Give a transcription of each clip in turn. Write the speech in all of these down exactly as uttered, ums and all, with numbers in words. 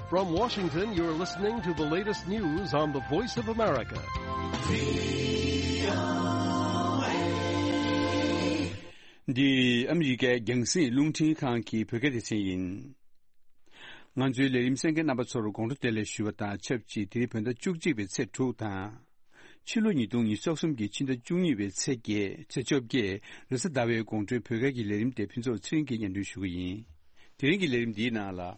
From Washington, you're listening to the latest news on the Voice of America. འདི་ཨ་མི་རི་ཀའི་རྒྱང་སྲིང་རླུང་འཕྲིན་ཁང་གི་བོད་སྐད་སྡེ་ཚན་ཡིན། ང་ཚོའི་ལས་རིམ་གསན་མཁན་རྣམ་པ་ཚོར་དགོང་དྲོ་བདེ་ལེགས་ཞུ་བ་དང་ཆབས་ཅིག་དེ་རིང་བོད་ཟླ་བཅུ་གཅིག་པའི་ཚེས་དྲུག་དང་། ཕྱི་ལོ་ཉིས་སྟོང་ཉི་ཤུ་རྩ་གསུམ་གྱི་ཕྱི་ཟླ་བཅུ་གཉིས་པའི་ཚེས་བརྒྱད། ཚེས་བཅོ་བརྒྱད། རེས་གཟའ་ཟླ་བའི་དགོང་དྲོའི་བོད་སྐད་ཀྱི་ལས་རིམ་དེ་ཕུན་ཚོགས་ཚེ་རིང་གིས་སྙན་སྒྲོན་ཞུ་གི་ཡིན། དེ་རིང་གི་ལས་རིམ་འདིའི་ནང་ལ།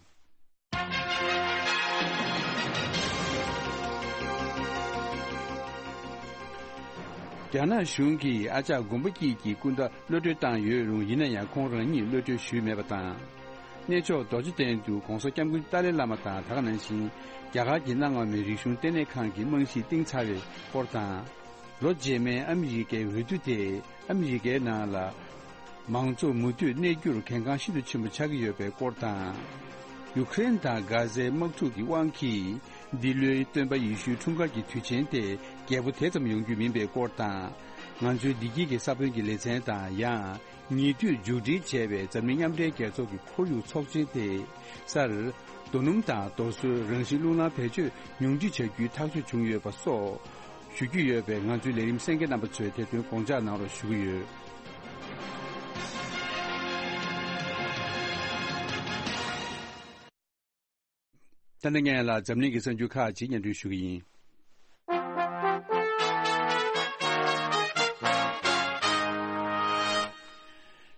རྒྱ་ནག་གཞུང་གིས་ཨ་ཅག་མགོན་པོ་སྐྱིད་ཀྱི་སྐུ་ཟླ་གློད་གྲོལ་བཏང་ཡོད་རུང་། ཡིན་ན་ཡང་ཁོང་རང་ཉིད་གློད་གྲོལ་ཞུས་མེད་པ་དང་། གནས་མཆོག་རྡོ་རྗེ་གདན་དུ་༧གོང་ས་༧སྐྱབས་མགོན་ཏཱ་ལའི་བླ་མ་དང་། ད་ག་ནང་བཞིན་རྒྱ་གར་གྱི་གནའ་སྔ་མོའི་རིག་གཞུང་ལྟེ་གནས་ཁང་གི་རྨང་གཞི་བཏིང་ཚར་བའི་སྐོར་དང་། ལོ་རྗེས་མའི་ཨ་མི་རི་ཀའི་འོས་བསྡུ་དེ་ཨ་མི་རི་ཀའི་ནང་ལ་མང་གཙོ་མུ་མཐུད་གནས་རྒྱུར་གལ་འགངས་ཤིན་ཏུ་ཆེན་པོ་ཆགས་ཀྱི་ཡོད་པའི་སྐོར་དང་། ཡུ་ཀེ་རེན་དང་གྷ་ཟའི་དམག་འཁྲུག་གི་དབང་གིས། འདི་ལོའི་སྟོན་པ་ཡེ་ཤུའི་འཁྲུངས་སྐར་གྱི་དུས་ཆེན་དེ་རྒྱས་པོ་དེ་ཙམ་ཡོང་རྒྱུ་མིན་པའི་སྐོར་དང་། ང་ཚོའི་བདེ་སྐྱིད་ཀྱི་ས་བོན་གྱི་ལེ་ཚན་དང་། ཡང་ཉེ་དུས་མཇུག་སྒྲིལ་བྱས་པའི་འཛམ་གླིང་མཉམ་འབྲེལ་རྒྱལ་ཚོགས་ཀྱི་ཁོར་ཡུག་ཚོགས་ཆེན་དེ་སར། རྡོ་སྣུམ་དང་རྡོ་སོལ་རང་བཞིན་རླུང་ནང་བེད་སྤྱོད་ཉུང་འཕྲི་བྱ་རྒྱུའི་ཐག་གཅོད་བྱུང་ཡོད་པ་སོགས་ཞུ་རྒྱུ་ཡོད་པས། ང་ཚོའི་ལས་རིམ་གསན་མཁན་རྣམ་པ་ཚོས་དེ་དོན་དགོངས་འཇགས་གནང་རོགས་ཞུ་གི་ཡོད། ད་ནི་ངས་ལ་འཛམ་གླིང་གི་གསར་འགྱུར་ཁག་ཅིག་སྙན་སྒྲོན་ཞུ་གི་ཡིན།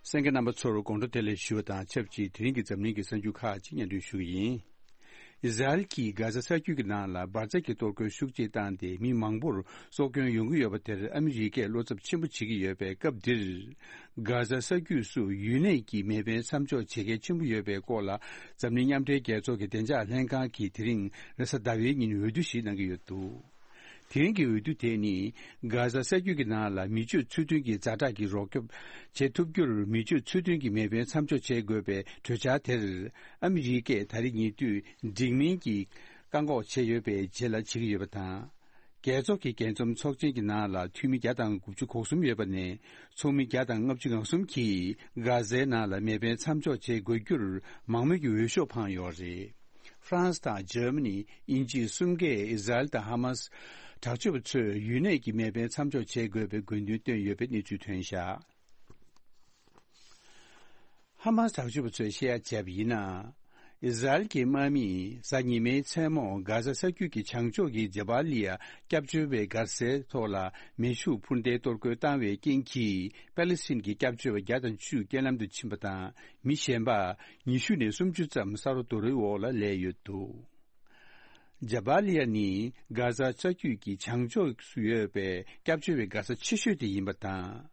གསན་མཁན་རྣམ་པ་ཚོར་དགོང་དྲོ་བདེ་ལེགས་ཞུ་བ་དང་ཆབས་ཅིག་དེ་རིང་གི་འཛམ་གླིང་གི་གསར་འགྱུར་ཁག་ཅིག་སྙན་སྒྲོན་ཞུ་གི་ཡིན། ཨི་ཟ་རེལ་གྱིས་གྷ་ཟ་ས་རྒྱུད་ཀྱི་ནང་ལ་འབར་རྫས་ཀྱི་གཏོར་རྒོལ་ཤུགས་ཆེ་བཏང་སྟེ། མི་མང་པོར་སྲོག་སྐྱོན་ཡོང་གི་ཡོད་པ་དེར་ཨ་མི་རི་ཀས་བློ་འཚབ་ཆེན་པོ་བྱེད་ཀྱི་ཡོད་པའི་སྐབས་འདིར། གྷ་ཟ་ས་རྒྱུད་སུ་ཡུན་གནས་ཀྱི་མེ་འཕེན་མཚམས་འཇོག་བྱེད་གལ་ཆེན་པོ་ཡོད་པའི་སྐོར་ལ། འཛམ་གླིང་མཉམ་འབྲེལ་རྒྱལ་ཚོགས་ཀྱི་བདེ་འཇགས་ལྷན་ཁང་གིས་དེ་རིང་རེས་གཟའ་ཟླ་བའི་ཉིན་འོས་བསྡུ་ཞིག་གནང་གི་ཡོད་འདུག་དེ་རིང་གི་འོས་བསྡུ་དེ་ནི། གྷ་ཟ་ས་རྒྱུད་ཀྱི་ནང་ལ་མི་སྤྱོད་ཚུལ་མཐུན་གྱི་ཛ་དྲག་གི་རོགས་སྐྱོབ་བྱེད་ཐུབ་རྒྱུར། མི་སྤྱོད་ཚུལ་མཐུན་གྱི་མེ་འཕེན་མཚམས་འཇོག་བྱེད་དགོས་པའི་གྲོས་འཆར་དེར། ཨ་མི་རི་ཀས་ད་རེས་ཉེ་དུས་འགྲིག་མིན་གྱི་བཀག་འགོག་བྱས་ཡོད་པའི་རྗེས་ལ་བྱེད་ཀྱི་ཡོད་པ་དང་། རྒྱལ་ཚོགས་ཀྱི་རྒྱས་འཛོམས་ཚོགས་ཆེན་གྱི་ནང་ལ་འཐུས་མི་བརྒྱ་དང་དགུ་བཅུ་གོ་གསུམ་ཡོད་པ་ནས། ཚོགས་མི་བརྒྱ་དང་ལྔ་བཅུ་ང་གསུམ་གྱིས་གྷ་ཟའི་ནང་ལ་མེ་འཕེན་མཚམས་འཇོག་བྱེད་དགོས་རྒྱུར་མང་མོས་ཀྱི་འོས་ཤོག་འཕངས་ཡོད་རེད། ཧྥ་རན་སི་དང་འཇར་མ་ནི། དབྱིན་ཇི་གསུམ་གས་ཨི་ཟ་རེལ་དང་ཧ་མ་སི་དྲག་སྤྱོད་པ་ཚོས་ཡུན་གནས་ཀྱི་མེ་འཕེན་མཚམས་འཇོག་བྱེད་དགོས་པའི་དགོས་འདུན་བཏོན་ཡོད་པའི་གནས་ཚུལ་ཐོན་བཞག་ཧ་མ་སི་དྲག་སྤྱོད་པ་ཚོས་བཤད་ཡ་བྱས་པ་ཡིན་ན། ཨི་ཟ་རེལ་གྱི་དམག་མིས་གཟའ་ཉི་མའི་མཚན་མོ་གྷ་ཟ་ས་རྒྱུད་ཀྱི་བྱང་ཕྱོགས་ཀྱི་ཇ་བ་ལི་ཡ་སྐྱབས་བཅོལ་བའི་སྒར་སའི་ཐོག་ལ་མེ་ཤུགས་འཕུར་མདེལ་གཏོར་རྒོལ་བཏང་བའི་རྐྱེན་གྱིས། པ་ལི་སི་ཐན་གྱི་སྐྱབས་བཅོལ་བ་བརྒྱ་དང་བཅུ་རྐྱེན་ལམ་དུ་ཕྱིན་པ་དང་། མི་གཞན་པ་ཉི་ཤུ་ནས་སུམ་ཅུ་ཙམ་ས་རོ་རྡོ་རོའི་འོག་ལ་ལུས་ཡོད་འདུག་ཇ་བ་ལི་ཡ་ནི་གྷ་ཟ་ས་རྒྱུད་ཀྱི་བྱང་ཕྱོགས་སུ་ཡོད་པའི་སྐྱབས་བཅོལ་བའི་སྒར་ས་ཆེ་ཤོས་དེ་ཡིན་པ་དང་།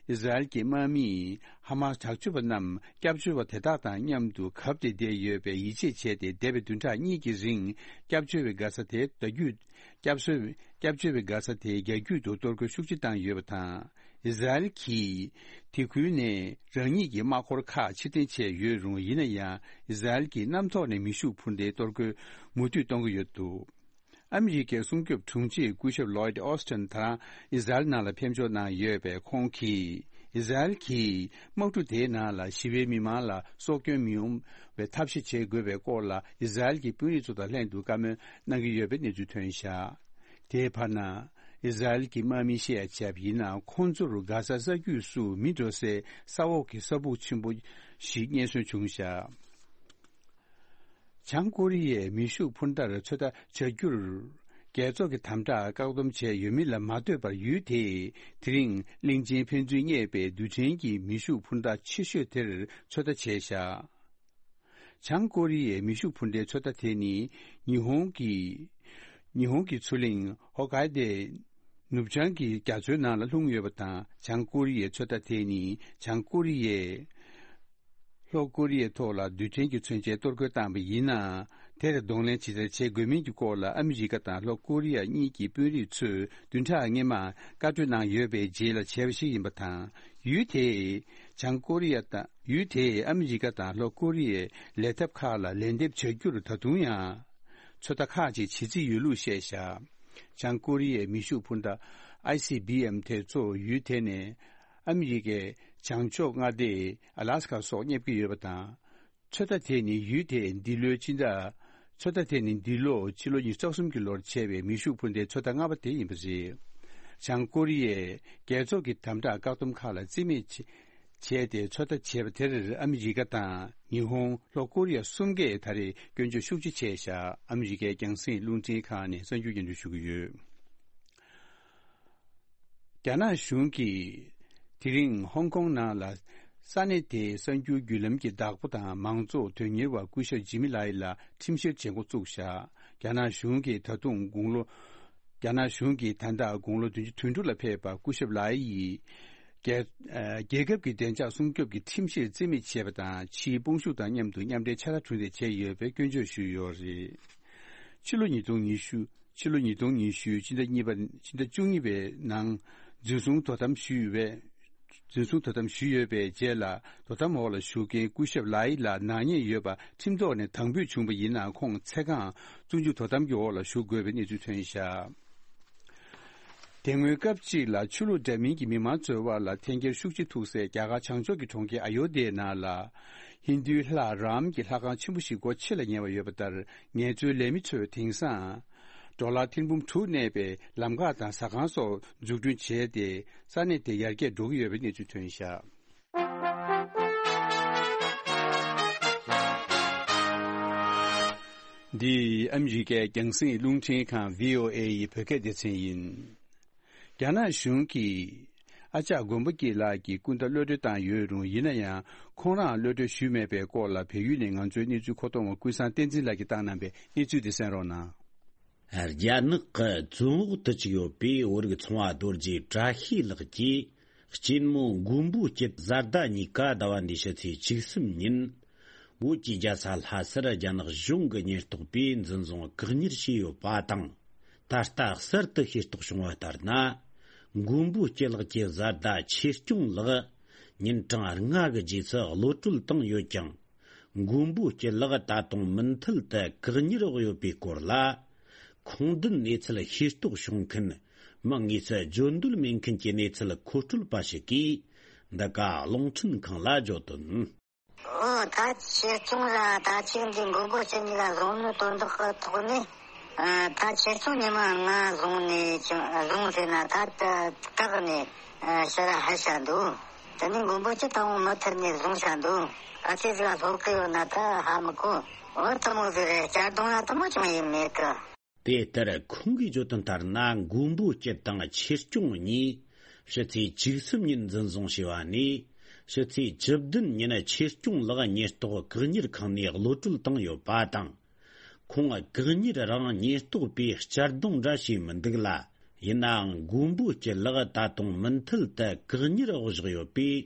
ཨི་ཟ་རེལ་གྱི་དམག་མིས་ཧ་མ་སི་དྲག་སྤྱོད་པ་རྣམས་སྐྱབས་བཅོལ་བ་དེ་དག་དང་མཉམ་དུ་གབ་སྟེ་བསྡད་ཡོད་པའི་ཡིད་ཆེས་བྱས་ཏེ། འདས་པའི་བདུན་ཕྲག་གཉིས་ཀྱི་རིང་སྐྱབས་བཅོལ་བའི་སྒར་ས་དེ་བརྒྱ་རྒྱུད། སྐྱབས་བཅོལ། སྐྱབས་བཅོལ་བའི་སྒར་ས་དེ་རྒྱ་རྒྱུད་དུ་གཏོར་རྒོལ་ཤུགས་ཆེ་བཏང་ཡོད་པ་དང་། ཨི་ཟ་རེལ་གྱིས་དེ་ཁུལ་ནས་རང་ཉིད་ཀྱི་དམག་འཁོར་ཁག་ཕྱིར་འཐེན་བྱས་ཡོད་རུང་། ཡིན་ན་ཡང་ཨི་ཟ་རེལ་གྱིས་གནམ་ཐོག་ནས་མེ་ཤུགས་འཕུར་མདེལ་གཏོར་རྒོལ་མུ་མཐུད་གཏོང་གི་ཡོད་འདུག་ཨ་མི་རི་ཀའི་སྲུང་སྐྱོབ་དྲུང་ཆེ་སྐུ་ཞབས་ལོའིད་ཨོ་སི་ཊིན་ད་རང་ཨི་ཟ་རེལ་ནང་ལ་ཕེབས་འབྱོར་གནང་ཡོད་པས། ཁོང་གིས་ཨི་ཟ་རེལ་གྱིས་དམག་གྲུ་དེའི་ནང་ལ་ཞི་བའི་མི་མང་ལ་སྲོག་སྐྱོན་མི་ཡོང་བའི་ཐབས་ཤེས་བྱེད་དགོས་པའི་སྐོར་ལ་ཨི་ཟ་རེལ་གྱི་དཔོན་རིགས་ཚོ་དང་ལྷན་དུ་བཀའ་མོལ་གནང་གི་ཡོད་པའི་གནས་ཚུལ་ཐོན་བཞག་དེའི་བར་ན། ཨི་ཟ་རེལ་གྱི་དམག་མིས་བཤད་ཡ་བྱས་པ་ཡིན་ན། ཁོང་ཚོར་གྷ་ཟ་ས་རྒྱུད་སུ་མི་འགྲོ་སའི་ས་འོག་གི་ས་སྦུག་ཆེན་པོ་ཞིག་རྙེད་སོན་བྱུང་བཞག་བྱང་ཀོ་རི་ཡས་མེ་ཤུགས་འཕུར་མདའ་ཚོད་ལྟ་བྱ་རྒྱུར། རྒྱལ་ཚོགས་ཀྱི་དམ་དྲག་བཀག་སྡོམ་བྱས་ཡོད་མིན་ལ་མ་ལྟོས་པར། ཡུལ་དེས་དེ་རིང་གླིང་ཆེན་ཕན་ཚུན་བསྙད་པའི་རྡུལ་ཕྲན་གྱི་མེ་ཤུགས་འཕུར་མདའ་ཆེ་ཤོས་དེར་ཚོད་ལྟ་བྱས་བཞག་བྱང་ཀོ་རི་ཡའི་མེ་ཤུགས་འཕུར་མདའི་ཚོད་ལྟ་དེ་ནི། ཉི་ཧོང་གི། ཉི་ཧོང་གི་མཚོ་གླིང་ཧོ་ཀའི་ཏེ་ནུབ་བྱང་གི་རྒྱ་མཚོའི་ནང་ལ་ལྷུང་ཡོད་པ་དང་། བྱང་ཀོ་རི་ཡའི་ཚོད་ལྟ་དེ་ནི། བྱང་ཀོ་རི་ཡས་ལྷོ་ཀོ་རི་ཡའི་ཐོག་ལ་རྡུལ་ཕྲན་གྱི་མཚོན་ཆའི་གཏོར་རྒོལ་བཏང་བ་ཡིན་ན། དེར་གདོང་ལེན་ཇི་ལྟར་བྱེད་དགོས་མིན་གྱི་སྐོར་ལ། ཨ་མི་རི་ཀ་དང་ལྷོ་ཀོ་རི་ཡ་གཉིས་ཀྱི་དཔོན་རིགས་ཚོས་བདུན་ཕྲག་སྔོན་མ་བཀའ་གྲོས་གནང་ཡོད་པའི་རྗེས་ལ་བྱས་པ་ཞིག་ཡིན་པ་དང་། ཡུལ་དེས་བྱང་ཀོ་རི་ཡ་དང་། ཡུལ་དེས་ཨ་མི་རི་ཀ་དང་ལྷོ་ཀོ་རི་ཡའི་ལས་ཐབས་ཁག་ལ་ལན་འདེབས་བྱ་རྒྱུར་ད་དུང་ཡང་ཚོད་ལྟ་ཁག་ཅིག་བྱེད་རྩིས་ཡོད་ལུགས་བཤད་བཞག་བྱང་ཀོ་རི་ཡའི་མེ་ཤུགས་འཕུར་མདའ་ཨའི་སི་བི་ཨེམ་དེ་ཚོ་ཡུལ་དེ་ནས་ཨ་མི་རི་ཀའི་བྱང་ཕྱོགས་མངའ་སྡེ་ཨ་ལ་སི་ཀ་སོགས་སྙེབ་ཀྱི་ཡོད་པ་དང་། ཚོད་ལྟ་དེ་ནི་ཡུལ་དེས་འདི་ལོའི་སྤྱི་ཟླ་ ཚོད་ལྟ་དེ་ནི་འདི་ལོ་ཕྱི་ལོ་ཉིས་སྟོང་གསུམ་གྱི་ལོར་བྱས་པའི་མེ་ཤུགས་འཕུར་མདེལ་ཚོད་ལྟ་ལྔ་པ་དེ་ཡིན་པ་རེད། བྱང་ཀོ་རི་ཡས་རྒྱལ་ཚོགས་ཀྱི་དམ་དྲག་བཀག་སྡོམ་ཁག་ལ་རྩིས་མེད་བྱས། བྱས་ཏེ་ཚོད་ལྟ་བྱས་པ་དེར་ཨ་མི་རི་ཀ་དང་ཉི་ཧོང་། ལྷོ་ཀོ་རི་ཡ་གསུམ་གས་ད་རེས་སྐྱོན་བརྗོད་ཤུགས་ཆེ་བྱས་བཞག་ཨ་མི་རི་ཀའི་རྒྱང་སྲིང་རླུང་འཕྲིན་ཁང་ནས་གསར་འགྱུར་སྙན་སྒྲོན་ཞུ་གི་ཡོད། རྒྱ་ནག་གཞུང་གིས་དེ་རིང་ཧོང་ཀོང་ནང་ལ་ས་གནས་དེའི་གསར་འགྱུར་བརྒྱུད་ལམ་གྱི་བདག་པོ་དང་མང་གཙོ་དོན་གཉེར་བ་སྐུ་ཞབས་ཇི་མི་ལའི་ལ་ཁྲིམས་བཤེར་བྱེད་འགོ་བཙུགས་བཞག་རྒྱ་ནག་གཞུང་གིས་ད་དུང་དགུང་ལོ། རྒྱ་ནག་གཞུང་གིས་ད་ལྟ་དགུང་ལོ་བདུན་ཅུ་དོན་དྲུག་ལ་ཕེབས་པ་སྐུ་ཞབས་ལའི་ཡིས། རྒྱལ་ཨ་རྒྱལ་ཁབ་ཀྱི་བདེ་འཇགས་སྲུང་སྐྱོབ་ཀྱི་ཁྲིམས་གཞིར་རྩིས་མེད་བྱས་པ་དང་། ཕྱིའི་དཔུང་ཤུགས་དང་མཉམ་དུ་མཉམ་འབྲེལ་ཕྱག་ལས་གྲུ་འདེགས་བྱས་ཡོད་པའི་སྐྱོན་བརྗོད་ཞུས་ཡོད་རེད། ཕྱི་ལོ་ཉིས་སྟོང་ཉི་ཤུ། ཕྱི་ལོ་ཉིས་སྟོང་ཉི་ཤུ་ཕྱི་ཟླ་གཉིས་པ། ཕྱི་ཟླ་བཅུ་གཉིས་པའི་ནང་འཛིན་བཟུང་དོ་དམ་ཞུས་པའི། འཛིན་བཟུང་དོ་དམ་ཞུས་ཡོད་པའི་རྗེས་ལ། དོ་དམ་འོག་ལ་བཞུགས་མཁན་སྐུ་ཞབས་ལའི་ལ་ནག་ཉེས་ཡོད་པ་ཁྲིམས་ཐོག་ནས་དང་འབོད་བྱུང་བ་ཡིན་ནའང་ཁོང་ཚེ་གང་བཙོན་འཇུག་དོ་དམ་གྱི་འོག་ལ་བཞུགས་དགོས་པའི་གནས་ཚུལ་ཐོན་བཞག་དེ་སྔོན་སྐབས་གཅིག་ལ་ཆོས་ལུགས་འདྲ་མིན་གྱི་མི་མང་འཛོལ་བ་ལ་འཐེན་འཁྱེར་ཤུགས་ཆེ་ཐུག་སའི་རྒྱ་གར་བྱང་ཕྱོགས་ཀྱི་གྲོང་ཁྱེར་ཨ་ཡོ་དྷྱའི་ནང་ལ། ཧིན་རྡུའི་ལྷ་རམ་གྱི་ལྷ་ཁང་ཆེན་པོ་ཞིག་སྒོ་ཕྱེ་ལ་ཉེ་བ་ཡོད་པ་ལྟར། ངལ་རྩོལ་ལས་མི་ཚོས་དེང་སང་། ཌོ་ལར་ཐེར་འབུམ་དྲུག་གནས་པའི་ལམ་ཁ་དང་ཟ་ཁང་སོགས་འཛུགས་སྐྲུན་བྱས་ཏེ། ས་གནས་དེ་ཡར་རྒྱས་འགྲོ་གི་ཡོད་པའི་གནས་ཚུལ་ཐོན་བཞག་འདི་ཨ་མི་རི་ཀའི་རྒྱང་སྲིང་རླུང་འཕྲིན་ཁང་བྷི་ཨོ་ཨེ་ཡི་བོད་སྐད་སྡེ་ཚན་ཡིན། རྒྱ་ནག་གཞུང་གིས་ཨ་ཅག་མགོན་པོ་སྐྱིད་ལགས་ཀྱི་སྐུ་ཟླ་གློད་གྲོལ་བཏང་ཡོད་རུང་། ཡིན་ན་ཡང་ཁོང་རང་གློད་གྲོལ་ཞུས་མེད་པའི་སྐོར་ལ་བལ་ཡུལ་ནས་ང་ཚོའི་གནས་ཚུལ་མཁོ་གཏོང་བ་ཀུན་བཟང་བསྟན་འཛིན་ལགས་ཀྱིས་བཏང་གནང་པའི་གནས་ཚུལ་དེ་གསན་རོགས་གནང་། རྒྱ་ནག་གི་བཙོན་འོག་ཏུ་བཅུག་ཡོད་པའི་བོད་རིགས་ཚོང་བ་རྡོ་རྗེ་བཀྲ་ཤིས་ལགས་ཀྱི་གཅེན་མོ་མགོན་པོ་སྐྱིད་བཟའ་ཟླ་གཉིས་ཀ་ཟླ་བ་འདིའི་ཕྱི་ཚེས་བཅུ་གསུམ་ཉིན། བོད་ཀྱི་རྒྱལ་ས་ལྷ་སར་རྒྱ་ནག་གཞུང་གི་ཉེན་རྟོག་པས་འཛིན་བཟུང་བཀག་ཉར་བྱས་ཡོད་པ་དང་། ད་ལྟ་གསར་དུ་ཤེས་རྟོགས་བྱུང་བ་ལྟར་ན། མགོན་པོ་སྐྱིད་ལགས་ཀྱི་བཟའ་ཟླ་ཆོས་སྐྱོང་ལགས་ཉིན་གྲངས་ལྔ་གི་རྗེས་སུ་གློད་གྲོལ་བཏང་ཡོད་ཀྱང་། མགོན་པོ་སྐྱིད་ལགས་ད་དུང་མུ་མཐུད་དུ་བཀག་ཉར་འོག་ཡོད་པའི་སྐོར་ལ། ཁུངས་ལྡན་གནས་ཚུལ་ཤེས་རྟོགས་བྱུང་མཁན་མི་དངོས་སུ་བརྗོད་འདོད་མེད་མཁན་གྱི་གནས་ཚུལ་མཁོ་སྤྲོད་པ་ཞིག་གིས་འདི་ག་རླུང་འཕྲིན་ཁང་ལ་བརྗོད་དོན། ཨོ། ད་ཆོས་སྐྱོང་ལ་ད་ཅིག་འདི་མགོན་པོ་སྐྱིད་གཉིས་ལ་བཟུང་ནི་དོན་དག་གི་ཐོག་ནས། ཨ། ད་ཆོས་སྐྱོང་ཉི་མ་ལྔ་བཟུང་ནས་ཀྱང་བཟུང་ཟེར་ན་ད་ད་བཀག་ནས། ཨ། ཕྱིར་ཕུད་བྱ་འདུག་དེ་ནས་མགོན་པོ་སྐྱིད་ད་འོང་མུ་མཐུད་ནས་བཟུང་བྱ་འདུག་ག་ཚོད་ཟིག་ལ་སློབ་གི་ཡོད་ན་ད་ཧ་མི་གོ་འོ་དེ་མོ་ཟིག་རེད། གཅར་རྡུང་ལ་དེ་མོ་ཅང་ཡིན་མེད་གི། དེ་ལྟར་ཁོང་གིས་བརྗོད་དོན་ལྟར་ན། མགོན་པོ་སྐྱིད་དང་ཆོས་སྐྱོང་གཉིས་ཕྱི་ཚེས་བཅུ་གསུམ་ཉིན་འཛིན་བཟུང་བྱས་པ་ནས། ཕྱི་ཚེས་བཅུ་བདུན་ཉིན་ཆོས་སྐྱོང་ལགས་ཉེན་རྟོག་བཀག་ཉར་ཁང་ནས་གློད་གྲོལ་བཏང་ཡོད་པ་དང་། ཁོང་བཀག་ཉར་རིང་ཉེན་རྟོག་པས་གཅར་རྡུང་འདྲ་བྱས་མི་འདུག་ལ། ཡིན་ནའང་མགོན་པོ་སྐྱིད་ལགས་ད་དུང་མུ་མཐུད་དུ་བཀག་ཉར་འོག་བཞག་ཡོད་པས།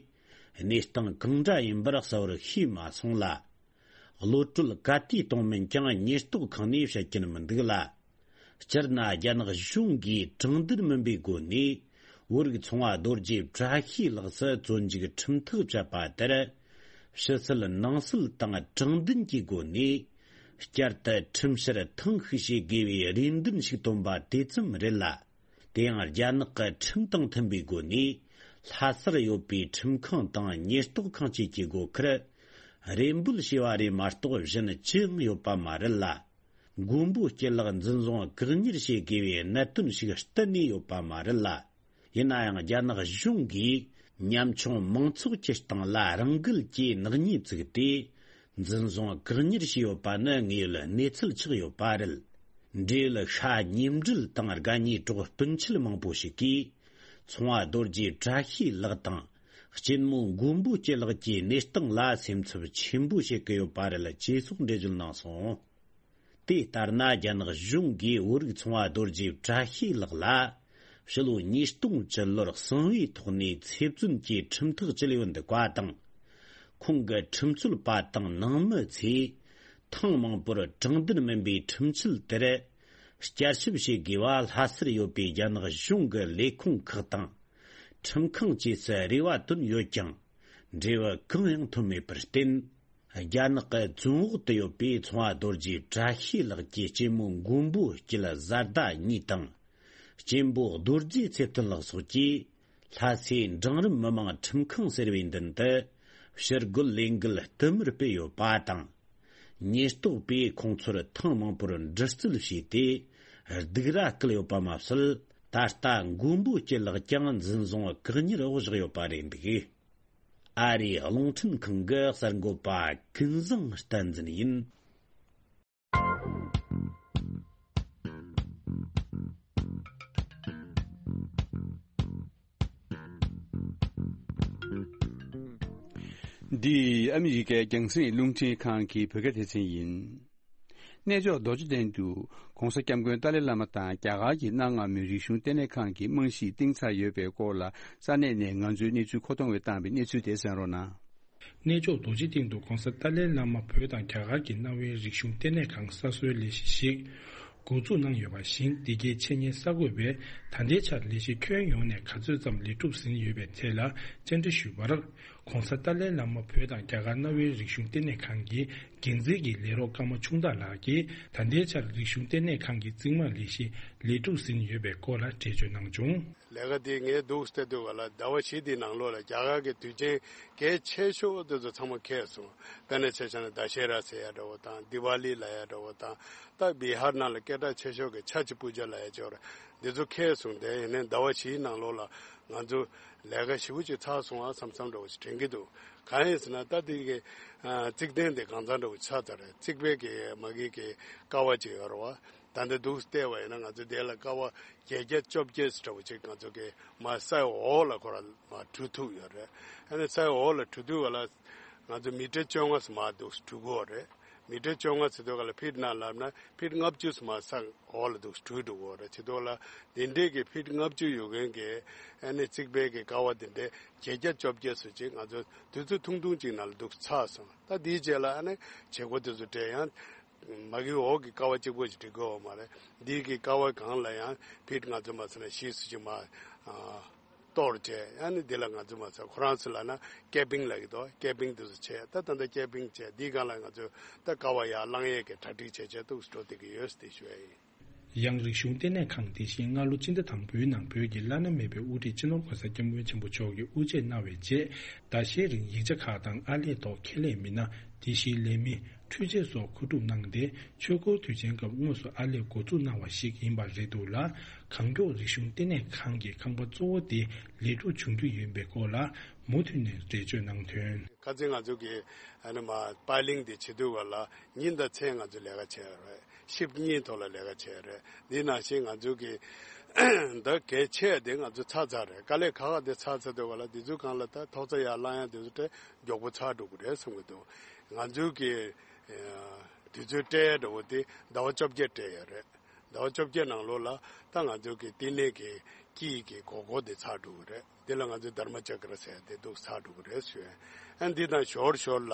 གནས་སྟངས་གང་འདྲ་ཡིན་པར་གསལ་བོར་ཤེས་མ་སོང་ལ། གློད་གྲོལ་ག་དུས་གཏོང་མིན་ཀྱང་ཉེན་རྟོག་ཁང་ནས་བཤད་ཀྱིན་མི་འདུག་ལ། སྤྱིར་ན་རྒྱ་ནག་གཞུང་གིས་དྲང་བདེན་མིན་པའི་སྒོ་ནས་བོད་རིགས་ཚོང་བ་རྡོ་རྗེ་བཀྲ་ཤིས་ལགས་སུ་བཙོན་འཇུག་ཁྲིམས་ཐག་བཅད་པ་དེར། ཕྱི་སྲིད་ནང་སྲིད་དང་དྲང་བདེན་གྱི་སྒོ་ནས་བསྐྱར་དུ་ཁྲིམས་བཤེར་ཐེངས་ཤིག་བྱེད་དགོས་པའི་རེ་འདུན་ཞིག་བཏོན་པ་དེ་ཙམ་རེད་ལ། དེ་ཡང་རྒྱ་ནག་གི་ཁྲིམས་དང་མཐུན་པའི་སྒོ་ནས་ལྷ་སར་ཡོད་པའི་ཁྲིམས་ཁང་དང་ཉེན་རྟོག་ཁང་བཅས་ཀྱི་སྒོ་ཁར་རེ་འབོད་བྱས་པ་རེད་མ་གཏོགས་གཞན་ཅི་ཡང་ཡོད་པ་མ་རེད་ལ། མགོན་པོ་སྐྱིད་ལགས་འཛིན་བཟུང་བཀག་ཉར་བྱེད་དགོས་པའི་གནད་དོན་ཞིག་གཏན་ནས་ཡོད་པ་མ་རེད་ལ། ཡིན་ན་ཡང་རྒྱ་ནག་གཞུང་གིས་ཉམ་ཆུང་མང་ཚོགས་ཀྱི་སྟེང་ལ་རང་འགུལ་གྱིས་ནག་ཉེས་བཙུགས་ཏེ། འཛིན་བཟུང་བཀག་ཉར་བྱས་ཡོད་པ་ནི་དངོས་ཡོད་གནས་ཚུལ་ཆགས་ཡོད་པ་རེད། འབྲེལ་ཡོད་ཤ་ཉེ་འབྲེལ་དང་དགའ་ཉེ་གྲོགས་སྤུན་མཆེད་མང་པོ་ཞིག་གིས། ཚོང་བ་རྡོ་རྗེ་བཀྲ་ཤིས་ལགས་དང་། གཅེན་མོ་མགོན་པོ་སྐྱིད་ལགས་ཀྱི་གནས་སྟངས་ལ་སེམས་འཚབ་ཆེན་པོ་བྱེད་ཀྱི་ཡོད་པ་རེད། ཅེས་སོགས་འགྲེལ་བརྗོད་གནང་སོང་། དེ་ལྟར་ན། རྒྱ་ནག་གཞུང་གིས་བོད་རིགས་ཚོང་བ་རྡོ་རྗེ་བཀྲ་ཤིས་ལགས་ལ། ཕྱི་ལོ་ཉིས་སྟོང་བཅུ་ལོར་གསང་བའི་ཐོག་ནས་ཚེ་བཙོན་གྱི་ཁྲིམས་ཐག་བཅད་ཡོད་འདུག་པ་དང་། ཁོང་གི་ཁྲིམས་རྩོད་པ་དང་ནང་མི་ཚོས་ཐེངས་མང་པོར་དྲང་བདེན་མིན་པའི་ཁྲིམས་ཆད་དེར་བསྐྱར་ཞིབ་བྱེད་དགོས་པ་ལྷ་སར་ཡོད་པའི་རྒྱ་ནག་གཞུང་གི་ལས་ཁུངས་ཁག་དང་། ཁྲིམས་ཁང་བཅས་སུ་རེ་བ་བཏོན་ཡོད་ཀྱང་། འབྲས་བུ་གང་ཡང་ཐོན་མེད་པར་བརྟེན། རྒྱ་ནག་གི་བཙོན་འོག་ཏུ་ཡོད་པའི་ཚོང་བ་རྡོ་རྗེ་བཀྲ་ཤིས་ལགས་ཀྱི་གཅེན་མོ་མགོན་པོ་སྐྱིད་བཟའ་ཟླ་གཉིས་དང་། གཅེན་པོ་རྡོ་རྗེ་ཚེ་བརྟན་ལགས་སོགས་ཀྱིས་ལྷ་སའི་འབྲིང་རིམ་མི་དམངས་ཁྲིམས་ཁང་ཟེར་བའི་མདུན་དུ་ཕྱིར་རྒོལ་ལས་འགུལ་བསྟུད་མར་སྤེལ་ཡོད་པ་དང་། ཉེན་རྟོག་པས་ཁོང་ཚོར་ཐེངས་མང་པོར་འདྲི་རྩད་བྱས་ཏེ། སྡིགས་ར་བསྐུལ་ཡོད་པ་མ་ཟད། ད་ལྟ་མགོན་པོ་སྐྱིད་ལགས་ཀྱང་འཛིན་བཟུང་བཀག་ཉར་འོག་བཞག་ཡོད་པ་རེད་འདུག། ཨ་རིའི་རླུང་འཕྲིན་ཁང་གི་གསར་འགོད་པ་ཀུན་བཟང་བསྟན་འཛིན་ཡིན། འདི་ཨ་མི་རི་ཀའི་རྒྱང་སྲིང་རླུང་འཕྲིན་ཁང་གི་བོད་སྐད་སྡེ་ཚན་ཡིན། གནས་མཆོག་རྡོ་རྗེ་གདན་དུ་༸གོང་ས་༸སྐྱབས་མགོན་ཏཱ་ལའི་བླ་མ་དང་རྒྱ་གར་གྱི་གནའ་སྔ་མོའི་རིག་གཞུང་ལྟེ་གནས་ཁང་གི་རྨང་གཞི་བཏིང་ཚར་ཡོད་པའི་སྐོར་ལ་ས་གནས་ནས་ང་ཚོའི་གནས་ཚུལ་མཁོ་གཏོང་བས་བཏང་བའི་གནས་ཚུལ་དེ་གསན་རོགས་གནང་། གནས་མཆོག་རྡོ་རྗེ་གདན་དུ་༸གོང་ས་ཏཱ་ལའི་བླ་མ་བོད་དང་རྒྱ་གར་གྱི་གནའ་བོའི་རིག་གཞུང་ལྟེ་གནས་ཁང་གསར་བཟོའི་ལས་གཞི་ཞིག་འགོ་འཛུགས་གནང་ཡོད་པ་བཞིན། འདི་གའི་འཆད་ཉན་གསར་འགོད་པས་ད་ལྟའི་ཆར་ལས་གཞི་ཁྱོན་ཡོངས་ནས་ག་ཚོད་ཙམ་ལས་གྲུབ་ཟིན་ཡོད་པའི་ཐད་ལ་བཅར་འདྲི་ཞུས་པར། ༸གོང་ས་ཏཱ་ལའི་བླ་མ་བོད་དང་རྒྱ་གར་གནའ་བོའི་རིག་གཞུང་ལྟེ་གནས་ཁང་གི་འགན་འཛིན་གྱི་ལས་རོགས་ཀརྨ་ཆུང་བདག་ལགས་ཀྱིས་ད་ལྟའི་ཆར་རིག་གཞུང་ལྟེ་གནས་ཁང་གི་རྩིང་མ་ལས་གཞི་ལས་གྲུབ་ཟིན་ཡོད་པའི་སྐོར་ལ་འགྲེལ་བརྗོད་གནང་བྱུང་། ལས་ཀ་དེ་ངས་འདུག་སྟེ་སྡོད་པ་ལ་ཟླ་བ་བཞི་དེའི་ནང་ལོགས་ལ་རྒྱ་གར་གྱི་དུས་ཆེན་གལ་ཆེ་ཤོས་དེ་ཚོ་ཚང་མ་འཁེལ་སོང་། དཔེར་ན་ཆ་བཞག་ན་ད་ཤེ་ར་ཟེར་ཡ་འདྲ་བོ་དང་དི་ཝ་ལི་ལབ་ཡ་འདྲ་བོ་དང་། ད་བི་ཧར་ནང་ལ་སྐད་གྲགས་ཆེ་ཤོས་ཀྱི་ཆ་ཅི་པུ་ཇ་ལབ་ཡ་ཅིག་ཡོད་རེད། འདི་ཚོ་འཁེལ་སོང་། དེ་ཡིན་ནའི་ཟླ་བ་བཞིའི་ནང་ལོགས་ལ་ང་ཚོ་ལས་ཀ་ཞེ་པོ་ཅིག་ཚར་སོང་ཨ་བསམ་བསམ་འདྲ་བོ་ཅིག་དྲན་གྱི་འདུག། གང་ཡིན་ཟེར་ན་ད་དེ་གི་ཨ་རྩིག་གདན་དེ་གང་ཚང་འདྲ་བོ་ཆགས་ཚར་རེད། རྩིག་པའི་གི་མ་གི་གི་ཀ་བ་ཅིག་ཡོད་རེད་བ། ད་ལྟ་འདུག་བལྟས་པ་ཡིན་ན་ང་ཚོ་དེ་ལ་ཀ་བ་བརྒྱད་བརྒྱ་བཅོ་བརྒྱད་འདྲ་བོ་ཅིག་ང་ཚོ་གི་མ་ས་འོག་ལ་ཁོ་རང་མ་བྲུས་ཐུབ་ཡོད་རེད། ཨ་ནི་ས་འོག་ལ་བྲུས་ཐུབ་པ་ལ་ང་ཚོ་མི་ཊར་བཅོ་ལྔ་ཙམ་མ་འདུག་བྲུས་དགོས་རེད། མི་ཊར་བཅོ་ལྔ་ཟེར་དུས་ག་ལ་ཕིཊ་ནང་ལབ་ན་ཕིཊ་ལྔ་བཅུ་ཙམ་མ་ས་འོག་ལ་འདུག་བྲུས་འགྲོ་དགོས་རེད། བྱེད་དུས་ལ་དེ་འདྲས་ཀྱི་ཕིཊ་ལྔ་བཅུ་ཡོད་མཁན་གྱི་ཨ་ནི་རྩིག་པའི་གི་ཀ་བ་དེ་འདྲས་བརྒྱད་བརྒྱ་བཅོ་བརྒྱད་ཙམ་ཅིག་ང་ཚོ་དུས་ཚོད་ཐུང་ཐུང་ཅིག་ནང་ལ་འདུག་ཚར་སོང་། ད་དེའི་རྗེས་ལ་ཨ་ནི་བྱེད་སྒོ་དེ་ཚོ་སྤྲད་ཡང་མ་གི་འོག་གི་ཀ་བ་གཅིག་པོ་ཞིག་སྒྲིག་དགོས་པ་མ་རེད། འདི་གི་ཀ་བ་གང་ལ་ཡང་ཕིཊ་ང་ཚོ་མ་ཚད་ན་བཞི་ཙམ་ཅིག་མ་ཨ་གཏོར་བྱས། ཨ་ནི་འདི་ལ་ང་ཚོ་མ་ཚད་ཁོ་རང་ཚོ་ལ་ན་ཀེ་པིང་ལབ་ཀྱི་འདུག། ཀེ་པིང་དེ་ཚོ་བྱས། ད་ད་ལྟ་ཀེ་པིང་བྱས་འདིའི་སྒང་ལ་ང་ཚོ་ད་ཀ་བ་ཡར་བསླང་ཡས་ཀྱི་གྲ་སྒྲིག་བྱས་བྱས་འདུག་འགྲོ་བསྡད་ཀྱི་ཡོད་ཟེར་དེ་ཞུ་ཡ་ཡིན། ཡང་རིག་གཞུང་ལྟེ་གནས་ཁང་དེ་བཞིན་སྔ་ལོ་སྤྱི་ཟླ་དང་པོའི་ནང་བོད་ཀྱི་བླ་ན་མེད་པའི་དབུ་ཁྲིད་སྤྱི་ནོར་༸གོང་ས་༸སྐྱབས་མགོན་ཆེན་པོ་མཆོག་གིས་དབུ་འབྱེད་གནང་བའི་རྗེས། ཟླ་ཤས་རིང་ཡིག་ཆ་ཁག་དང་ཨར་ལས་ཐོག་ཁྱད་ལས་མི་སྣ། དེ་བཞིན་ལས་མི། འཕྲུལ་ཆས་སོགས་མཁོ་སྒྲུབ་གནང་སྟེ། ཆོས་འཁོར་དུས་ཆེན་སྐབས་དངོས་སུ་ཨར་ལས་འགོ་འཛུགས་གནང་བ་ཞིག་ཡིན་པ་རེད་འདུག་ལ། གང་མགྱོགས་རིག་གཞུང་ལྟེ་གནས་ཁང་གི་ཁང་པ་གཙོ་བོ་དེ་ལས་སྒྲུབ་བྱུང་རྒྱུ་ཡིན་པའི་སྐོར་ལ་མུ་མཐུད་ནས་འགྲེལ་བརྗོད་གནང་དོན། ཁ་སང་ང་ཚོ་གི་ཨ་ནི་མ་པའི་ལིང་དེ་བྱེད་དུས་བར་ལ་ཉིན་དང་མཚན་ང་ཚོ་ལས་ཀ་བྱས་ཡོད་རེད། ཤིབ་གཉིས་ཐོག་ལ་ལས་ཀ་བྱས་ཡོད་རེད། འདི་ནང་བཞིན་ང་ཚོ་གི་ད་གལ་ཆེ་དེ་ང་ཚོ་ཚར་ཚར་རེད། དཀའ་ལས་ཁག་ཁག་དེ་ཚར་ཚར་དུས་བར་ལ་དེ་ཚོའི་སྒང་ལ་ད་ཐོག་ཚ་ཡར་བསླང་ཡ་དེ་ཚོ་དེ་མགྱོགས་པོ་ཚར་འགྲོ་གི་རེད་བསམ་གི་འདུག། ང་ཚོའི་གི་ཨ་དུས་ཚོད་སྤྲད་ཡ་འདྲ་བོ་དེ་ཟླ་བ་བཅོ་བརྒྱད་སྤྲད་ཡོད་རེད། ཟླ་བ་བཅོ་བརྒྱད་ནང་ལོགས་ལ་ད་ང་ཚོའི་གི་བསྟི་གནས་ཀྱི་དཀྱིལ་གྱི་སྒོར་སྒོར་དེ་ཚར་འགྲོ་གི་རེད། དེ་ལ་ང་ཚོས་དྷརྨ་ཅཀྲ་ཟེར་དེ་འདུག་ཚར་འགྲོ་གི་རེད་ཞུ། ཨ་འདི་དང་ཞོར་ཞོར་ལ་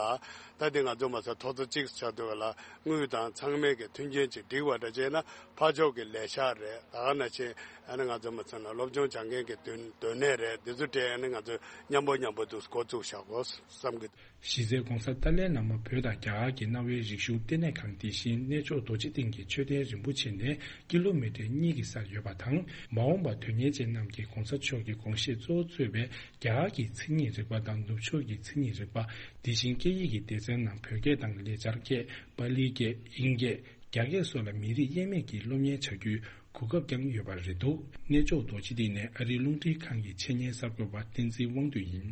ད་དེ་ང་ཚོ་མ་ཚད་ཐོག་ཚ་གཅིག་ཆགས་འདུག་ལ་དངུལ་དང་ཚང་མས་གི་མཐུན་རྐྱེན་ཅིག་སྒྲིག་པ་འདྲ་བྱས་ན་ཕར་ཕྱོགས་ཀྱི་ལས་ཤག་རེད། ད་ག་ནང་བཞིན་ཨ་ནི་ང་ཚོ་མ་ཚད་ན་སློབ་སྦྱོང་སྦྱང་མཁན་གྱི་སྡོད་སྡོད་གནས་རེད། འདི་ཚོ་སྤྲད་ཨ་ནི་ང་ཚོ་མཉམ་པོ་མཉམ་པོ་འདུག་འགོ་བཙུགས་བཞག་གོ་བསམ་གི། གཞི་རྩའི་༸གོང་ས་ཏཱ་ལའི་བླ་མ་བོད་དང་རྒྱ་གར་གྱི་གནའ་བོའི་རིག་གཞུང་ལྟེ་གནས་ཁང་དེ་བཞིན་གནས་མཆོག་རྡོ་རྗེ་གདན་གྱི་མཆོད་རྟེན་རིན་པོ་ཆེ་ནས་ཀི་ལོ་མི་ཊར་གཉིས་ཀྱི་སར་ཡོད་པ་དང་། མ་འོངས་པར་དོན་གཉེར་ཅན་རྣམས་ཀྱིས་༸གོང་ས་མཆོག་གི་དགོངས་བཞེད་གཙོ་བོར་གཙོས་པའི་རྒྱ་གར་གྱི་མཚན་ཉིད་རིག་པ་དང་ནུབ་ཕྱོགས་ཀྱི་མཚན་ཉིད་རིག་པ། དེ་བཞིན་སྐད་ཡིག་གི་སྡེ་ཚན་ནང་བོད་སྐད་དང་ལེགས་སྦྱར་སྐད། པཱ་ལིའི་སྐད། དབྱིན་སྐད། རྒྱ་སྐད་སོགས་ལ་མི་རིགས་དབྱེ་མེད་ཀྱིས་སློབ་གཉེར་བྱ་རྒྱུའི་གོ་སྐབས་ཀྱང་ཡོད་པ་རེད་འདུག། གནས་མཆོག་རྡོ་རྗེ་གདན་ནས་ཨ་རིའི་རླུང་འཕྲིན་ཁང་གི་འཆད་ཉན་གསར་འགོད་པ་བསྟན་འཛིན་དབང་འདུས་ཡིན།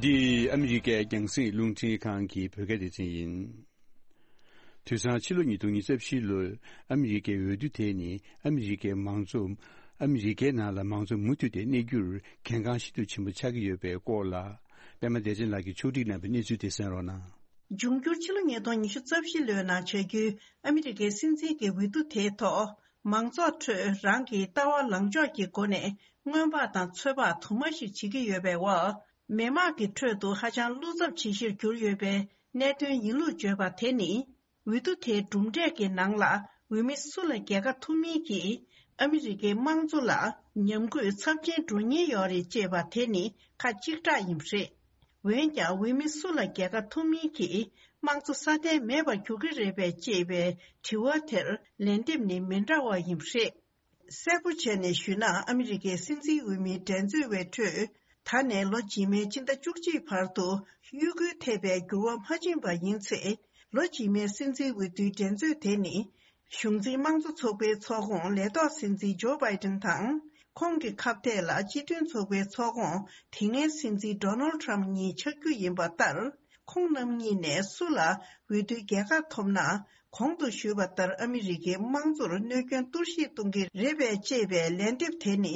འདི་ཨ་མི་རི་ཀའི་རྒྱང་སྲིང་རླུང་འཕྲིན་ཁང་གི་བོད་སྐད་སྡེ་ཚན་ཡིན། དུས་སང་ཕྱི་ལོ་ཉིས་སྟོང་ཉི་ཤུ་རྩ་བཞི་ལོར་ཨ་མི་རི་ཀའི་འོས་བསྡུ་དེ་ནི་ཨ་མི་རི་ཀའི་མང་གཙོ། ཨ་མི་རི་ཀའི་ནང་ལ་མང་གཙོ་མུ་མཐུད་དེ་གནས་རྒྱུར་གལ་འགངས་ཤིན་ཏུ་ཆེན་པོ་ཆགས་ཀྱི་ཡོད་པའི་སྐོར་ལ། པད་མ་བདེ་ཆེན་ལགས་ཀྱིས་ཕྱོགས་སྒྲིག་གནང་བའི་གནས་ཚུལ་དེ་གསན་རོགས་གནང་། འབྱུང་འགྱུར་ཕྱི་ལོ་ཉིས་སྟོང་ཉི་ཤུ་རྩ་བཞི་ལོའི་ནང་བྱ་རྒྱུའི་ཨ་མི་རི་ཀའི་སྲིད་འཛིན་གྱི་འོས་བསྡུ་དེའི་ཐོག་མང་ཚོགས་ཁྲོད་རང་གི་ལྟ་བ་ལངས་ཕྱོགས་ཀྱི་སྒོ་ནས་སྔོན་དཔག་དང་ཚོད་དཔག་དུ་མ་ཞིག་བྱེད་ཀྱི་ཡོད་པའི་འོག་མི་དམངས་ཀྱི་ཁྲོད་དུ་ཧ་ཅང་བློ་འཚབ་ཆེ་ཤོས་གྱུར་ཡོད་པའི་གནད་དོན་ཡིན་ལུགས་བརྗོད་པ་དེ་ནི། འོས་བསྡུ་དེའི་གྲུབ་འབྲས་ཀྱི་ནང་ལ་འོས་མི་སུ་ལ་རྒྱལ་ཁ་ཐོབ་མིན་གྱིས་ཨ་མི་རི་ཀའི་དམངས་གཙོ་ལ་ཉམས་རྒུད་ཚབས་ཆེན་འགྲོ་ཉེན་ཡོད་རེད་ཅེས་པ་དེ་ནི་ཁ་གཅིག་གྲགས་ཡིན་པ་རེད། འོན་ཀྱང་འོས་མི་སུ་ལ་རྒྱལ་ཁ་ཐོབ་མིན་གྱིས་དམངས་གཙོ་སྲ་བརྟན་མེད་པར་འགྱུར་གྱི་རེད་པས་ཅེས་པའི་དྲི་བ་དེར་ལན་འདེབས་ནི་མི་འདྲ་བ་ཡིན་པ་རེད། གསལ་པོ་བྱས་ནས་ཞུས་ན། ཨ་མི་རི་ཀའི་སྲིད་འཛིན་འོས་མིའི་འགྲན་རྩོད་པའི་ཁྲོད། ད་ནས་ལོ་རྗེས་མའི་སྤྱི་ཟླ་བཅུ་གཅིག་བར་དུ་གཡོས་སྐུལ་ཐེབས་པའི་འགྱུར་བ་མ་ཕྱིན་པ་ཡིན་ཚེ། ལོ་རྗེས་མའི་སྲིད་འཛིན་འོས་བསྡུའི་འགྲན་རྩོད་དེ་ནི། གཞུང་འཛིན་དམངས་གཙོ་ཚོགས་པའི་ཚོགས་ཁོངས་ལས་ཐོག་སྲིད་འཛིན་ཇོ་བྷའི་ཏིན་དང་། ཁོང་གི་ཁ་གཏད་ལ་སྤྱི་མཐུན་ཚོགས་པའི་ཚོགས་ཁོངས་དེ་སྔའི་སྲིད་འཛིན་ཌོ་ནལ་ཁྲམ་གཉིས་ཆགས་རྒྱུ་ཡིན་པ་ལྟར། ཁོང་རྣམ་གཉིས་ནས་སུ་ལ་འོས་བསྡུའི་རྒྱལ་ཁ་ཐོབ་ན། གོང་དུ་ཞུས་པ་ལྟར་ཨ་མི་རི་ཀའི་དམངས་གཙོར་གནོད་སྐྱོན་གཏོར་བཤིག་གཏོང་གི་རེད་པས་ཅེས་པའི་ལན་འདེབས་དེ་ནི།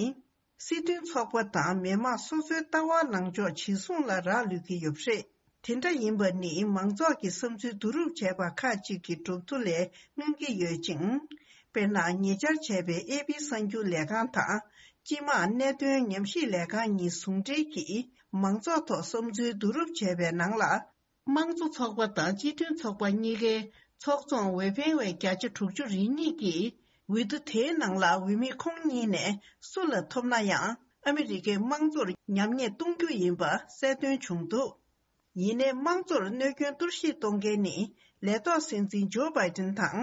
སྲིད་དོན་ཚོགས་པ་དང་མི་དམངས་སོ་སོའི་ལྟ་བ་ལངས་ཕྱོགས་ཇི་བཟུང་ལ་རག་ལུས་ཀྱི་ཡོད་པ་རེད། དེ་འདྲ་ཡིན་པ་ནི་མང་ཚོགས་ཀྱི་བསམ་ཚུལ་བསྡུ་རུབ་བྱས་པ་ཁག་ཅིག་གི་གྲུབ་ཐོ་ལས་མངོན་གྱི་ཡོད་ཅིང་། དཔེར་ན། ཉེ་ཆར་བྱས་པའི་ཨེ་པི་གསར་འགྱུར་ལས་ཁང་དང་། སྤྱི་དམངས་གནད་དོན་ཉམས་ཞིབ་ལས་ཁང་གཉིས་ཟུང་འབྲེལ་གྱིས་མང་ཚོགས་ཐོག་བསམ་ཚུལ་བསྡུ་རུབ་བྱས་པའི་ནང་ལ། དམངས་གཙོ་ཚོགས་པ་དང་སྤྱི་མཐུན་ཚོགས་པ་གཉིས་ཀའི་ཚོགས་ཚོང་འོས་འཕེན་བའི་བརྒྱ་ཆ་དྲུག་ཅུ་རེ་གཉིས་ཀྱིས་འོས་བསྡུ་དེའི་ནང་ལ་འོས་མི་ཁོང་གཉིས་ནས་སུ་ལ་ཐོབ་ན་ཡང་ཨ་མི་རི་ཀའི་དམངས་གཙོར་ཉམས་ཉེས་གཏོང་རྒྱུ་ཡིན་པ་གསལ་སྟོན་བྱུང་འདུག་ཡིན་ནའི་དམངས་གཙོར་གནོད་སྐྱོན་གཏོར་བཤིག་གཏོང་མཁན་ནི་ལས་ཐོག་སྲིད་འཛིན་ཇོ་བྷའི་ཏིན་དང་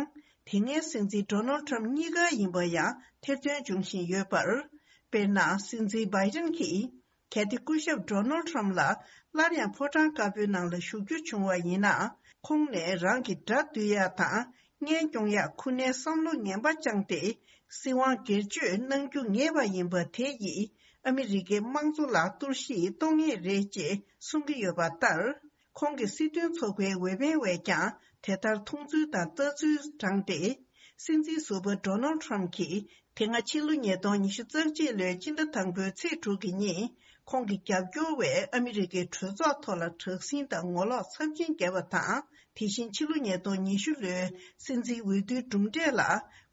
དེ་སྔའི་སྲིད་འཛིན་ཌོ་ནལ་ཁྲམ་གཉིས་ཀ་ཡིན་པ་ཡང་ཐེར་འདོན་འབྱུང་བཞིན་ཡོད་པར། དཔེར་ན། སྲིད་འཛིན་བྷའི་ཏིན་གྱིས། གལ་ཏེ་སྐུ་ཞབས་ཌོ་ནལ་ཁྲམ་ལ་སླར་ཡང་ཕོ་བྲང་དཀར་པོའི་ནང་ལ་བཞུགས་རྒྱུ་བྱུང་བ་ཡིན་ན། ཁོང་ནས་རང་གི་དགྲ་བཏུལ་ཡག་དང་། གཉེན་སྐྱོང་ཡག་ཁུར་ནས་བསམ་བློ་ངན་པ་བཅངས་ཏེ། སྲིད་དབང་སྒེར་གཅོད་གནང་རྒྱུ་ངེས་པ་ཡིན་པ་དེ་ཡིས་ཨ་མི་རི་ཀའི་དམངས་གཙོ་ལ་གཏོར་བཤིག་གཏོང་ངེས་རེད་ཅེས་གསུང་གི་ཡོད་པ་ལྟར། ཁོང་གི་སྲིད་དོན་ཚོགས་པའི་འོས་འཕེན་བས་ཀྱང་དེ་ལྟར་མཐོང་ཚུལ་དང་ལྟ་ཚུལ་དྲངས་ཏེ། སྲིད་འཛིན་ཟུར་པ་ཌོ་ནལ་ཁྲམ་གྱིས། དེ་སྔ་ཕྱི་ལོ་ཉིས་སྟོང་ཉི་ཤུ་རྩ་གཅིག་ལོའི་སྤྱི་ཟླ་དང་པོའི་ཚེས་དྲུག་གི་ཉིན། ཁོང་གི་རྒྱབ་སྐྱོར་བས་ཨ་མི་རི་ཀའི་གྲོས་ཚོགས་ཐོག་ལ་དྲག་ཟིང་དང་ངོ་ལོག་ཚབས་ཆེན་བརྒྱབ་པ་དང་། དེ་བཞིན་ཕྱི་ལོ་ཉིས་སྟོང་ཉི་ཤུ་ལོའི་སྲིད་འཛིན་འོས་བསྡུའི་གྲུབ་འབྲས་ལ་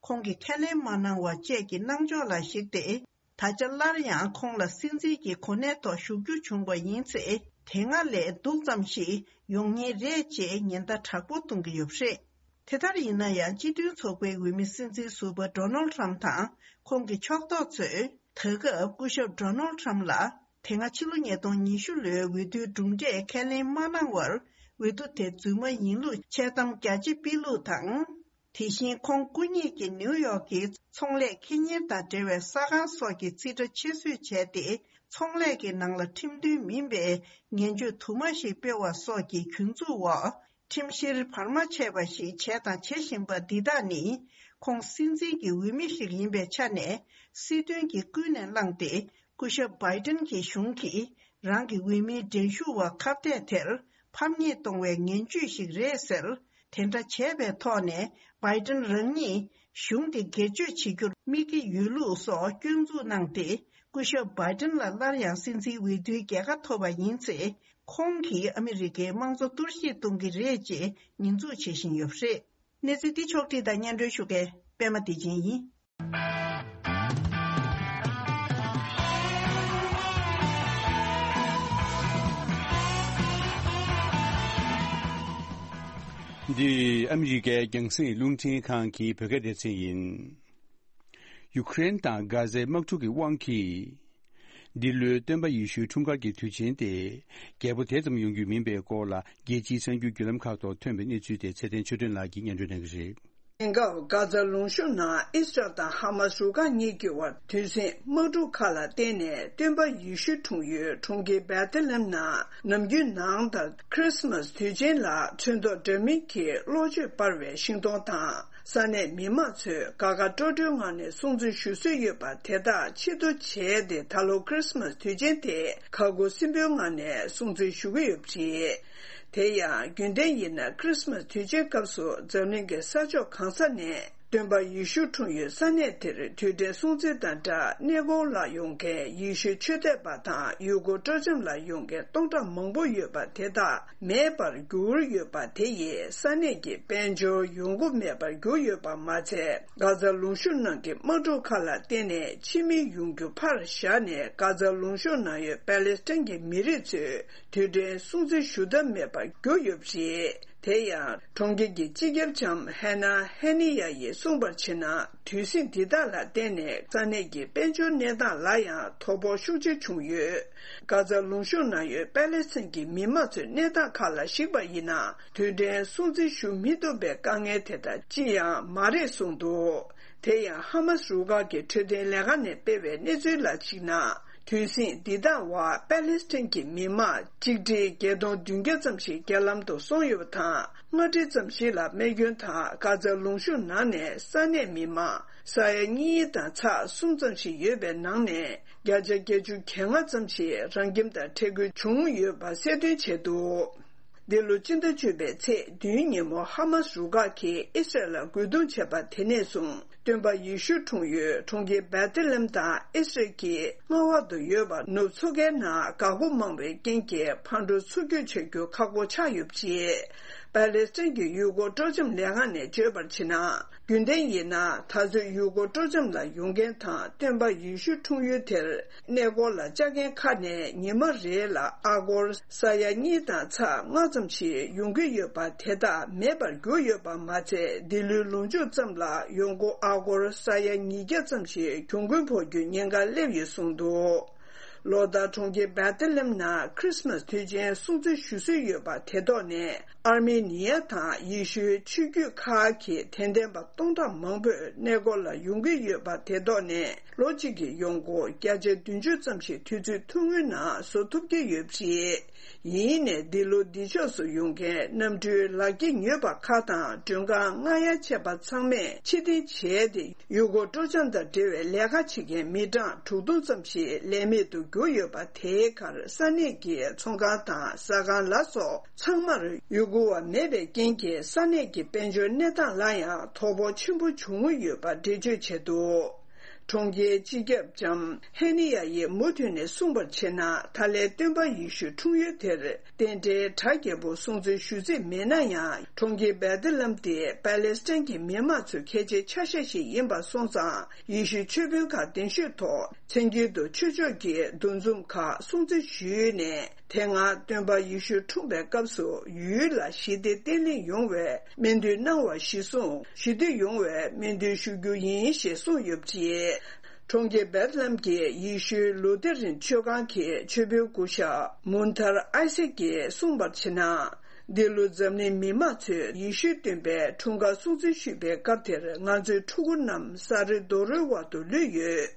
ཁོང་གིས་ཁས་ལེན་མ་གནང་བ་བཅས་ཀྱི་གནང་ཕྱོགས་ལ་གཞིགས་ཏེ། ད་ཆ་སླར་ཡང་ཁོང་ལ་སྲིད་འཛིན་གྱི་གོ་གནས་ཐོག་བཞུགས་རྒྱུ་བྱུང་བ་ཡིན་ཚེ། དེ་སྔ་ལས་སྡུག་ཙམ་ཞིག་ཡོང་ཉེན་རེད་ཅེས་ཉེན་བརྡ་དྲག་པོ་གཏོང་གི་ཡོད་པ་རེད། དེ་ལྟར་ཡིན་ན་ཡང་། སྤྱི་མཐུན་ཚོགས་པའི་འོས་མི་སྲིད་འཛིན་ཟུར་པ་ཌོ་ནལ་ཁྲམ་དང་ཁོང་གི་ཕྱོགས་གཏོགས་ཚོས། ད་སྐབས་སྐུ་ཞབས་ཌོ་ནལ་ཁྲམ་ལ། དེ་སྔ་ཕྱི་ལོ་ཉིས་སྟོང་ཉི་ཤུ་ལོའི་འོས་བསྡུའི་གྲུབ་འབྲས་ཁས་ལེན་མ་གནང་བར། འོས་བསྡུ་དེ་རྫུན་མ་ཡིན་ལུགས་འཆལ་གཏམ་རྒྱ་ཆེ་སྤེལ་ལུགས་དང་། དེ་བཞིན་ཁོང་སྐུ་ཉིད་ཀྱིས་ནིའུ་ཡོག་གི་ཚོང་ལས་ཁེ་གཉེར་དང་འབྲེལ་བའི་ས་ཁང་སོགས་ཀྱི་རྩིས་ཁྲ་ཕྱིར་བཟོས་བྱས་ཏེ། ཚོང་ལས་ཀྱི་ནང་ལ་ཁྲིམས་མཐུན་མིན་པའི་ངན་བྱུས་དུ་མ་ཞིག་སྤེལ་བ་སོགས་ཀྱི་གྱོང་འཛུགས་འོག་ཁྲིམས་བཤེར་བར་མ་ཆད་པ་ཞིག་བྱས་དང་བྱེད་བཞིན་པ་འདི་དག་ནི། ཁོང་སྲིད་འཛིན་གྱི་འོས་མི་ཞིག་ཡིན་པའི་ཆ་ནས། སྲིད་དོན་གྱིས་ཀུན་ནས་བསླངས་ཏེ། སྐུ་ཞབས་བྷའི་ཏིན་གྱི་གཞུང་གིས་རང་གི་འོས་མིའི་འགྲན་ཞུགས་པ་ཁ་གཏད་དེར་ཕམ་ཉེས་གཏོང་བའི་ངན་བྱུས་ཤིག་རེད་ཟེར། དེ་འདྲ་བྱས་པའི་ཐོག་ནས་བྷའི་ཏིན་རང་ཉིད་གཞུང་དེ་སྒེར་གཅོད་བྱེད་རྒྱུར་དམིགས་ཀྱི་ཡོད་ལུགས་སོགས་སྐྱོན་འཛུགས་གནང་སྟེ། སྐུ་ཞབས་བྷའི་ཏིན་ལ་སླར་ཡང་སྲིད་འཛིན་འོས་བསྡུའི་རྒྱལ་ཁ་ཐོབ་པ་ཡིན་ཚེ། ཁོང་གིས་ཨ་མི་རི་ཀའི་དམངས་གཙོ་གཏོར་བཤིག་གཏོང་གི་རེད་ཅེས་ཉེས་འཛུགས་བྱེད་བཞིན་ཡོད་པ་རེད། གནས་ཚུལ་འདི་ཕྱོགས་བསྒྲིགས་དང་སྙན་སྒྲོན་ཞུ་མཁན་པད་མ་བདེ་ཆེན་ཡིན། འདི་ཨ་མི་རི་ཀའི་རྒྱང་སྲིང་རླུང་འཕྲིན་ཁང་གི་བོད་སྐད་སྡེ་ཚན་ཡིན། ཡུ་ཀེ་རེན་དང་གྷ་ཛའི་དམག་འཁྲུག་གི་དབང་གིས། འདི་ལོའི་སྟོན་པ་ཡེ་ཤུའི་འཁྲུངས་སྐར་གྱི་དུས་ཆེན་དེ། རྒྱས་པོ་དེ་ཙམ་ཡོང་རྒྱུ་མིན་པའི་སྐོར་ལ། རྒྱལ་སྤྱིའི་གསར་འགྱུར་བརྒྱུད་ལམ་ཁག་ཐོག་ཐོན་པའི་གནས་ཚུལ་དེ་ཚེ་བརྟན་ཆོས་སྒྲོན་ལགས་ཀྱིས་སྙན་སྒྲོན་གནང་གི་རེད། དེང་སྐབས་གྷ་ཛ་ལུང་གཤོང་ནང་ཨི་སི་རལ་དང་ཧ་མ་སི་རུ་ཁག་གཉིས་ཀྱི་བར་དུས་ཟིང་དམག་འཁྲུག་ཁག་ལ་བརྟེན་ནས། སྟོན་པ་ཡེ་ཤུ་འཁྲུངས་ཡུལ་གྲོང་ཁྱེར་བེ་ཐེ་ལེམ་ནང་ནམ་རྒྱུན་ནང་ལྟར་ཁྲི་སི་མ་སི་དུས་ཆེན་ལ་ཚོན་མདོག་འདྲ་མིན་གྱི་གློག་བརྗོད་སྤར་བའི་ཤིང་སྡོང་དང་། ས་གནས་མི་མང་ཚོས་དགའ་དགའ་སྤྲོ་སྤྲོའི་ངང་ནས་སྲུང་བརྩི་ཞུ་སྲོལ་ཡོད་པ་དེ་དག་ཆེད་དུ་བྱས་ཏེ། ད་ལོ་ཁྲི་སི་མ་སི་དུས་ཆེན་དེ་ཁ་ཁུ་སིམ་པོའི་ངང་ནས་སྲུང་བརྩི་ཞུ་གི་ཡོད་པ་རེད། དེ་ཡང་རྒྱུན་ལྡན་ཡིན་ན་ཁྲི་སི་མ་སི་དུས་ཆེན་སྐབས་སུ་འཛམ་གླིང་གི་ས་ཕྱོགས་གང་ས་ནས་སྟོན་པ་ཡེ་ཤུ་འཁྲུངས་ཡུལ་ས་གནས་དེར་དུས་དྲན་སྲུང་བརྩི་དང་སྦྲགས། གནས་སྐོར་ལ་ཡོང་མཁན་ཡེ་ཤུའི་ཆོས་དད་པ་དང་ཡུལ་སྐོར་སྤྲོ་འཆམ་ལ་ཡོང་མཁན་སྟོང་ཕྲག་མང་པོ་ཡོད་པ་དེ་དག་མེད་པར་གྱུར་ཡོད་པ་དེ་ཡིས་ས་གནས་ཀྱི་དཔལ་འབྱོར་ཡོང་སྒོ་མེད་པར་གྱུར་ཡོད་པ་མ་ཚད། གྷ་ཛ་ལུང་གཤོང་ནང་གི་དམག་འཁྲུག་ཁག་ལ་བརྟེན་ནས་ཕྱི་མི་ཡོང་རྒྱུ་ཕར་བཞག་ནས། གྷ་ཛ་ལུང་གཤོང་ནང་ཡོད་པེ་ལེ་སི་ཐན་གྱི་མི་རིགས་ཚོས་དུས་དྲན་སྲུང་བརྩི་ཞུ་ཐབས་མེད་པར་གྱུར་ཡོད་པ་རེད། དེ་ཡང་གྲོང་ཁྱེར་གྱི་སྤྱི་ཁྱབ་ལྕམ་ཧེ་ན་ཧེ་ནི་ཡ་ཡིས་གསུངས་པར་བྱས་ན། དུས་ཟིང་འདི་དག་ལ་བརྟེན་ནས་ས་གནས་ཀྱི་དཔལ་འབྱོར་གནས་སྟངས་ལ་ཡང་དོ་ཕོག་ཤུགས་ཆེ་བྱུང་ཡོད། གྷ་ཛ་ལུང་གཤོང་ནང་ཡོད་པེ་ལེ་སི་ཐན་གྱི་མི་མང་ཚོའི་གནས་སྟངས་ཁག་ལ་གཞིགས་པ་ཡིན་ན། དུས་དྲན་སྲུང་བརྩི་ཞུ་མི་ཐུབ་པའི་དཀའ་ངལ་དེ་དག་ཅི་ཡང་མ་རེད་གསུངས་འདུག་དེ་ཡང་ཧ་མ་སི་རུ་ཁག་གི་འཕྲོད་བསྟེན་ལས་ཁང་ནས་སྤེལ་བའི་གནས་ཚུལ་ལ་གཞིགས་ན། དུས་ཟིང་འདི་དག་བར་པ་ལེ་སི་ཐན་གྱི་མི་མང་གཅིག་ཁྲི་བརྒྱད་སྟོང་བདུན་བརྒྱ་ཙམ་ཞིག་རྒྱ་ལམ་དུ་སོང་ཡོད་པ་དང་། ལྔ་ཁྲི་ཙམ་ཞིག་ལ་རྨས་སྐྱོན་དང་གྷ་ཛ་ལུང་གཤོང་ནང་ནས་ས་གནས་མི་མང་ས་ཡ་གཉིས་དང་ཚེག་གསུམ་ཙམ་ཞིག་ཡོད་པའི་ནང་ནས། བརྒྱ་ཆ་བརྒྱད་ཅུ་གྱ་ལྔ་ཙམ་ཞིག་རང་ཁྱིམ་དང་འཕྲད་དགོས་བྱུང་ཡོད་པ་གསལ་སྟོན་བྱས་འདུག་འདི་ལོ་སྤྱི་ཟླ་བཅུ་པའི་ཚེས་བདུན་ཉིན་མོ་ཧ་མ་སི་རུ་ཁག་གིས་ཨི་སི་རལ་ལ་རྒོལ་རྡུང་བྱས་པ་དེ་ནས་བཟུང་། སྟོན་པ་ཡེ་ཤུ་འཁྲུངས་ཡུལ་གྲོང་ཁྱེར་བེ་ཐེ་ལེམ་དང་ཨི་སི་རལ་གྱི་མངའ་འོག་ཏུ་ཡོད་པ་ནུབ་མཚོ་ཁའི་ནང་འགག་སྒོ་མང་བའི་རྐྱེན་གྱིས་ཕར་འགྲོ་ཚུར་སྐྱོད་བྱ་རྒྱུ་ཁག་པོ་ཆགས་ཡོད་པ་རེད། པ་ལེ་སི་ཐན་གྱི་ཡུལ་སྐོར་སྤྲོ་འཆམ་ལས་ཁང་ནས་བརྗོད་པར་བྱས་ན། རྒྱུན་ལྡན་ཡིན་ན་ད་ཚོད་ཡུལ་སྐོར་སྤྲོ་འཆམ་ལ་ཡོང་མཁན་དང་སྟོན་པ་ཡེ་ཤུ་འཁྲུངས་ཡུལ་དེར་གནས་སྐོར་ལ་བཅར་མཁན་ཁག་ནས་ཉི་མ་རེ་ལ་ཨ་སྒོར་ས་ཡ་གཉིས་དང་ཚེག་ལྔ་ཙམ་ཞིག་ཡོང་གི་ཡོད་པ་དེ་དག་མེད་པར་གྱུར་ཡོད་པ་མ་ཚད། འདི་ལོའི་ལོ་མཇུག་ཙམ་ལ་ཡོང་སྒོ་ཨ་སྒོར་ས་ཡ་ཉིས་བརྒྱ་ཙམ་ཞིག་གྱོང་གུན་ཕོག་རྒྱུའི་ཉེན་ཁ་སླེབས་ཡོད་གསུངས་འདུག་ལོ་ལྟར་གྲོང་ཁྱེར་བེ་ཐེ་ལེམ་ནང་ཁྲིས་མས་དུས་ཆེན་སྲུང་བརྩི་ཞུ་སྲོལ་ཡོད་པ་དེ་ཐོག་ནས། ཨར་མེ་ནི་ཡ་དང་ཡེ་ཤུའི་ཆོས་བརྒྱུད་ཁག་གི་དད་ལྡན་པ་སྟོང་ཕྲག་མང་པོས་གནས་སྐོར་ལ་ཡོང་གི་ཡོད་པ་དེ་ཐོག་ནས། ལོ་གཅིག་གི་ཡོང་སྒོ་བརྒྱ་ཆ་བདུན་ཅུ་ཙམ་ཞིག་དུས་ཚོད་ཐུང་ངུའི་ནང་བཟོ་ཐུབ་ཀྱི་ཡོད་པ་རེད། ཡིན་ནའི་འདི་ལོ་འདི་ཕྱོགས་སུ་ཡོང་མཁན་གནམ་གྲུའི་ལག་འཁྱེར་ཉོས་པ་ཁག་དང་མགྲོན་ཁང་མངག་ཡ་བྱས་པ་ཚང་མས་ཕྱིར་འཐེན་བྱས་ཏེ། ཡུལ་སྐོར་སྤྲོ་འཆམ་དང་འབྲེལ་བའི་ལས་ཀ་བྱེད་མཁན་མི་གྲངས་དྲུག་སྟོང་ཙམ་ཞིག་ལས་མེད་དུ་གྱུར་ཡོད་པ། དེའི་ཁར་ས་གནས་ཀྱི་ཚོང་ཁང་དང་ཟ་ཁང་ལ་སོགས་ཚང་མར་ཡུལ་སྐོར་བ་མེད་པའི་རྐྱེན་གྱིས་ས་གནས་ཀྱི་དཔལ་འབྱོར་གནས་སྟངས་ལ་ཡང་དོ་ཕོག་ཆེན་པོ་བྱུང་ཡོད་པ་འགྲེལ་བརྗོད་བྱས་འདུག་གྲོང་ཁྱེར་སྤྱི་ཁྱབ་ལྕམ་ཧེ་ནི་ཡ་ཡིས་མུ་མཐུད་ནས་གསུངས་པར་བྱས་ན། ད་ལན་སྟོན་པ་ཡེ་ཤུ་འཁྲུངས་ཡུལ་དེར་རྟེན་འབྲེལ་གྲ་རྒྱས་པོ་སྲུང་བརྩི་ཞུ་རྩིས་མེད་ན་ཡང་། གྲོང་ཁྱེར་བེ་ཐེ་ལེམ་དེ་པ་ལེ་སི་ཐན་གྱི་མི་དམངས་ཚོའི་གལ་ཆེའི་ཆ་ཤས་ཤིག་ཡིན་པ་སོང་ཙང་། ཡེ་ཤུའི་ཆོས་དཔོན་ཁག་གདན་ཞུས་ཐོག་མཚན་དཀྱིལ་དུ་ཆོས་ཕྱོགས་ཀྱི་འདུ་འཛོམས་ཁག་སྲུང་བརྩི་ཞུས་ནས། དེ་སྔ་སྟོན་པ་ཡེ་ཤུ་འཁྲུངས་པའི་སྐབས་སུ་ཡུལ་ལ་ཞི་བདེ་བརྟན་ལྷིང་ཡོང་བའི་སྨོན་འདུན་གནང་བ་གཞིར་བཟུང་། ཞི་བདེ་ཡོང་བའི་སྨོན་འདུན་ཞུ་རྒྱུ་ཡིན་ཞེས་གསུངས་ཡོད་པ་རེད། གྲོང་ཁྱེར་བེད་ལྷམ་གྱི་ཡེ་ཤུའི་ལུ་ཐེ་རིན་ཆོས་ཁང་གི་ཆོས་དཔོན་སྐུ་ཞབས་མུན་ཐར་ཨའི་སེག་གིས་གསུངས་པར་བྱས་ན། འདི་ལོ་འཛམ་གླིང་མི་མང་ཚོས་ཡེ་ཤུའི་སྟོན་པའི་འཁྲུངས་སྐར་སྲུང་བརྩི་ཞུས་པའི་སྐབས་དེར། ང་ཚོའི་ཕྲུ་གུ་རྣམས་ས་རི་རྡོ་རོའི་བར་དུ་ལུས་ཡོད།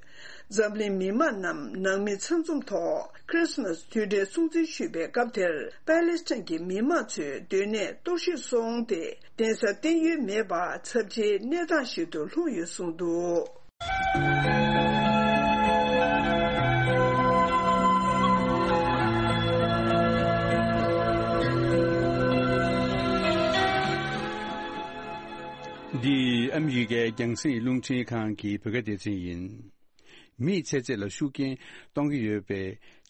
འཛམ་གླིང་མི་མང་རྣམས་ནང་མི་ཚང་འཛོམས་ཐོག་ཁྲིས་མས་དུས་དྲན་སྲུང་བརྩི་ཞུས་པའི་སྐབས་དེར། པ་ལེ་སི་ཐན་གྱི་མི་མང་ཚོའི་སྡོད་གནས་གཏོར་བཤིག་སོང་སྟེ། གདན་ས་བརྟན་གཡོལ་མེད་པར་ཚབས་ཆེའི་གནས་སྟངས་ཤིག་ཏུ་ལྷུང་ཡོད་གསུངས་འདུག་འདི་ཨ་མི་རི་ཀའི་རྒྱང་སྲིང་རླུང་འཕྲིན་ཁང་གི་བོད་སྐད་སྡེ་ཚན་ཡིན། མིའི་ཚེ་ཚད་ལ་ཤུགས་རྐྱེན་གཏོང་གི་ཡོད་པའི་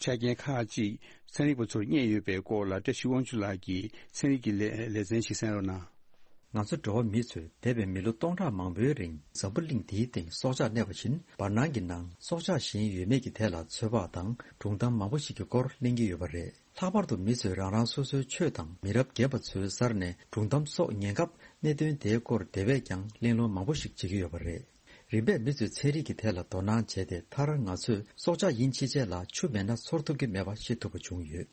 ཆ་རྐྱེན་ཁག་ཅིག་ཚན་རིག་པ་ཚོར་རྙེད་ཡོད་པའི་སྐོར་ལ་བཀྲ་ཤིས་དབང་ཕྱུག་ལགས་ཀྱིས་ཚན་རིག་གི་ལེ་ལེ་ཚན་ཞིག་གསན་རོགས་གནང་། ང་ཚོ་འགྲོ་བ་མི་ཚོས་འདས་པའི་མི་ལོ་སྟོང་ཕྲག་མང་པོའི་རིང་འཛམ་བུ་གླིང་འདིའི་སྟེང་སྲོག་ཆགས་གནས་པ་བཞིན་བར་སྣང་གི་ནང་སྲོག་ཆགས་གཞན་ཡོད་མེད་ཀྱི་ཐད་ལ་ཚོད་དཔག་དང་སྒྲུང་གཏམ་མང་པོ་ཞིག་གི་སྐོར་གླེང་གི་ཡོད་པ་རེད། ལྷག་པར་དུ་མི་ཚོས་རང་རང་སོ་སོའི་ཆོས་དང་མི་རབས་རྒན་པ་ཚོའི་སར་ནས་སྒྲུང་གཏམ་སོགས་ཉན་སྐབས་གནད་དོན་དེའི་སྐོར་དེ་བས་ཀྱང་གླེང་སློང་མང་པོ་ཞིག་བྱེད་ཀྱི་ཡོད་པ་རེད། རིམ་པས་མི་ཚོས་ཚན་རིག་གི་ཐད་ལ་དོ་སྣང་བྱས་ཏེ། མཐར་ང་ཚོས་སྲོག་ཆགས་ཡིན་ཕྱིན་ཆད་ལ་ཆུ་མེད་ན་ཚོར་ཐུབ་ཀྱི་མེད་པ་ཤེས་ཐུབ་པ་བྱུང་ཡོད།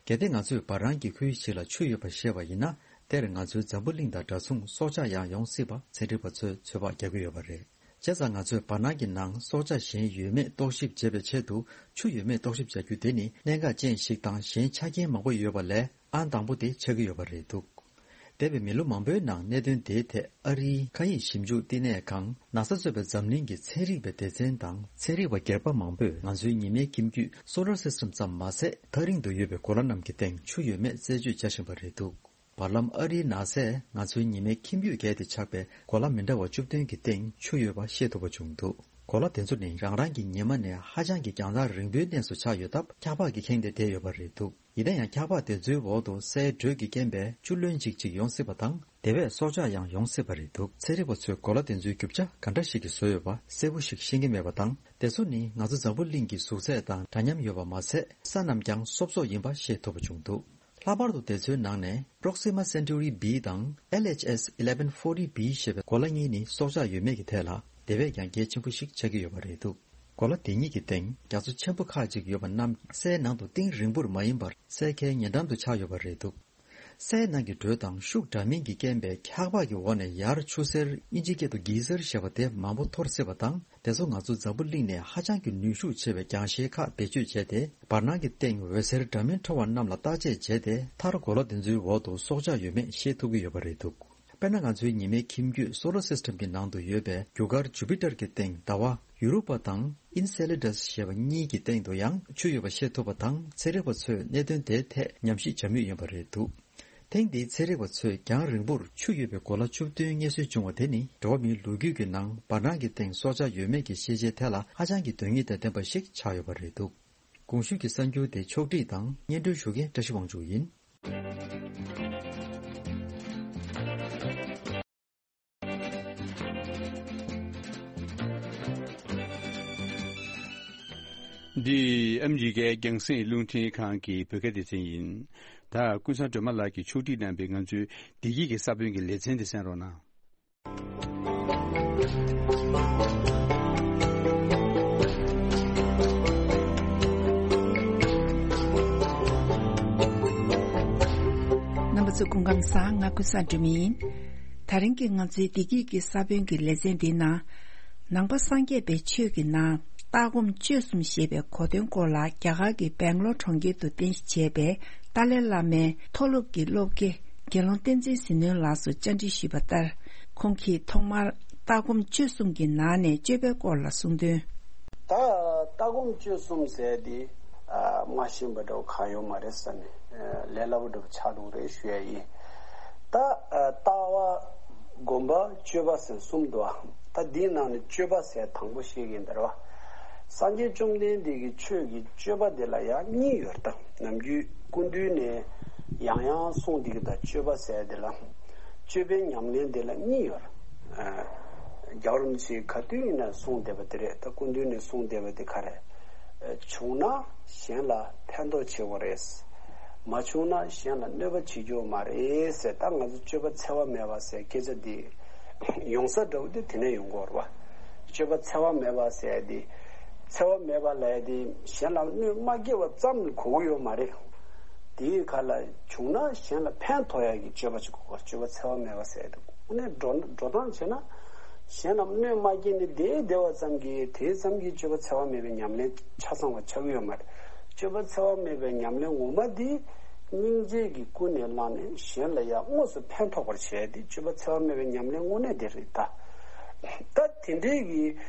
གལ་ཏེ་ང་ཚོས་བར་སྣང་གི་ཁུལ་ཞིག་ལ་ཆུ་ཡོད་པ་ཤེས་པ་ཡིན་ན། དེར་ང་ཚོའི་འཛམ་བུ་གླིང་དང་འདྲ་མཚུངས་སྲོག་ཆགས་ཡང་ཡོང་སྲིད་པ་ཚན་རིག་པ་ཚོས་ཚོད་དཔག་རྒྱག་གི་ཡོད་པ་རེད། བྱས་ཙང་ང་ཚོས་བར་སྣང་གི་ནང་སྲོག་ཆགས་གཞན་ཡོད་མེད་རྟོག་ཞིབ་བྱེད་པའི་ཆེད་དུ་ཆུ་ཡོད་མེད་རྟོག་ཞིབ་བྱ་རྒྱུ་དེ་ནི་གནད་འགག་ཅན་ཞིག་དང་། གཞན་ཆ་རྐྱེན་མང་པོ་ཡོད་པ་ལས་ཨང་དང་པོ་དེ་ཆགས་ཀྱི་ཡོད་པ་རེད་འདུག་འདས་པའི་མི་ལོ་མང་པོའི་ནང་གནད་དོན་དེའི་ཐད་ཨ་རིའི་མཁའ་དབྱིངས་ཞིབ་འཇུག་བསྟི་གནས་ཁང་ནཱ་ས་གཙོས་པའི་འཛམ་གླིང་གི་ཚན་རིག་པའི་སྡེ་ཚན་དང་། ཚན་རིག་པ་སྒེར་པ་མང་པོས་ང་ཚོའི་ཉི་མའི་ཁྱིམ་རྒྱུད་སོ་ལར་སིས་ཊམ་ཙམ་མ་ཟད། ཐག་རིང་དུ་ཡོད་པའི་གོ་ལ་རྣམས་ཀྱི་སྟེང་ཆུ་ཡོད་མེད་རྩད་གཅོད་བྱ་བཞིན་པ་རེད་འདུག་བར་ལམ་ཨ་རིའི་ནཱ་སས་ང་ཚོའི་ཉི་མའི་ཁྱིམ་རྒྱུད་བརྒལ་ཏེ་ཆགས་པའི་གོ་ལ་མི་འདྲ་བ་བཅུ་བདུན་གྱི་སྟེང་ཆུ་ཡོད་པ་ཤེས་ཐུབ་པ་བྱུང་འདུག་གོ་ལ་དེ་ཚོ་ནི་རང་རང་གི་ཉི་མ་ནས་ཧ་ཅང་གི་རྒྱང་ཐག་རིང་པོའི་གནས་སུ་ཆགས་ཡོད་སྟབས། འཁྱག་པགས་ཀྱིས་ཁེངས་ཏེ་བསྡད་ཡོད་པ་རེད་འདུག་ཡིན་ན་ཡང་། འཁྱག་པགས་དེ་ཚོའི་འོག་ཏུ་སའི་དྲོད་ཀྱི་རྐྱེན་པས་ཆུ་རློན་ཅིག་ཅིག་ཡོང་སྲིད་པ་དང་། དེ་བས་སྲོག་ཆགས་ཡང་ཡོང་སྲིད་པ་རེད་འདུག་ཚན་རིག་པ་ཚོས་གོ་ལ་དེ་ཚོའི་རྒྱུ་ཆ་ག་འདྲ་ཞིག་གིས་བཟོས་ཡོད་པ་གསལ་པོ་ཞིག་ཤེས་ཀྱི་མེད་པ་དང་། དེ་ཚོ་ནི་ང་ཚོ་འཛམ་བུ་གླིང་གི་གཟུགས་ཚད་དང་འདྲ་མཉམ་ཡོད་པ་མ་ཟད། ས་རྣམས་ཀྱང་སོབ་སོབ་ཡིན་པ་ཤེས་ཐུབ་པ་བྱུང་འདུག་ལྷག་པར་དུ་དེ་ཚོའི་ནང་ནས་Proxima Centauri B དང་L H S eleven forty b ཞེས་པའི་གོ་ལ་གཉིས་ནི་སྲོག་ཆགས་ཡོད་མེད་ཀྱི་ཐད་ལ་དེ་བས་ཀྱང་གལ་ཆེན་པོ་ཞིག་ཆགས་ཀྱི་ཡོད་པ་རེད་འདུག་གོ་ལ་དེ་གཉིས་ཀྱི་སྟེང་རྒྱ་མཚོ་ཆེན་པོ་ཁག་ཅིག་ཡོད་པ་རྣམས་སའི་ནང་དུ་གཏིང་རིང་པོར་མ་ཡིན་པར་སའི་ཁའི་ཉེ་འགྲམ་དུ་ཆགས་ཡོད་པ་རེད་འདུག་སའི་ནང་གི་དྲོད་དང་ཤུགས་འདྲ་མིན་གྱིས་རྐྱེན་པས་འཁྱག་པ་གི་འོག་ནས་ཡར་ཆུ་སེར་ཨིན་ཇིའི་སྐད་དུ་གི་སེར་ཞེས་པ་དེ་མང་པོ་འཐོར་སྲིད་པ་དང་། དེ་ཚོ་ང་ཚོ་འཛམ་བུ་གླིང་ནས་ཧ་ཅང་གི་ནུས་ཤུགས་ཆེ་བའི་རྒྱང་ཤེལ་ཁག་བེད་སྤྱོད་བྱས་ཏེ། བར་སྣང་གི་སྟེང་འོད་ཟེར་འདྲ་མིན་འཕྲོ་བ་རྣམས་ལ་བརྟག་དཔྱད་བྱས་ཏེ། མཐར་གོ་ལ་དེ་ཚོའི་འོག་ཏུ་སྲོག་ཆགས་ཡོད་མེད་ཤེས་ཐུབ་ཀྱི་ཡོད་པ་རེད་འདུག་དཔེར་ན། ང་ཚོའི་ཉི་མའི་ཁྱིམ་རྒྱུད་སོ་ལར་སིས་ཊམ་གྱི་ནང་དུ་ཡོད་པའི་རྒྱུ་སྐར་ཇུ་པི་ཏར་གྱི་སྟེང་ཟླ་བ། ཡུ་རོ་པ་དང་ཨིན་སེ་ལེ་ཌས་ཞེས་པ་གཉིས་ཀྱི་སྟེང་དུ་ཡང་ཆུ་ཡོད་པ་ཤེས་ཐུབ་པ་དང་། ཚན་རིག་པ་ཚོས་གནད་དོན་དེའི་ཐད་ཉམས་ཞིབ་བྱ་མུས་ཡིན་པ་རེད་འདུག་ཐེངས་འདིའི་ཚན་རིག་པ་ཚོས་རྒྱང་རིང་པོར་ཆུ་ཡོད་པའི་གོ་ལ་བཅུ་བདུན་རྙེད་སོན་བྱུང་བ་དེ་ནི། འགྲོ་བ་མིའི་ལོ་རྒྱུས་ཀྱི་ནང་བར་སྣང་གི་སྟེང་སྲོག་ཆགས་ཡོད་མེད་ཀྱི་ཤེས་བྱའི་ཐད་ལ་ཧ་ཅང་གི་དོན་སྙིང་དང་ལྡན་པ་ཞིག་ཆགས་ཡོད་པ་རེད་འདུག་གོང་ཞུས་ཀྱི་གསར་འགྱུར་དེ་ཕྱོགས་སྒྲིག་དང་སྙན་སྒྲོན་ཞུ་མཁན་བཀྲ་ཤིས་དབང་ཕྱུག་ཡིན། འདི་ཨ་མི་རི་ཀའི་རྒྱང་སྲིང་རླུང་འཕྲིན་ཁང་གི་བོད་སྐད་སྡེ་ཚན་ཡིན། ད་ཀུན་བཟང་སྒྲོལ་མ་ལགས་ཀྱིས་ཕྱོགས་སྒྲིག་གནང་བའི་ང་ཚོའི་བདེ་སྐྱིད་ཀྱི་ས་བོན་གྱི་ལེ་ཚན་དེ་གསན་རོགས་གནང་། རྣམ་པ་ཚོ་སྐུ་ཁམས་བཟང་། ང་ཀུན་བཟང་སྒྲོལ་མ་ཡིན། ད་རིང་གི་ང་ཚོའི་བདེ་སྐྱིད་ཀྱི་ས་བོན་གྱི་ལེ་ཚན་འདིའི་ནང་། ནང་པ་སངས་རྒྱས་པའི་ཆོས་ཀྱི་ནང་ལྟ་སྒོམ་སྤྱོད་གསུམ་ཞེས་པའི་གོ་དོན་སྐོར་ལ། རྒྱ་གར་གྱི་སྦེང་ལོར་གྲོང་ཁྱེར་དུ་རྟེན་གཞི་བྱས་པའི་ཏཱ་ལའི་བླ་མའི་མཐོ་སློབ་ཀྱི་སློབ་དགེ་དགེ་སློང་བསྟན་འཛིན་ཟི་ནོན་ལགས་སུ་བཅར་འདྲི་ཞུས་པ་ལྟར། ཁོང་གིས་ཐོག་མར་ལྟ་སྒོམ་སྤྱོད་གསུམ་གྱི་ནང་ནས་སྤྱོད་པའི་སྐོར་ལ་གསུངས་དོན། ད་ལྟ་སྒོམ་སྤྱོད་གསུམ་ཟེར་དེ་མ་ཤེས་པ་འདྲ་བོ་གང་ཡོད་མ་རེད་བསམ་ནས། ལས་སླ་པོ་འདྲ་བོ་ཆགས་འགྲོ་གི་རེད་ཞུ་ཡ་ཡིན། ད་ལྟ་བ། སྒོམ་པ། སྤྱོད་པ་ཟེར་གསུམ་འདུག་ཨ། ད་འདིའི་ནང་ནས་སྤྱོད་པ་ཟེར་དང་པོ་བཤད་ཀྱི་ཡིན་ད་རེད་བ། སངས་རྒྱས་བཅོམ་ལྡན་འདས་ཀྱི་ཆོས་ཀྱི་སྤྱོད་པ་དེ་ལ་ཡང་གཉིས་ཡོད་རེད་ད། ནམ་རྒྱུན་སྐུ་མདུན་ནས་ཡང་ཡང་གསུངས་བསྡད་ཀྱི་ད། སྤྱོད་པ་ཟེར་དེ་ལ། སྤྱོད་པའི་ཉམས་ལེན་དེ་ལ་གཉིས་ཡོད་རེད། རྒྱལ་བ་རིན་པོ་ཆེས་ག་དུས་ཡིན་ན་གསུངས་བསྡད་པ་དེ་རེད། ད་སྐུ་མདུན་ནས་གསུངས་བསྡད་པ་དེ་ག་རེད། བྱུང་ན་གཞན་ལ་ཕན་ཐོགས་བྱེད་དགོས་རེད། མ་བྱུང་ན་གཞན་ལ་གནོད་པ་བྱེད་རྒྱུ་མ་རེད་ཟེར། ད་ང་ཚོ་སྤྱོད་པ་འཚེ་བ་མེད་པ་ཟེར་སྐད་ཆ་འདི་ཡོང་ས་འདྲ་བོ་དེ་དེ་ནས་ཡོང་གི་ཡོད་རེད་བ། སྤྱོད་པ་འཚེ་བ་མེད་པ་ཟེར་ཡ་དེ། འཚེ་བ་མེད་པ་ལབ་ཡ་དེ་གཞན་ལ་གནོད་མ་སྐྱེལ་བ་ཙམ་གོ་གི་ཡོད་མ་རེད། དེའི་ཁ་ལ་བྱུང་ན་གཞན་ལ་ཕན་ཐོགས་ཡ་གི་སྤྱོད་པ་ཅིག་དགོས། སྤྱོད་པ་འཚེ་བ་མེད་པ་ཟེར་ཡ་དེ། དངོས་གནས་འགྲོ་འགྲོ་སྟངས་བྱས་ན། གཞན་ལ་གནོད་མ་སྐྱེལ་ནས་བསྡད་བསྡད་པ་ཙམ་གྱིས་དེ་ཙམ་གྱིས་སྤྱོད་པ་འཚེ་བ་མེད་པའི་ཉམས་ལེན་ཆ་ཚང་བ་ཆགས་ཀྱི་ཡོད་མ་རེད། སྤྱོད་པ་འཚེ་བ་མེད་པའི་ཉམས་ལེན་ངོ་མ་འདི་སྙིང་རྗེ་གིས་ཀུན་ནས་བསླངས་ནས་གཞན་ལ་ཡང་དངོས་སུ་ཕན་ཐོགས་པར་བྱས་ཏེ། སྤྱོད་པ་འཚེ་བ་མེད་པའི་ཉམས་ལེན་དངོས་གནས་དེ་རེད་ད། ད་དེ་འདྲའི་གི་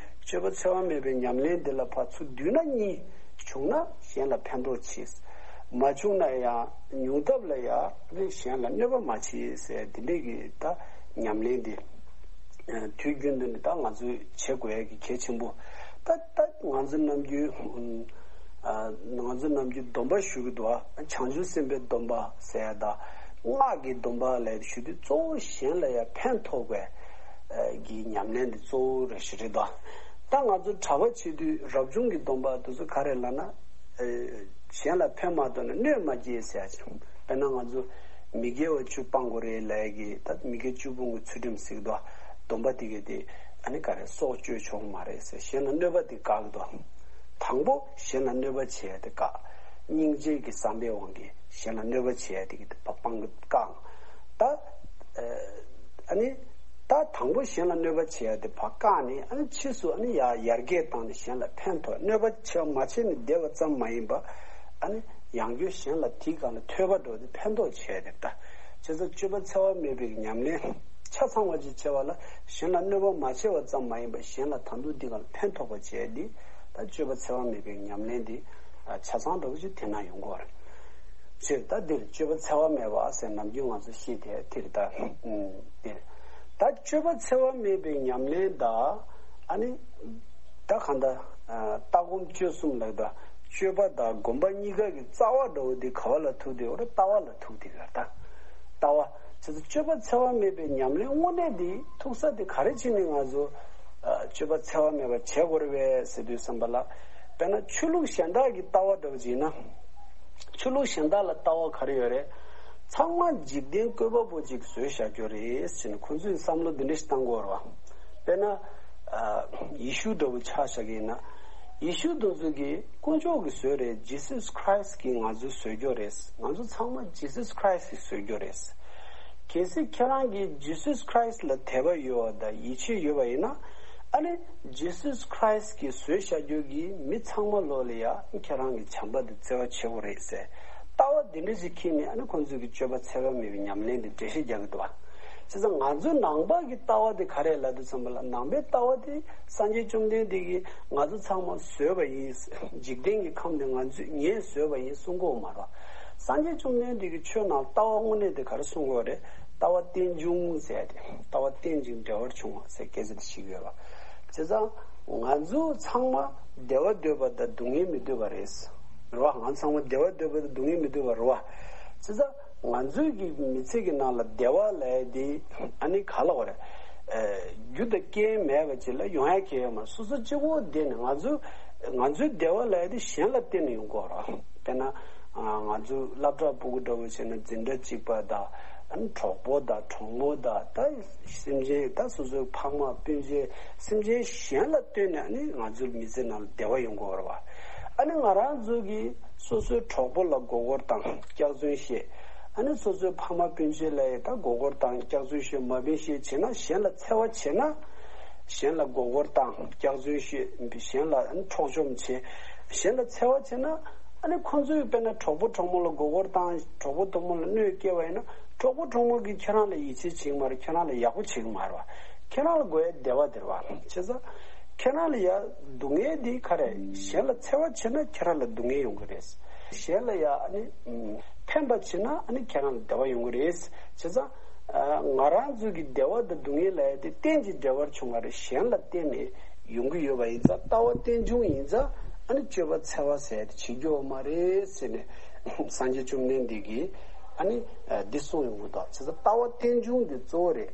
སྤྱོད་པ་འཚེ་བ་མེད་པའི་ཉམས་ལེན་འདི་ལ་ཕར་ཚུར་བསྡུས་ན་གཉིས། བྱུང་ན་གཞན་ལ་ཕན་ཐོགས་བྱེད། མ་བྱུང་ན་ཡང་ཉུང་ཐབས་ལ་ཡང་གཞན་ལ་གནོད་པ་མ་བྱེད་ཟེར་དེ་འདྲའི་གི་ད་ཉམས་ལེན་འདི། དུས་རྒྱུན་དུ་ནི་ད་ང་ཚོས་བྱེད་དགོས་ཡ་གི་གལ་ཆེན་པོ། ད་ད་ང་ཚོ་ནམ་རྒྱུན། ང་ཚོ་ནམ་རྒྱུན་སྡོམ་པ་ཞུ་གི་འདུག་ཨ། བྱང་ཆུབ་སེམས་དཔའི་སྡོམ་པ་ཟེར་ཡ་དང་། སྔགས་ཀྱི་སྡོམ་པ་ལབ་ཞུ་དུས་གཙོ་བོ་གཞན་ལ་ཡང་ཕན་ཐོགས་པའི་གི་ཉམས་ལེན་འདི་གཙོ་བོ་རེད་ཞུ་རེད་དོ། ད་ང་ཚོ་གྲྭ་པ་བྱེད་དུས་རབ་བྱུང་གི་སྡོམ་པ་དེ་ཚོ་ག་རེ་ལབ་ན། གཞན་ལ་ཕན་མ་ཐོགས་ན་གནོད་མ་སྐྱེལ་ཟེར་ཡ་ཅིག་དཔེར་ན་ང་ཚོ་མི་དགེ་བ་བཅུ་སྤང་དགོས་རེད་ལབ་ཡ་གི། ད་མི་དགེ་བཅུ་སྤོང་གི་ཚུལ་ཁྲིམས་ཟེར་གི་འདུག་ཨ། སྡོམ་པ་དེ་ག་དེ་ཨ་ནི་ག་རེ་སྲོག་གཅོད་ཆོག་མ་རེད་ཟེར། གཞན་ལ་གནོད་པ་དེ་བཀག་གི་འདུག་དང་པོ་གཞན་ལ་གནོད་པ་བྱེད་ཡ་དེ་བཀག་སྙིང་རྗེ་གི་བསམ་པའི་དབང་གིས་གཞན་ལ་གནོད་པ་བྱེད་ཡ་དེ་གི་དེ་ཕར་སྤང་གི་བཀག་ད་ཨ་ནི་ད་དང་པོ་གཞན་ལ་གནོད་པ་བྱེད་ཡ་དེ་ཕར་བཀག་ནས། ཨ་ནི་ཕྱིས་སུ་ཨ་ནི་ཡར་ཡར་རྒྱས་བཏང་ནས་གཞན་ལ་ཕན་ཐོགས། གནོད་པ་བྱེད་མ་བྱས་ནས་བསྡད་པ་ཙམ་མ་ཡིན་པ། ཨ་ནི་ཡང་བསྐྱར་གཞན་ལ་དེའི་སྒང་ལ་ཐོས་པ་འགྲོ་དེ་ཕན་ཐོགས་བྱས་ཏེ། ད་བྱས་ཙང་སྤྱོད་པ་འཚེ་བ་མེད་པའི་ཉམས་ལེན་ཆ་ཚང་བ་ཅིག་བྱས་པ་ལ། གཞན་ལ་གནོད་པ་མ་བྱས་པ་ཙམ་མ་ཡིན་པར་གཞན་ལ་ད་དུང་འདི་སྒང་ལ་ཕན་ཐོགས་པ་བྱས་ཏེ། ད་སྤྱོད་པ་འཚེ་བ་མེད་པའི་ཉམས་ལེན་འདི་ཆ་ཚང་འདྲ་བོ་ཅིག་དེ་ན་ཡོང་གི་རེད། ཕྱིར་ད་འདིར་སྤྱོད་པ་འཚེ་བ་མེད་པ་ཟེར་ནམ་རྒྱུན་ང་ཚོ་བཤད་དེ་དེར་ད་འདིར། ད་སྤྱོད་པ་འཚེ་བ་མེད་པའི་ཉམས་ལེན་ད་ཨ་ནི། ད་གང་ལྟར། ལྟ་སྒོམ་སྤྱོད་གསུམ་ལབ་ད། སྤྱོད་པ་དང་སྒོམ་པ་གཉིས་ཀ་གི་རྩ་བ་འདྲ་བོ་དེ་ག་བ་ལ་ཐུག་དེ་ཡོད་རེད། ལྟ་བ་ལ་ཐུག་དེ་ཡོད་རེད་ད། ལྟ་བ། བྱས་ཙང་སྤྱོད་པ་འཚེ་བ་མེད་པའི་ཉམས་ལེན་དངོས་གནས་དེ་ཐུག་ས་དེ་ག་རེ་བྱས་ནས་ང་ཚོ་སྤྱོད་པ་འཚེ་བ་མེད་པ་བྱེད་དགོས་རེད་པས་ཟེར་དུས་ཙམ་པ་ལ། དཔེར་ན་ཆོས་ལུགས་གཞན་དག་གི་ལྟ་བ་འདྲ་བོ་ཅིག་ཡིན་ན། ཆོས་ལུགས་གཞན་དག་ལ་ལྟ་བ་ག་རེ་ཡོད་རེད། ཚང་མ་འཇིག་རྟེན་བཀོད་པ་པོ་ཅིག་བཟོས་བཞག་རྒྱུ་རེད་ཟེར་ནས་ཁོང་ཚོས་བསམ་བློ་འདི་འདྲ་ཞིག་བཏང་གི་ཡོད་རེད་བ། དཔེར་ན། ཡེ་ཤུ་འདྲ་བོ་ཆ་བཞག་གི་ཡིན་ན། ཡེ་ཤུ་དེ་ཚོ་གིས་དཀོན་མཆོག་གིས་བཟོས་རེད། Jesus Christ གིས་ང་ཚོ་བཟོས་རྒྱུ་རེད། ང་ཚོ་ཚང་མ་Jesus Christ གིས་བཟོས་རྒྱུ་རེད། གལ་སྲིད་ཁྱེད་རང་གིས་Jesus Christ ལ་དད་པ་ཡོད་པ་དང་ཡིད་ཆེས་ཡོད་པ་ཡིན་ན། ཨ་ནི་Jesus Christ གིས་བཟོས་བཞག་རྒྱུ་གི་མི་ཚང་མ་ལོག་ལ་ཡ་ཁྱེད་རང་གི་བྱམས་པ་དེ་བརྩེ་བ་ཆེ་བོ་རེད་ཟེར། ལྟ་བ་འདི་འདྲ་ཞིག་འཁྱེར་ནས། ཨ་ནི་ཁོང་ཚོས་ཀྱི་སྤྱོད་པ་འཚེ་བ་མེད་པའི་ཉམས་ལེན་དེ་འགྲེལ་བཤད་རྒྱག་གི་འདུག་བ། བྱས་ཙང་ང་ཚོའི་ནང་པ་གི་ལྟ་བ་དེ་ག་རེ་ལབ་དུས་ཙམ་པ་ལ། ནང་པའི་ལྟ་བ་དེ་སངས་རྒྱས་བཅོམ་ལྡན་འདས་ཀྱིས་ང་ཚོ་ཚང་མ་བཟོས་པ་ཡིན། འཇིག་རྟེན་གྱི་ཁམས་དེ་ང་ཚོས་ངས་བཟོས་པ་ཡིན་གསུང་གི་ཡོད་མ་རེད། སངས་རྒྱས་བཅོམ་ལྡན་འདས་ཀྱིས་ཆོས་ནང་ལྟ་བ་དངོས་གནས་དེ་ག་རེ་གསུང་གི་ཡོད་རེད། ལྟ་བ་རྟེན་འབྱུང་ཟེར་ཏེ། ལྟ་བ་རྟེན་ཅིང་འབྲེལ་བར་འབྱུང་བ་ཟེར་སྐད་ཆ་དེ་བཤད་ཀྱི་ཡོད་རེད། བྱས་ཙང་ང་ཚོ་ཚང་མ་བདེ་བ་འདོད་པ་དང་སྡུག་བསྔལ་མི་འདོད་པ་རེད། རེད་བ། ང་ཚང་མ་བདེ་བ་འདོད་པ་དང་སྡུག་བསྔལ་མི་འདོད་པ་རེད་བ། བྱས་ཙང་ང་ཚོའི་གི་མི་ཚེ་གི་ནང་ལ་བདེ་བ་ལབ་ཡ་དེ་ཨ་ནི་ག་ལབ་དགོས་རེད། ཨ། རྒྱུ་དང་རྐྱེན་མེད་པ་ཅིག་ལ་ཡོང་ཡ་གང་ཡང་ཡོད་མ་རེད། སོ་སོ་གཅིག་པོ་བསྡད་ནས་ང་ཚོ་ང་ཚོའི་བདེ་བ་ལབ་ཡ་དེ་གཞན་ལ་བརྟེན་ནས་ཡོང་གི་ཡོད་རེད། དཔེར་ན། ཨ། ང་ཚོ་སློབ་གྲྭ་ཕྲུ་གུ་འདྲ་བོ་བྱས་ན་འཛིན་གྲྭ་གཅིག་པ་དང་། ཨ་ནི་གྲོགས་པོ་དང་གྲོགས་མོ་དང་། ད་སེམས་ཅན། ད་སོ་སོའི་ཕ་མ་སྤུན་མཆེད། སེམས་ཅན་གཞན་ལ་ལྟོས་ནས་ཨ་ནི་ང་ཚོའི་མི་ཚེ་ནང་ལ་བདེ་བ་ཡོང་གི་ཡོད་རེད་བ། ཨ་ནི་ང་རང་ཚོ་གིས་སོ་སོའི་གྲོགས་པོ་ལ་མགོ་སྐོར་བཏང་སྐྱག་རྫུན་བཤད། ཨ་ནི་སོ་སོའི་ཕ་མ་སྤུན་མཆེད་ལ་ཡང་ད་མགོ་སྐོར་བཏང་སྐྱག་རྫུན་བཤད། མ་བིན་བཤད་བྱས་ན། གཞན་ལ་འཚེ་བ་བྱས་ན། གཞན་ལ་མགོ་སྐོར་བཏང་སྐྱག་རྫུན་བཤད། གཞན་ལ་ཨ་ནི་འཕྲོག་བཅོམ་བྱས། གཞན་ལ་འཚེ་བ་བྱས་ན། ཨ་ནི་ཁོང་ཚོས་དཔེར་ན་གྲོགས་པོ་གྲོགས་མོ་ལ་མགོ་སྐོར་བཏང་། གྲོགས་པོ་གྲོགས་མོ་ལ་གནོད་སྐྱེལ་བ་ཡིན་ན། གྲོགས་པོ་གྲོགས་མོ་གིས་ཁྱེད་རང་ལ་ཡིད་ཆེས་བྱེད་ཀྱི་མ་རེད། ཁྱེད་རང་ལ་ཡག་པོ་བྱེད་ཀྱི་མ་རེད་བ། ཁྱེད་རང་ལ་དགོས་ཡ་བདེ་བ་དེ་རེད་བ། བྱས་ཙང་ཁྱེད་རང་ལ་ཡ་སྡུག་བསྔལ་འདི་ག་རེ། གཞན་ལ་འཚེ་བ་བྱས་ན་ཁྱེད་རང་ལ་སྡུག་བསྔལ་ཡོང་གི་རེད། གཞན་ལ་ཡ་ཨ་ནི་ཕན་པ་བྱས་ན་ཨ་ནི་ཁྱེད་རང་ལ་བདེ་བ་ཡོང་གི་རེད། བྱས་ཙང་ང་རང་ཚོ་གི་བདེ་བ་དང་སྡུག་བསྔལ་ལབ་ཡ་དེ་རྟེན་ཅིང་འབྲེལ་བར་འབྱུང་བ་རེད། གཞན་ལ་བརྟེན་ནས་ཡོང་གི་ཡོད་པ་ཡིན་ཙང་། ལྟ་བ་རྟེན་འབྱུང་ཡིན་ཙང་། ཨ་ནི་སྤྱོད་པ་འཚེ་བ་ཟེར་ཡ་དེ་བྱེད་རྒྱུ་ཡོད་མ་རེད་ཟེར་ནས་སངས་རྒྱས་བཅོམ་ལྡན་འདས་ཀྱིས་ཨ་ནི་འདི་གསུངས་ཡོང་གི་འདུག། བྱས་ཙང་ལྟ་བ་རྟེན་འབྱུང་འདི་གཙོ་བོ་རེད།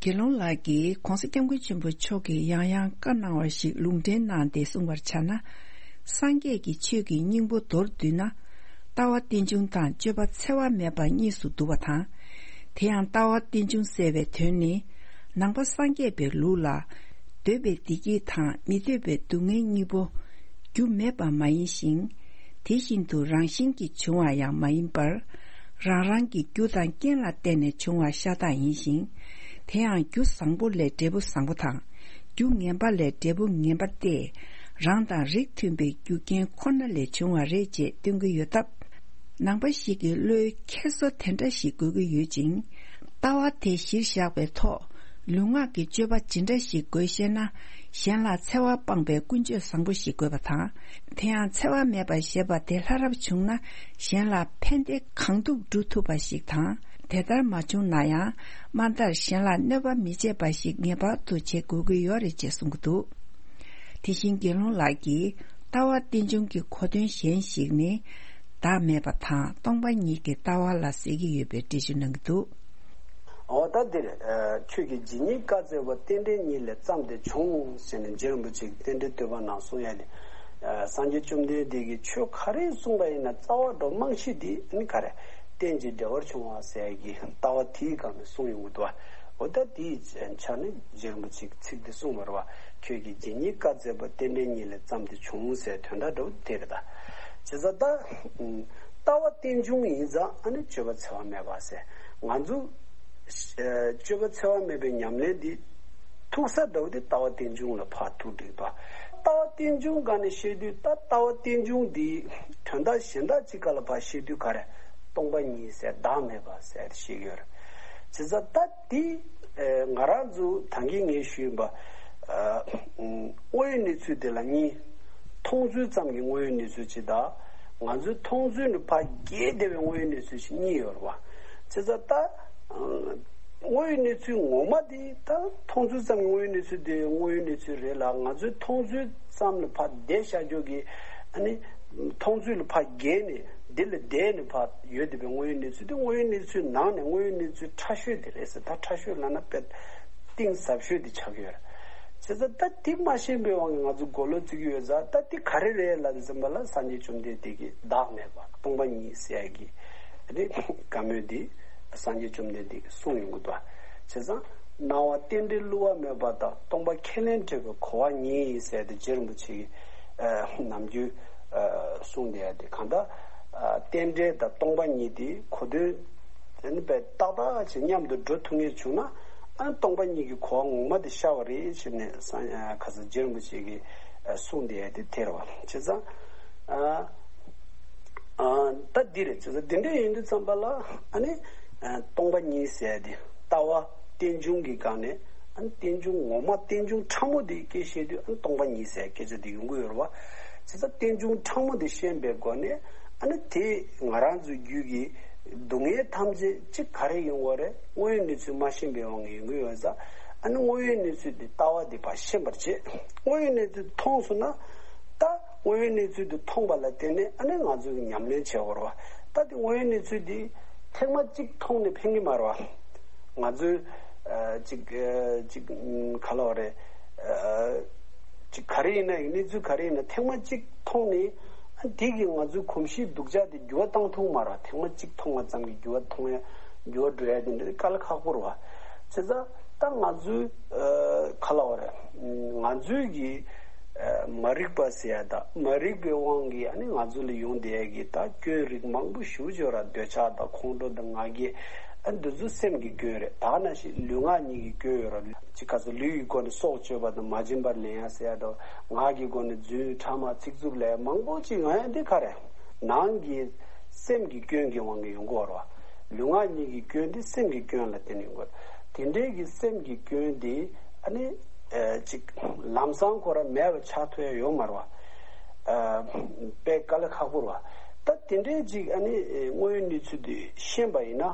དགེ་སློང་ལགས་ཀྱིས་༸གོང་ས་༸སྐྱབས་མགོན་ཆེན་པོ་མཆོག་གིས་ཡང་ཡང་བཀའ་གནང་བ་ཞིག་ལུང་འདྲེན་གནང་སྟེ་གསུངས་པར་བྱ་ན། སངས་རྒྱས་ཀྱི་ཆོས་ཀྱི་སྙིང་པོ་མདོར་བསྡུས་ན། ལྟ་བ་རྟེན་འབྱུང་དང་སྤྱོད་པ་འཚེ་བ་མེད་པ་གཉིས་སུ་འདུ་བ་དང་། དེ་ཡང་ལྟ་བ་རྟེན་འབྱུང་ཟེར་བའི་དོན་ནི། ནང་པ་སངས་རྒྱས་པའི་ལུགས་ལ། འདོད་པའི་བདེ་སྐྱིད་དང་མི་འདོད་པའི་སྡུག་བསྔལ་གཉིས་པོ། རྒྱུ་མེད་པ་མ་ཡིན་ཞིང་། དེ་བཞིན་དུ་རང་བཞིན་གྱིས་བྱུང་བ་ཡང་མ་ཡིན་པར། རང་རང་གི་རྒྱུ་དང་རྐྱེན་ལ་བརྟེན་ནས་བྱུང་བ་ཤ་སྟག་ཡིན་ཞིང་། དེ་ཡང་རྒྱུ་བཟང་པོ་ལས་འབྲས་བུ་བཟང་པོ་དང་། རྒྱུ་ངན་པ་ལས་འབྲས་བུ་ངན་པ་སྟེ། རང་དང་རིགས་མཐུན་པའི་རྒྱུ་རྐྱེན་ཁོ་ན་ལས་བྱུང་བ་རེད་ཅེས་སྟོན་གྱི་ཡོད་སྟབས། ནང་པ་ཞིག་གི་བློའི་འཁྱེར་སོ་དེ་འདྲ་ཞིག་དགོས་ཀྱི་ཡོད་ཅིང་། ལྟ་བ་དེ་གཞིར་བཞག་པའི་ཐོག་ལུས་ངག་གི་སྤྱོད་པ་ཇི་འདྲ་ཞིག་དགོས་ཤེ་ན། གཞན་ལ་འཚེ་བ་སྤངས་པའི་ཀུན་སྤྱོད་བཟང་པོ་ཞིག་དགོས་པ་དང་། དེ་ཡང་འཚེ་བ་མེད་པ་ཞེས་པ་དེ་ལྷ་རབ་བྱུང་ན་གཞན་ལ་ཕན་བདེ་གང་ཐུབ་བསྒྲུབ་ཐུབ་པ་ཞིག་དང་། དེ་ལྟར་མ་བྱུང་ན་ཡང་དམའ་མཐར་གཞན་ལ་གནོད་པ་མི་བྱེད་པ་ཞིག་ངེས་པར་དུ་བྱེད་དགོས་ཀྱི་ཡོད་རེད་ཅེས་གསུང་གི་འདུག། དེ་བཞིན་དགེ་སློང་ལགས་ཀྱིས་ལྟ་བ་རྟེན་འབྱུང་གི་གོ་དོན་གཞན་ཞིག་ནི། བདག་མེད་པ་དང་སྟོང་པ་ཉིད་ཀྱི་ལྟ་བ་ལ་ཟེར་གྱི་ཡོད་པའི་འགྲེལ་བརྗོད་གནང་གི་འདུག། འོ་ད་འདིར། ཨ། ཁྱོད་ཀྱིས་ཇི་སྙེད་བཀའ་སྩལ་པ། རྟེན་འབྲེལ་ཉིད་ལས་བརྩམས་ཏེ་བྱུང་ཟེར་ནས་རྗེ་རིན་པོ་ཆེ་གིས་རྟེན་འབྲེལ་བསྟོད་པ་ནང་གསུངས་ཡ་དེ། ཨ། སངས་རྒྱས་བཅོམ་ལྡན་འདས་ཀྱིས་ཆོས་ག་རེ་གསུངས་པ་ཡིན་ན་རྩ་བ་འགྲོ་རྨང་གཞི་དེ་ནི་ག་རེ། རྟེན་ཅིང་འབྲེལ་བར་འབྱུང་བ་ཟེར་ཡ་གི་ལྟ་བ་དེའི་སྒང་ནས་གསུངས་ཡོང་གི་འདུག། འོ་ད་དེའི་ཆ་ནས་རྗེ་རིན་པོ་ཆེ་གིས་ཚིག་འདི་གསུངས་པ་རེད་བ། ཁྱོད་ཀྱིས་ཇི་སྙེད་བཀའ་སྩལ་པ། རྟེན་འབྲེལ་ཉིད་ལས་བརྩམས་ཏེ་བྱུང་ཟེར་དོན་དག་འདྲ་བོ་དེ་རེད་ད། བྱས་ཙང་ད། ལྟ་བ་རྟེན་འབྱུང་ཡིན་ཙང་ཨ་ནི་སྤྱོད་པ་འཚེ་བ་མེད་པ་ཟེར། ང་ཚོ་ཨ་སྤྱོད་པ་འཚེ་བ་མེད་པའི་ཉམས་ལེན་འདི་ཐུག་ས་འདྲ་བོ་དེ་ལྟ་བ་རྟེན་འབྱུང་ལ་ཕར་ཐུག་འགྲིག་ཏོ། ལྟ་བ་རྟེན་འབྱུང་སྒང་ནས་བཤད་དུས། ད་ལྟ་བ་རྟེན་འབྱུང་འདིའི་དོན་དག་གཞན་དག་ཅིག་སྒང་ལ་ཕར་བཤད་དུས་ག་རེ། སྟོང་པ་ཉིད་ཟེར། བདག་མེད་པ་ཟེར་བཤད་ཀྱི་ཡོད་རེད། བྱས་ཙང་ད་འདི་ཨ་ང་རང་ཚོ་ད་གིན་ངས་ཞུས་པ། ཨ་དངོས་ཡོད་གནས་ཚུལ་དེ་ལ་གཉིས། མཐོང་ཚུལ་ཙམ་གྱི་དངོས་ཡོད་གནས་ཚུལ་གཅིག་དང་། ང་ཚོའི་མཐོང་ཚུལ་ནས་ཕར་བརྒལ་བསྡད་པའི་དངོས་ཡོད་གནས་ཚུལ་གཅིག་གཉིས་ཡོད་རེད་བ། བྱས་ཙང་ད་ཨ་དངོས་ཡོད་གནས་ཚུལ་ངོ་མ་དེ། ད་མཐོང་ཚུལ་ཙམ་གྱི་དངོས་ཡོད་གནས་ཚུལ་དེ་དངོས་ཡོད་གནས་ཚུལ་རེད་ལ། ང་ཚོའི་མཐོང་ཚུལ་ཙམ་ལ་ཕར་བསྡད་བཞག་རྒྱུ་གི། ཨ་ནི་མཐོང་ཚུལ་ལ་ཕར་བརྒལ་ནས་འདི་ལ་བསྡད་ནས་ཕར་ཡོད་བསྡད་པའི་དངོས་ཡོད་གནས་ཚུལ་དེ། དངོས་ཡོད་གནས་ཚུལ་ནང་ནས་དངོས་ཡོད་གནས་ཚུལ་ཕྲ་ཤོས་དེ་རེད་ཟེར། ད་ཕྲ་ཤོས་ལབ་ན་དཔེ་གཏིང་ཟབ་ཤོས་དེ་ཆགས་ཀྱི་ཡོད་རེད། བྱས་ཙང་ད་དེ་མ་ཤེས་པའི་དབང་གིས་ང་ཚོ་མགོ་ལོག་བརྩི་གི་ཡོད་ཙང་། ད་དེ་ག་རེ་རེད་ལབ་དུས་ཙམ་པ་ལ། སངས་རྒྱས་བཅོམ་ལྡན་འདས་ཀྱིས་བདག་མེད་པ་སྟོང་པ་ཉིད་ཟེར་ཡ་གི་རེད། བཀའ་མོལ་འདི་སངས་རྒྱས་བཅོམ་ལྡན་འདས་ཀྱིས་གསུངས་ཡོང་གི་འདུག། བྱས་ཙང་སྣང་བ་རྟེན་འབྲེལ་བསླུ་བ་མེད་པ་དང་། སྟོང་པ་ཁས་ལེན་བྲལ་བའི་གོ་བ་ཉིད་ཟེར་ཏེ་རྗེ་རིན་པོ་ཆེ་གིས་ ཨ་ནམ་རྒྱུན་ཨ་གསུངས་བསྡད་ཡ་དེ་གང་ལྟར་ཨ་རྟེན་འབྲེལ་དང་སྟོང་པ་ཉིད་དེ་གོ་དོན་དེ་ནི་དཔེ་ཏག་ཏག་ཅིག་མཉམ་དུ་འགྲོ་ཐུབ་ངེས་བྱུང་ན། ཨ་སྟོང་པ་ཉིད་ཀྱི་གོ་བ་ངོ་མ་དེ་ཤར་བ་རེད་ཟེར་ནས་སངས་ཨ་ཁ་སང་རྗེ་རིན་པོ་ཆེ་གིས་ཨ་གསུངས་བསྡད་ཡ་དེ་དེ་རེད་བ། བྱས་ཙང་ཨ། ཨ་ད་འདི་རེད། བྱས་ཙང་འདི་འདྲ་ཡིན་དུས་ཙམ་པ་ལ་ཨ་ནི་ཨ་སྟོང་པ་ཉིད་ཟེར་ཡ་དེ་ལྟ་བ་རྟེན་འབྱུང་གི་སྒང་ནས་ཨ་ནི་རྟེན་འབྱུང་ངོ་མ་རྟེན་འབྱུང་ཕྲ་མོ་དེ་སྐད་བཤད་དུས་ཨ་ནི་སྟོང་པ་ཉིད་ཟེར་ཡ་སྐད་ཆ་དེ་ཡོང་གི་ཡོད་རེད་བ། བྱས་ཙང་རྟེན་འབྱུང་ཕྲ་མོ་དེ་ཤེས་པའི་སྒོ་ནས་ཨ་ནི་དེ་ང་རང་ཚོའི་རྒྱུད་ཀྱི་སྡུག་བསྔལ་ཐམས་ཅད་གཅིག་ག་རེ་ཡོང་བ་རེད། དངོས་ཡོད་གནས་ཚུལ་མ་ཤེས་པའི་དབང་གིས་ཡོང་གི་ཡོད་ཙང་། ཨ་ནི་དངོས་ཡོད་གནས་ཚུལ་དེ་ལྟ་བ་དེ་ཕར་ཤེས་པར་བྱེད། དངོས་ཡོད་གནས་ཚུལ་མཐོང་སོང་ན། ད་དངོས་ཡོད་གནས་ཚུལ་དེ་མཐོང་བ་ལ་བརྟེན་ནས་ཨ་ནི་ང་ཚོས་ཉམས་ལེན་བྱེད་དགོས་རེད་བ། ད་དེ་དངོས་ཡོད་གནས་ཚུལ་དེ་ཐེངས་མ་གཅིག་མཐོང་ནས་ཕན་གྱི་མ་རེད་བ། ང་ཚོས་ཨ་ཅིག་ཨ་ཅིག་ཨམ་ག་ལབ་དགོས་རེད། ཨ་ཅིག་ག་རེ་ཡིན་ན་ཡང་གནས་ཚུལ་ག་རེ་ཡིན་ན་ཐེངས་མ་གཅིག་མཐོང་ནས་ཨ་དེ་གིས་ང་ཚོའི་གོམས་གཤིས་སྡུག་ཅག་དེ་འགྱུར་བ་བཏང་ཐུབ་མ་རེད་བ། ཐེངས་མ་གཅིག་མཐོང་བ་ཙམ་གྱིས་འགྱུར་བ་མཐོང་ཡ་འགྱུར་བ་འགྲོ་ཡ་དེ་འདྲ་དཀའ་ལས་ཁག་པོ་རེད་བ། བྱས་ཙང་ད་ང་ཚོའི་ཨ་ག་ལབ་དགོས་རེད། ང་ཚོའི་གི་ཨ་མ་རིག་པ་ཟེར་ཡ་ད་མ་རིག་པའི་དབང་གིས་ཨ་ནི་ང་ཚོ་ལ་ཡོང་བསྡད་ཡ་གི་ད་སྐྱོན་རིགས་མང་པོ་ཞེ་པོ་ཅིག་ཡོད་རེད། འདོད་ཆགས་དང་ཁོང་ཁྲོ་དང་ང་རྒྱལ་ཨ་འདི་ཚོ་སེམས་ཀྱི་སྐྱོན་རེད། ད་ག་ནང་བཞིན་ལུས་ངག་གཉིས་ཀྱི་སྐྱོན་ཡོད་རེད། ཅིག་ག་ཚོད་ལུས་ཀྱི་སྒོ་ནས་སྲོག་གཅོད་པ་དང་མ་བྱིན་པར་ལེན་ཡ་ཟེར་ཡ་དང་ངག་གི་སྒོ་ནས་རྫུན་ཕྲ་མ་ཚིག་རྩུབ་ལབ་ཡ་མང་པོ་ཅིག་ཡོང་ཡ་འདི་ག་རེད། ནང་གི་སེམས་ཀྱི་སྐྱོན་གྱི་དབང་གིས་ཡོང་གི་ཡོད་རེད་བ། ལུས་ངག་གཉིས་ཀྱི་སྐྱོན་འདི་སེམས་ཀྱི་སྐྱོན་ལ་བརྟེན་ནས་ཡོང་གི་ཡོད་རེད། དེ་འདྲའི་གི་སེམས་ཀྱི་སྐྱོན་འདི་ཨ་ནི་ཨ་ཅིག་ལམ་སང་ཁོ་རང་མེད་པ་ཆགས་ཐུབ་ཡ་ཡོད་མ་རེད་བ། ཨ་དཔེ་དཀའ་ལས་ཁག་པོ་རེད་བ། ད་དེ་འདྲའི་ཅིག་ཨ་ནི་དངོས་ཡོད་གནས་ཚུལ་འདི་ཤེས་པ་ཡིན་ན།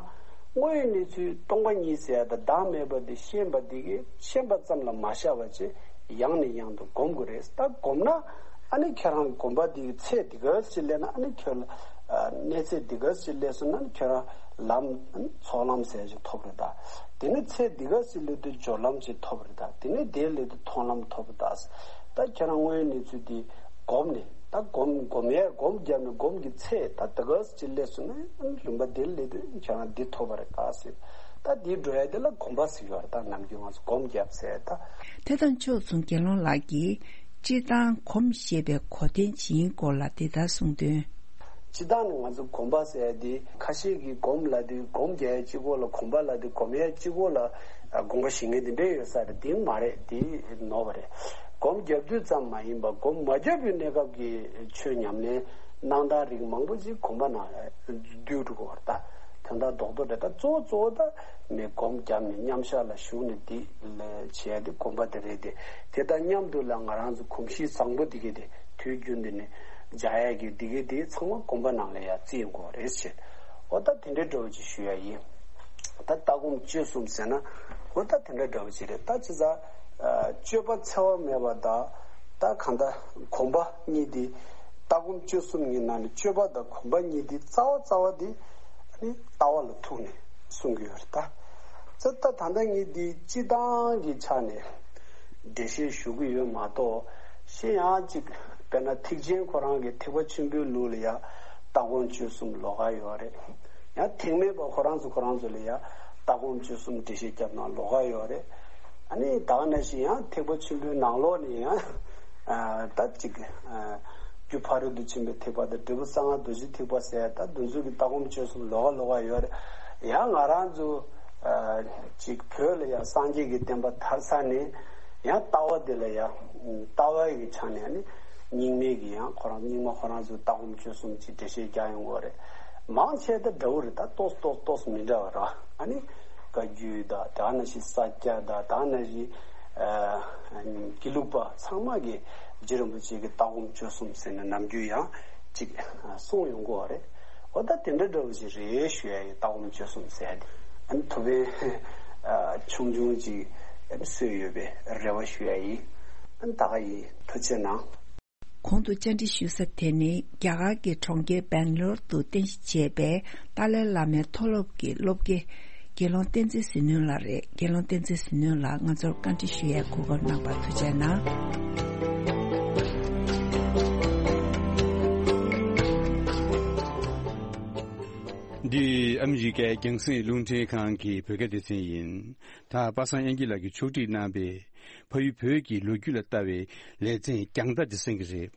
དངོས་ཡོད་གནས་ཚུལ་སྟོང་པ་ཉིད་ཟེར་ཡ་དང་བདག་མེད་པ་འདི་ཤེས་པ་འདི་གིས་ཤེས་པ་ཙམ་ལ་མ་བཞག་པ་བྱས་ཡང་ནས་ཡང་དུ་སྒོམ་དགོས་རེད། ད་སྒོམ་ན་ཨ་ནི་ཁྱེད་རང་སྒོམ་པ་འདི་གི་ཚད་འདི་ག་ཞིག་སླེབས་ན་ཨ་ནི་ཁྱོད་ལ་ཨ་གནས་ཚད་འདི་ག་ཞིག་སླེབས་སོང་ན་ཨ་ནི་ཁྱོད་རང་ལམ་ཨ་ནི་ཚོགས་ལམ་ཟེར་ཞིག་ཐོབ་རེད་ད། དེ་ནས་ཚད་འདི་ག་ཞིག་སླེབས་དུས་སྦྱོར་ལམ་ཞིག་ཐོབ་རེད་ད། དེ་ནས་དེ་སླེབས་དུས་མཐོང་ལམ་ཐོབ་རེད་ད། ད་ཁྱེད་རང་དངོས་ཡོད་གནས་ཚུལ་འདི་སྒོམ་ནས་ད་སྒོམ་སྒོམ་ཡས་སྒོམ་བརྒྱབ་ནས་སྒོམ་གྱི་ཚད་ད་དེ་ག་ཅིག་སླེབས་སོང་ན་རིམ་པ་འདིར་སླེབས་དུས་ཁྱེད་རང་འདི་ཐོབ་པ་རེད་ད་ཟེར། ད་འདི་འགྲོ་ཡ་དེ་ལ་སྒོམ་པ་ཟེར་གྱི་ཡོད་རེད། ད་ནམ་རྒྱུན་ང་ཚོ་སྒོམ་བརྒྱབ་ཟེར་ད། དེ་དང་ཕྱོགས་མཚུངས་དགེ་སློང་ལགས་ཀྱིས་སྤྱིར་བཏང་སྒོམ་ཞེས་པའི་གོ་དོན་ཇི་ཡིན་སྐོར་ལ་འདི་ལྟར་གསུངས་དོན། སྤྱིར་བཏང་ནས་ང་ཚོ་སྒོམ་པ་ཟེར་ཡ་དེ་ཁ་ཤས་ཀྱིས་སྒོམ་ལབ་དུས་སྒོམ་རྒྱག་ཡ་གཅིག་པོ་ལ་སྒོམ་པ་ལབ་དུས་སྒོམ་ཡ་གཅིག་པོ་ལ་ཨ་དགོངས་པ་བཞེས་མཁན་དེ་འདྲས་ཡོད་ས་རེད། དེ་མ་རེད། དེ་ནོར་བ་རེད། སྒོམ་བརྒྱབ་དུས་ཙམ་མ་ཡིན་པར་སྒོམ་མ་བརྒྱབ་པའི་གནས་སྐབས་ཀྱི་ཆོས་ཉམས་ལེན་གནང་སྟངས་རིགས་མང་པོ་ཅིག་སྒོམ་པ་ནང་ལ་བསྡུས་འགྲོ་གི་ཡོད་རེད་ད། དོན་དག་རྡོག་རྡོག་རེད། ད་གཙོ་བོ་གཙོ་བོ་ད་ནི་སྒོམ་བརྒྱབ་ནས་མཉམ་བཞག་ལ་ཞུགས་ནས་འདི་ལ་བྱེད་ཡ་དེ་སྒོམ་པ་དེ་རེད་དེ། དེ་དང་མཉམ་དུ་ལ་ང་རང་ཚོ་གོམས་གཤིས་བཟང་པོ་འདི་གས་དེ་དུས་རྒྱུན་འདི་ནས་སྦྱར་ཡ་གི་འདི་གས་དེ་ཚང་མ་སྒོམ་པ་ནང་ལ་ཡ་བརྩི་ཡོང་དགོས་རེད་ཅེས། འོ་ད་དེ་འདྲའི་འདྲ་བོ་ཅིག་ཞུ་ཡ་ཡིན། ད་ལྟ་སྒོམ་སྤྱོད་གསུམ་ཟེར་ན་འོ་ད་དེ་འདྲ་འདྲ་བོ་ཅིག་རེད། ད་ཅི་ཟེར་ཨ་སྤྱོད་པ་འཚེ་བ་མེད་པ་དང་ད་གང་ལྟར་སྒོམ་པ་གཉིས་དེ། ལྟ་སྒོམ་སྤྱོད་གསུམ་གྱི་ནང་ནས་སྤྱོད་པ་དང་སྒོམ་པ་གཉིས་དེ་རྩ་བ་རྩ་བ་དེ་ཨ་ནི་ལྟ་བ་ལ་ཐུག་ནས་གསུང་གི་ཡོད་རེད་ད། ཙི་ད་ད་ལྟ་ངས་འདི་སྤྱི་བཏང་གི་ཆ་ནས་འགྲེལ་བཤད་ཞུ་གི་ཡོད་མ་གཏོགས་གཞན་ཡང་ཅིག་དཔེར་ན་ཐེག་ཆེན་ཁོ་རང་གི་ཐེག་པ་ཆེན་པོའི་ལུགས་ལ་ཡང་ལྟ་སྒོམ་སྤྱོད་གསུམ་ལོགས་ཀ་ཡོད་རེད། ཡང་ཐེག་དམན་པ་ཁོ་རང་ཚོ་ཁོ་རང་ཚོ་ལ་ཡང་ལྟ་སྒོམ་སྤྱོད་གསུམ་འགྲེལ་བཤད་བརྒྱབ་ན་ལོགས་ཀ་ཡོད་རེད། ཨ་ནི་ད་ག་ནང་བཞིན་ཡང་ཐེག་པ་ཆེན་པོའི་ནང་ལོགས་ནས་ཡང་ཨ་ད་ཅིག་ཨ་རྒྱུ་ཕ་རོལ་ཏུ་ཕྱིན་པའི་ཐེག་པ་དང་འབྲས་བུ་གསང་སྔགས་རྡོ་རྗེ་ཐེག་པ་ཟེར་ད་འདི་ཚོ་གི་ལྟ་སྒོམ་སྤྱོད་གསུམ་ལོགས་ཀ་ལོགས་ཀ་ཡོད་རེད། ཡང་ང་རང་ཚོ་ཨ་ཅིག་བོད་ལ་ཡང་སངས་རྒྱས་ཀྱི་བསྟན་པ་དར་ཚར་ནས་ཡང་ལྟ་བ་དེ་ལ་ཡང་ལྟ་བ་ཡི་ཆ་ནས་ཨ་ནི་རྙིང་མའི་གི་ཡང་ཁོ་རང་རྙིང་མ་ཁོ་རང་ཚོའི་ལྟ་སྒོམ་སྤྱོད་གསུམ་གྱི་འགྲེལ་བཤད་རྒྱག་ཡོང་གི་ཡོད་རེད། མང་ཆེ་ད་འདྲ་བོ་རེད། ད་ཏོག་ཙམ་ཏོག་ཙམ་ཏོག་ཙམ་མི་འདྲ་བ་རེད། ཨ་ནི་བཀའ་བརྒྱུད་དང་ད་ག་ནང་བཞིན་ས་སྐྱ་དང་ད་ག་ནང་བཞིན་ཨ་དགེ་ལུགས་པ་ཚང་མ་གིས་རྗེ་རིན་པོ་ཆེ་གི་ལྟ་སྒོམ་སྤྱོད་གསུམ་ཟེར་ནས་ནམ་རྒྱུན་ཡང་ཅིག་གསུངས་ཡོང་གི་ཡོད་རེད། འོ་ད་དེ་འདྲ་འདྲ་བོ་ཞིག་རེད་ཞུ་ཡ་ཡིན། ལྟ་སྒོམ་སྤྱོད་གསུམ་ཟེར་ཡ་དེ་ཨ་ནི་ཐུགས་ཕན་ཨ་ཆུང་ཆུང་ཅིག་ཨ་ནི་གསོས་ཡོད་པའི་རེ་བ་ཞུ་ཡ་ཡིན། ཨ་ནི་ད་ག་ཡིན། ཐུགས་རྗེ་གནང་། གོང་དུ་བཅར་འདྲི་ཞུ་ས་དེ་ནི་རྒྱ་གར་གྱི་གྲོང་ཁྱེར་སྦེང་ལོར་དུ་རྟེན་གཞི་བྱས་པའི་ཏཱ་ལའི་བླ་མའི་མཐོ་སློབ་ཀྱི་སློབ་དགེ་དགེ་སློང་བསྟན་འཛིན་ཟིལ་གནོན་ལགས་རེད། དགེ་སློང་བསྟན་འཛིན་ཟིལ་གནོན་ལགས་ང་ཚོར་བཀའ་འདྲི་ཞུ་ཡའི་གོ་སྐབས་གནང་བར་ཐུགས་རྗེ་གནང་། འདི་ཨ་མི་རི་ཀའི་རྒྱང་སྲིང་རླུང་འཕྲིན་ཁང་གི་བོད་སྐད་སྡེ་ཚན་ཡིན། ད་པ་སངས་དབྱངས་སྐྱིད་ལགས་ཀྱིས་ཕྱོགས་སྒྲིག་གནང་བའི་ཕ་ཡུལ་བོད་ཀྱི་ལོ་རྒྱུས་ལ་ལྟ་བའི་ལེ་ཚན་རྒྱང་ལྟ་འདི་གསན་གྱི་རེད།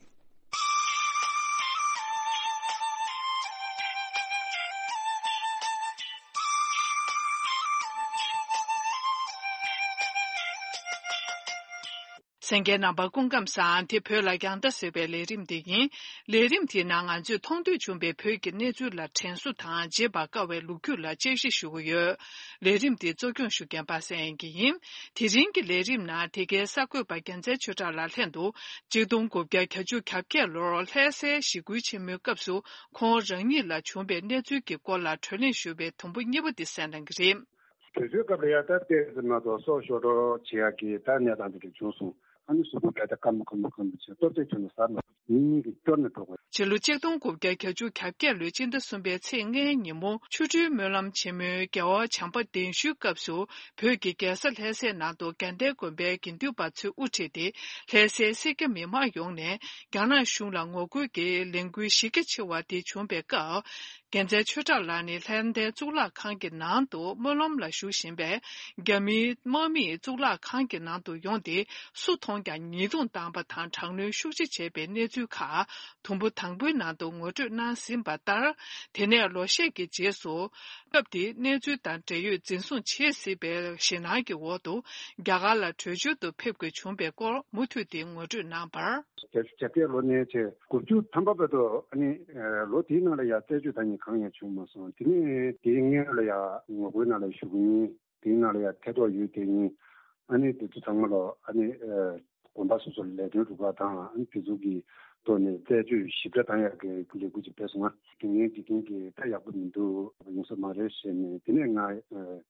ལྷན་རྒྱས་རྣམ་པ་སྐུ་ཁམས་བཟང་། དེ་བོད་ལ་རྒྱང་ལྟ་ཟེར་བའི་ལས་རིམ་དེ་ཡིན། ལས་རིམ་དེའི་ནང་ང་ཚོས་མཐོང་ཐོས་བྱུང་བའི་བོད་ཀྱི་གནས་ཚུལ་ལ་དྲན་གསོ་དང་བརྗེད་པར་དཀའ་བའི་ལོ་རྒྱུས་ལ་དཔྱད་ཞིབ་ཞུ་གི་ཡོད། ལས་རིམ་དེ་གཙོ་སྐྱོང་ཞུ་མཁན་པ་སངས་དབྱངས་སྐྱིད་ཡིན། དེ་རིང་གི་ལས་རིམ་ནང་དེ་གའི་གསར་འགོད་པ་རྒྱལ་མཚན་ཆོས་གྲགས་ལགས་ལྷན་དུ་ཆིག་སྟོང་དགུ་བརྒྱ་གྱ་གཅིག་གྱ་བརྒྱད་ལོར་ལྷ་སའི་ཞི་རྒོལ་ཆེན་མོའི་སྐབས་སུ་ཁོང་རང་ཉིད་ལ་བྱུང་བའི་གནས་ཚུལ་གྱི་སྐོར་ལ་བགྲོ་གླེང་ཞུ་བའི་དུམ་བུ་གཉིས་པ་དེ་གསན་གནང་གི་རེད། དུས་ཚོད་སྐབས་ལ་ཡ་ད་ལྟའི་ཟེར་མ་གཏོགས་སྲོག་ཤོར་འགྲོ་བྱེད་ཡག་གི་ད་གནས་སྟངས་དེ་འདྲ་བྱུང་སོང་། ཨ་ནི་གཟུགས་པོ་བས་ད་སྐམ་པོ་སྐམ་པོ་སྐམ་པོ་བྱས་ལྟོ་ཚད་ཁྱོན་ནས་ཟ་མ་ཐུབ། ཉིན་གཉིས་ཀྱི་སྐྱོར་ནས་འགྲོ་དགོས། ཕྱི་ལོ་ཆིག་སྟོང་དགུ་བརྒྱ་གྱ་གཅིག་གྱ་བརྒྱད་ལོའི་སྤྱི་ཟླ་གསུམ་པའི་ཚེས་ལྔའི་ཉིན་མོ། ཆོ་འཕྲུལ་སྨོན་ལམ་ཆེན་མོའི་རྒྱལ་བ་བྱམས་པ་གདན་ཞུའི་སྐབས་སུ། བོད་ཀྱི་རྒྱལ་ས་ལྷ་སའི་ནང་དུ་དགའ་ལྡན་དགོན་པའི་དགེ་འདུན་པ་ཚོས་དབུ་ཁྲིད་དེ། ལྷ་སའི་སེར་སྐྱ་མི་མང་ཡོངས་ནས་རྒྱ་ནག་གཞུང་ལ་ངོ་རྒོལ་གྱི་ལས་འགུལ་གཞི་རྒྱ་ཆེ་བ་དེ་བྱུང་བའི་སྐབས། རྒྱལ་མཚན་ཆོས་གྲགས་ལགས་ནི་ལྷ་ལྡན་གཙུག་ལག་ཁང་གི་ནང་དུ་སྨོན་ལམ་ལ་བཞུགས་བཞིན་པས། རྒྱ་མིའི་དམག་མིས་གཙུག་ལག་ཁང་གི་ནང་དུ་ཡོང་སྟེ། སུ་མཐོང་ཀྱང་ཉེས་རྡུང་བཏང་པ་དང་དྲག་གནོན་ཤུགས་ཆེ་བྱས་པའི་གནས་ཚུལ་ཁག་དུམ་བུ་དང་པོའི་ནང་དུ་ངོ་སྤྲོད་གནང་ཟིན་པ་ལྟར། དེ་ནས་ལོ་ཤས་ཀྱི་རྗེས་སུ། སྐབས་དེའི་གནས་ཚུལ་དང་འབྲེལ་ཡོད་འཛིན་བཟུང་བྱེད་སྲིད་པའི་ཞེད་སྣང་གི་འོག་ཏུ། རྒྱ་གར་ལ་བྲོས་བྱོལ་དུ་ཕེབས་དགོས་བྱུང་བའི་སྐོར་མུ་མཐུད་དེ་ངོ་སྤྲོད་གནང་བར། བརྒྱད་ཅུ་གྱ་བརྒྱད་ལོ་ནས་བྱས་དགུ་བཅུ་ཐམ་པ་བར་དུ་ཨ་ནི་ལོ་དེའི་ནང་ལ་ཡང་རྩད་གཅོད་ད་ནི་གང་ཡང་བྱུང་མ་སོང་། དེ་ནས་དེའི་སྔོན་ལ་ཡང་ངོ་རྒོལ་ནང་ལ་ཞུགས་ཡིན། དེའི་ནང་ལ་ཡང་ཐེ་གཏོགས་ཡོད་དེ་ཡིན། ཨ་ནི་དེ་ཚོ་ཚང་མ་ལ་ཨ་ནི་དགོན་པ་སོ་སོ་ལ་ལས་དོན་སྒྲུབ་པ་དང་ཨ་ནི་དེ་ཚོ་གི་ཐོག་ནས་རྩད་གཅོད་ཞིབ་ཕྲ་བཏང་ཡག་གི་ལས་འགུལ་ཅིག་སྤེལ་སོང་ང་། དེ་ངའི་འཇིག་རྟེན་གྱི་ད་ཡག་པོ་མི་འདུག་ཡོང་ས་མ་རེད་ཟེར་ནས། དེ་ནས་ང་རྒྱ་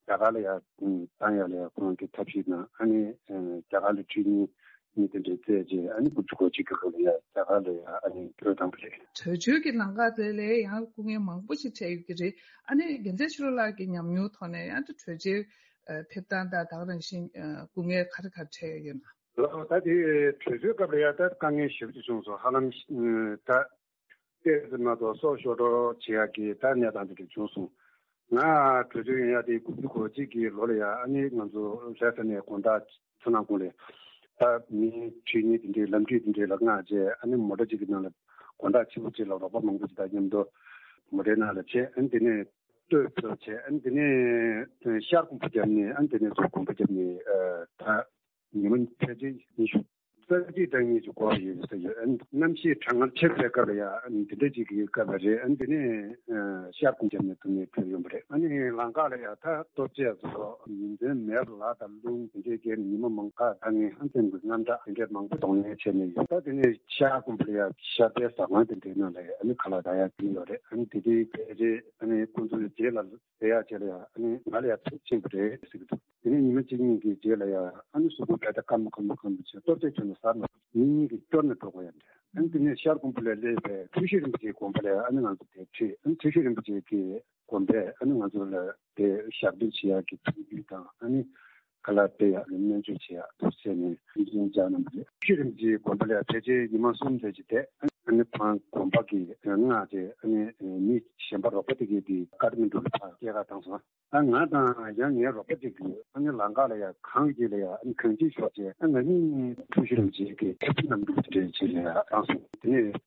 གར་ལ་ཡང་བཏང་ཡག་ལ་ཡང་ཁོང་གི་ཐབས་ཤེས་དང་ཨ་ནི་རྒྱ་གར་ལ་ཁྲིད་ནས་ནི་དེ་འདྲའི་རྩད་རྗེས་ཨ་ནི་དགུ་བཅུ་གོ་གཅིག་གི་སྐབས་ལ་ཡང་རྒྱ་གར་ལ་ཡང་ཨ་ནི་བྲོས་བཏང་པ་རེད། བྲོས་བྱོལ་གྱི་ལམ་ཁ་དེ་ལ་ཡང་སྐུ་ངལ་མང་པོ་ཞིག་འཕྲད་ཡོད་ཀྱི་རེད། ཨ་ནི་རྒྱལ་མཚན་ཆོས་གྲགས་ལགས་ཀྱི་ཉམས་མྱོང་ཐོག་ནས་ཡང་དེ་བྲོས་བྱོལ་ཕེབས་སྟངས་དང་ད་ག་ནང་བཞིན་སྐུ་ངལ་ག་རེ་ག་རེ་འཕྲད་ཡོད་ན། ལགས་ད་དེ་བྲོས་བྱོལ་སྐབས་ལ་ཡང་ད་དཀའ་ངལ་ཞེ་པོ་ཅིག་བྱུང་སོང་། ཧ་ལམ་ད། ཏོག་ཙམ་མ་གཏོགས་སྲོག་ཤོར་འགྲོ་བྱེད་ཡག་གི་ད་གནས་སྟངས་དེ་འདྲ་བྱུང་སོང་། ང་བྲོས་བྱོལ་ཡོང་ཡག་དེ་དགུ་བཅུ་གོ་གཅིག་གི་ལོ་ལ་ཡང་ཨ་ནི་ང་ཚོ་ལྷ་ས་ནས་དགོང་དག་ཚོ་ནང་ཁོངས་ལ་ད་མི་ཁྲིད་མཁན་དེ་འདྲའི་ལམ་ཁྲིད་དེ་འདྲའི་ལ་མངགས་བྱས་ཨ་ནི་མོ་ཊ་གཅིག་གི་ནང་ལ་དགོང་དག་ཕྱི་པོ་གཅིག་ལ་རོགས་པ་མང་པོ་ཞིག་དང་མཉམ་དུ་མོ་ཊའི་ནང་ལ་བྱས། ཨ་ནི་དེ་ནས་སྟོད་ཕྱོགས་བྱས། ཨ་ནི་དེ་ནས་ཤར་དགོན་པ་བརྒྱབ་ནས། ཨ་ནི་དེ་ནས་ཚུར་དགོན་པ་བརྒྱབ་ནས་ད། ཉི་མ་ཕལ་ཆེར་ཉི་ཤུ་རྩ་གཅིག་དང་གཉིས་ཀྱི་འགོར་ཡོད་ཟེར་ཡོད། ཨ་ནི་གནམ་གཤིས་གྲང་ངར་ཆེ་བའི་སྐབས་ལ་ཡང་ཨ་ནི་འདི་འདྲ་ཅིག་གི་སྐབས་ལ་རེད། ཨ་ནི་དེ་ནས་ཤར་དགོན་བརྒྱབ་ནས་དེ་ནས་བྲོས་ཡོང་པ་རེད། ཨ་ནི་ལམ་ཁ་ལ་ཡང་ད་ལྟོ་ཆས་སོགས་ཉིན་མཚན་མེད་པར་ལ་དང་རླུང་དེ་འདྲའི་རྐྱེན་ཉི་མ་མང་དཀའ་ངལ་ཧ་ཅང་གི་དངངས་སྐྲག་དེ་འདྲའི་མང་པོ་གདོང་ལེན་བྱས་ནས་ཡོད། ད་དེ་ནས་ཤར་དགོན་པ་ལ་ཡང་ཤར་པའི་ཟ་ཁང་དེ་འདྲའི་ནང་ལ་ཡང་ཨ་ནི་ཁ་ལག་ད་ཡང་བསྟན་ཡོད་རེད། ཨ་ནི་དེ་དུས་ཕལ་ཆེར་ཨ་ནི་ཁོང་ཚོའི་རྗེས་ལ། དེ་ཡག་བྱས་ལ་ཡ་ཨ་ནི་ང་ལ་ཡ་ཚབས་ཆེན་པོ་རེད་ཟེར་གྱི་འདུག་དེ་ནས་ཉི་མ་གཅིག་གཉིས་ཀྱི་རྗེས་ལ་ཡ་ཨ་ནི་གཟུགས་པོ་བས་ད་སྐམ་པོ་སྐམ་པོ་སྐམ་པོ་བྱས་ལྟོ་ཚད་ཁྱོན་ནས་ཟ་མ་ཐུབ། ཉིན་གཉིས་ཀྱི་སྐྱོར་ནས་འགྲོ་དགོས་ཡ་འདྲ། ཨ་ནི་དེ་ནས་ཤར་དགོན་པ་ལ་སླེབས་པའི་ཐུགས་སྲས་རིན་པོ་ཆེའི་དགོན་པ་ལ་ཡ་ཨ་ནི་ང་ཚོ་དེ་ཁྲིད། ཨ་ནི་ཐུགས་སྲས་རིན་པོ་ཆེ་གི་དགོན་པས་ཨ་ནི་ང་ཚོ་ལ་དེ་ཞབས་འདེགས་བྱེད་ཡག་གི་ཐུགས་རྒྱུས་དང་ཨ་ནི་ག་ལ་སྤྲད་ཡག་ལ་སྨན་བཅོས་བྱེད་ཡག་ཐུགས་སྲས་ནས་ཐུགས་སྲས་བཅར་གནང་བ་རེད། ཐུགས་སྲས་རིན་པོ་ཆེའི་དགོན་པ་ལ་ཡ་ཕལ་ཆེར་ཉི་མ་གསུམ་ཙམ་ཅིག་བསྡད། ཨ་ནི་ཕར་དགོན་པ་གི་མངགས་བྱས་ཨ་ནི་མི་གཞན་པ་རོགས་པ་དེ་གས་དེ་ཀ་ཐ་མན་ཌུ་ལ་ཕར་སྐྱེལ་ག་བཏང་སོང་། ད་ང་དང་ཡང་ངའི་རོགས་པ་གཅིག་གིས་ཨ་ནི་ལམ་ཁ་ལ་ཡ་གངས་ཀྱི་ལ་ཡ་ཨ་ནི་གངས་ཅན་ཤོག་བྱས། ཨ་ང་གཉིས་ཐུགས་ཤིན་ཅིག་གི་ཐེབས་རྣམ་དྲུག་དེ་འདྲའི་ཆེད་ལ་ཡ་བཏང་སོང་། དེ་ནས་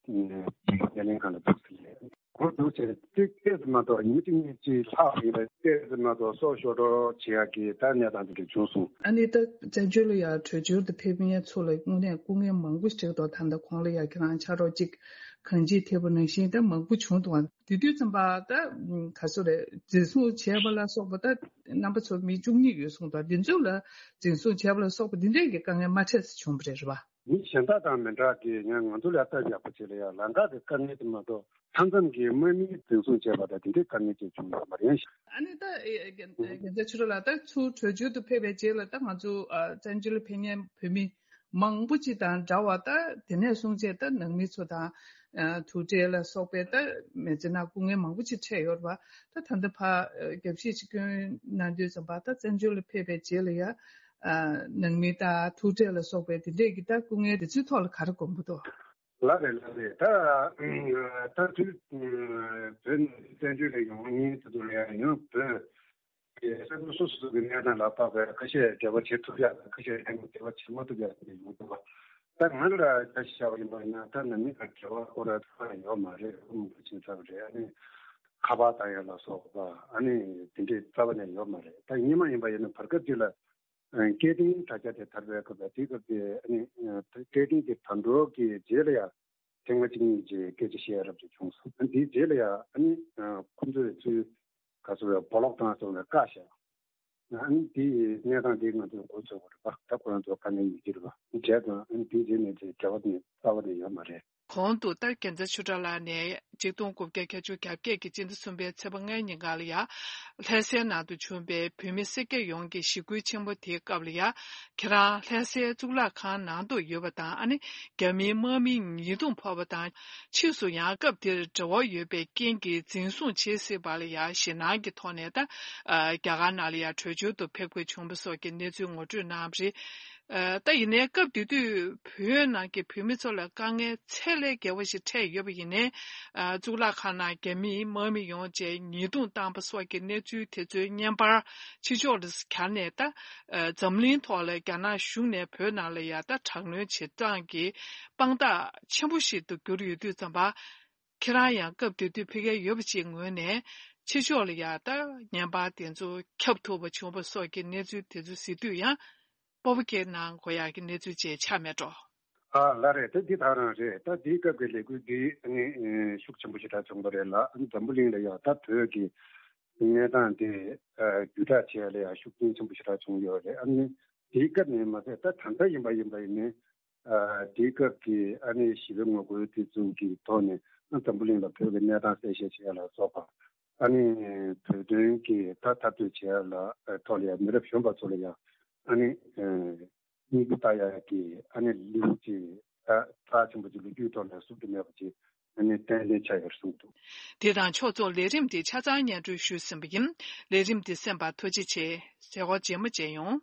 སྨན་ཁང་ལ་འདུག་ཟེར་ལས་སྒོ་འདུག་བྱས་ཏེ་ཏོག་ཙམ་མ་གཏོགས་ཉི་མ་གཅིག་གཉིས་ཅིག་ལྷག་ཡིན་པ། ཏོག་ཙམ་མ་གཏོགས་སྲོག་ཤོར་འགྲོ་བྱེད་ཡག་གི་ད་གནས་སྟངས་དེ་འདྲ་བྱུང་སོང་། ཨ་ནི་ད་བཙན་བྱོལ་ལ་ཡ་བྲོས་བྱོལ་དུ་ཕེབས་མཁན་ཚོ་ལ་དངོས་གནས་སྐུ་ངལ་མང་པོ་ཞིག་འཕྲད་འདུག་ད་ལྟ་གོང་ལ་ཡ་ཁྱེད་རང་ཕྱག་རོགས་གཅིག་གངས་སྐྱིད་ཐེབས་པ་ནང་བཞིན་ད་མང་པོ་བྱུང་འདུག་དེ་དུས་ཙམ་པ་ད་ག་སོ་རེད། འཛིན་བཟུང་བྱས་པ་ལ་སོགས་པ་ད་རྣམ་པ་ཚོ་མི་བཅུ་གཉིས་ཡོད་གསུངས་འདུག་འདི་ཚོ་ལ་འཛིན་བཟུང་བྱས་པ་ལ་སོགས་པ་འདི་འདྲས་ཀྱི་དཀའ་ངལ་མ་འཕྲད་ས་བྱུང་བ་རེད། རེད་པ། མི་གཞན་དག་དང་མི་འདྲ་གི་ཡང་ང་ཚོ་ལ་ལྟ་ཡག་པོ་བྱེད་ལ་ཡང་ལམ་ཁ་གི་དཀའ་ངལ་དེ་མ་གཏོགས་མཐའ་མཚམས་ཀྱི་དམག་མིའི་འཛིན་བཟུང་བྱས་པ་དང་དེ་འདྲའི་དཀའ་ངལ་ཅིག་བྱུང་ཡོད་མ་རེད། ཨ་ནི་ད་རྒྱལ་མཚན་ཆོས་གྲགས་ལགས་ད་ཚུར་བྲོས་བྱོལ་དུ་ཕེབས་པའི་རྗེས་ལ་ད་ང་ཚོ་བཙན་བྱོལ་ལ་ཕེབས་མཁན་བོད་མི་མང་པོ་ཅིག་དང་འདྲ་བ་ད་དེ་ནས་བཟུང་བྱས་ད་ནང་མི་ཚོ་དང་ཨ་ཐུག་འཕྲད་ལ་སོགས་པའི་ད་མི་ཚེ་ནང་སྐུ་ངལ་མང་པོ་ཅིག་འཕྲད་ཡོད་རེད་པ། ད་ད་ལྟ་ཕར་རྒྱབ་བཤིག་ཅིག་སྐྱོན་གནང་དུས་ཙམ་པ་ད་བཙན་བྱོལ་ལ་ཕེབས་པའི་རྗེས་ལ་ཡ་ཨ་ནང་མི་དང་ཐུག་འཕྲད་ལ་སོགས་པའི་དེ་འདྲས་ཀྱི་ད་སྐུ་ངལ་དེ་ཚོའི་ཐོག་ལ་ག་རེ་དགོངས་པ་འདུག་ལགས་རེད་ལགས་རེད། ད་ད་དུས་བོད་ནས་བཙན་བྱོལ་ལ་ཡོང་མཁན་དེ་ཚོ་ལ་ཡང་ཡང་བོད་ཀྱི་ས་ཁུལ་སོ་སོ་སོ་གི་གནས་སྟངས་ལ་དཔག་པའི་ཁ་ཤས་འབྲེལ་བ་བྱེད་ཐུབ་ཡག་དང་ཁ་ཤས་ཡང་འབྲེལ་བ་བྱེད་མ་ཐུབ་ཡག་དེ་ཡོང་ཐུབ་པ། ད་ང་ལ་ཆ་བཞག་པ་ཡིན་པ་ཡིན་ན་ད་ནང་མི་དང་འབྲེལ་བ་སྐོར་ལ་ད་ཡོད་མ་རེད། ཨ་མ་ཕ་ཆིང་ཚབ་རེད། ཨ་ནི་ཁ་པར་བཏང་ཡག་ལ་སོགས་པ་ཨ་ནི་དེ་འདྲས་རྩ་བ་ནས་ཡོད་མ་རེད། ད་སྔོན་མ་ཡིན་པ་ཡིན་ན་བར་སྐབས་ཅིག་ལ། སྐད་འཕྲིན་དྲ་རྒྱ་དེ་དར་བའི་སྐབས་ལ་དེའི་སྐབས་དེ་ཨ་ནི་སྐད་འཕྲིན་དེ་དར་འགྲོ་གི་རྗེས་ལ་ཡང་ཐེངས་མ་གཅིག་གཉིས་ཀྱི་སྐད་ཆ་བཤད་ཡ་རབ་ཅིག་བྱུང་སོང་། ཨ་ནི་དེའི་རྗེས་ལ་ཡང་ཨ་ནི་ཁོ་ཚོས་ཚུར་ག་ཚོད་རེད་སྦོ་ལོག་བཏང་སོང་ལ་བཀག་བཞག་ཨ་ནི་དེའི་གནས་སྟངས་དེ་ང་ཚོས་མགོ་ཚོད་པ་རེད་པ། ད་ཁོ་རང་ཚོ་དཀའ་ངལ་ཡོད་ཀྱི་རེད་པ། བྱས་ཙང་ཨ་ནི་དེའི་རྗེས་ནས་དེ་འབྲེལ་བ་དེ་རྩ་བ་ནས་ཡོད་མ་རེད། གོང་དུ་ཏཱ་རྒྱལ་མཚན་ཆོས་གྲགས་ལགས་ནས་ཆིག་སྟོང་དགུ་བརྒྱ་བརྒྱད་ཅུ་གྱ་བརྒྱད་ཀྱི་སྤྱི་ཟླ་གསུམ་པའི་ཚེས་པ་ལྔའི་ཉིན་ཀ་ལ་ཡ། ལྷ་སའི་ནང་དུ་བྱུང་བའི་བོད་མི་སེར་སྐྱ་ཡོངས་ཀྱི་ཞི་རྒོལ་ཆེན་པོ་དེའི་སྐབས་ལ་ཡ། ཁྱེད་རང་ལྷ་སའི་གཙུག་ལག་ཁང་ནང་དུ་ཡོད་པ་དང་ཨ་ནི་རྒྱ་མིའི་དམག་མིའི་ཉེས་རྡུང་ཕོག་པ་དང་། ཕྱིས་སུ་ཡང་སྐབས་དེར་འབྲེལ་བ་ཡོད་པའི་རྐྱེན་གྱིས་འཛིན་བཟུང་བྱེད་སྲིད་པ་ལ་ཡ་ཞེད་སྣང་གི་ཐོག་ནས་ད། རྒྱ་གར་ནང་ལ་ཡ་བྲོས་བྱོལ་དུ་ཕེབས་དགོས་བྱུང་བ་སོགས་ཀྱི་གནས་ཚུལ་ངོ་སྤྲོད་གནང་བ་རེད། ད་ཡིན་ནའི་སྐབས་དེ་དུས་བོད་ནང་གི་བོད་མི་ཚོ་ལ་དཀའ་ངལ་ཚད་ལས་བརྒལ་བ་ཞིག་འཕྲད་ཡོད་པ་ཡིན་ནའི། གཙུག་ལག་ཁང་ནང་རྒྱ་མིའི་དམག་མི་ཡོང་བྱས་ཉེས་རྡུང་བཏང་པ་སོགས་ཀྱི་གནས་ཚུལ་དེ་ཚོའི་བརྙན་པར་ཕྱི་ཕྱོགས་ལ་གྱར་ནས་ད། འཛམ་གླིང་ཐོག་ལ་རྒྱ་ནག་གཞུང་ནས་བོད་ནང་ལ་ཡ་ད་དྲག་གནོན་བྱེད་སྟངས་ཀྱི་དཔང་རྟགས་ཆེན་པོ་ཞིག་ཏུ་གྱུར་ཡོད་དུས་ཙམ་པ། ཁྱེད་རང་ཡང་སྐབས་དེ་དུས་ཕ་གིར་ཡོད་པ་ཅིག་ངོས་ནས་ཕྱི་ཕྱོགས་ལ་ཡ་ད་བརྙན་པར་དེ་ཚོ་ཁྱབ་ཐུབ་པ་བྱུང་བ་སོགས་ཀྱི་གནས་ཚུལ་དེ་ཚོ་གཟིགས་དུས་ཡང་། སྤོབས་པ་སྐྱེ་གནང་དགོས་ཡག་གི་གནས་ཚུལ་ཅིག་ཆགས་མེད་འགྲོ། ཨ་ལགས་རེད། དེ་འདི་དག་རང་རེད། ད་འདིའི་སྐབས་ཀྱི་ལས་འགུལ་འདི་ནི་ཤུགས་ཆེན་པོ་ཞེ་དྲག་བྱུང་བ་རེད་ལ། ཨ་ནི་འཛམ་བུ་གླིང་ལ་ཡང་ད་བོད་ཀྱི་གནས་སྟངས་དེ་བརྒྱུད་བསྒྲགས་བྱས་ལ་ཡང་ཤུགས་རྐྱེན་ཆེན་པོ་ཞེ་དྲག་བྱུང་ཡོད་རེད། ཨ་ནི་འདིའི་སྐབས་ནས་མ་ཟད་ད་ད་ལྟ་ཡིན་པ་ཡིན་པ་ཡིན་ནའི་དེའི་སྐབས་ཀྱི་ཨ་ནི་ཞི་བའི་ངོ་རྒོལ་དེ་ཚོ་གི་ཐོག་ནས་ཨ་འཛམ་བུ་གླིང་ལ་བོད་ཀྱི་གནས་སྟངས་གསལ་བཤད་བྱས་ལ་སོགས་པ། ཨ་ནི་བོད་དོན་གྱི་ད་འཐབ་རྩོད་བྱེད་ཡ་ལ་ཐོག་ལ་ཡ་མི་རབས་གཞོན་པ་ཚོ་ལ་ཡ་ཨ་ནི་སྙིང་པོ་ལྟ་ཡ་གི་ཨ་ནི་ལེའུ་ཅིག་ད་རྩ་ཆེན་པོ་ཅིག་ལོ་རྒྱུས་ཐོག་ལ་བཟོ་རྒྱུ་མེད་པ་ཅིག་ཨ་ནི་ཏན་ཏན་ཆགས་ཡོད་གསུངས་འདུག། དེ་དང་ཕྱོགས་མཚུངས་ལས་རིམ་འདི་ཆ་ཚང་སྙན་སྒྲོན་ཞུས་ཟིན་པ་ཡིན། ལས་རིམ་འདི་གསན་པར་ཐུགས་རྗེ་ཆེ། མཛད་སྒོ་རྗེས་མ་མཇལ་ཡོང་།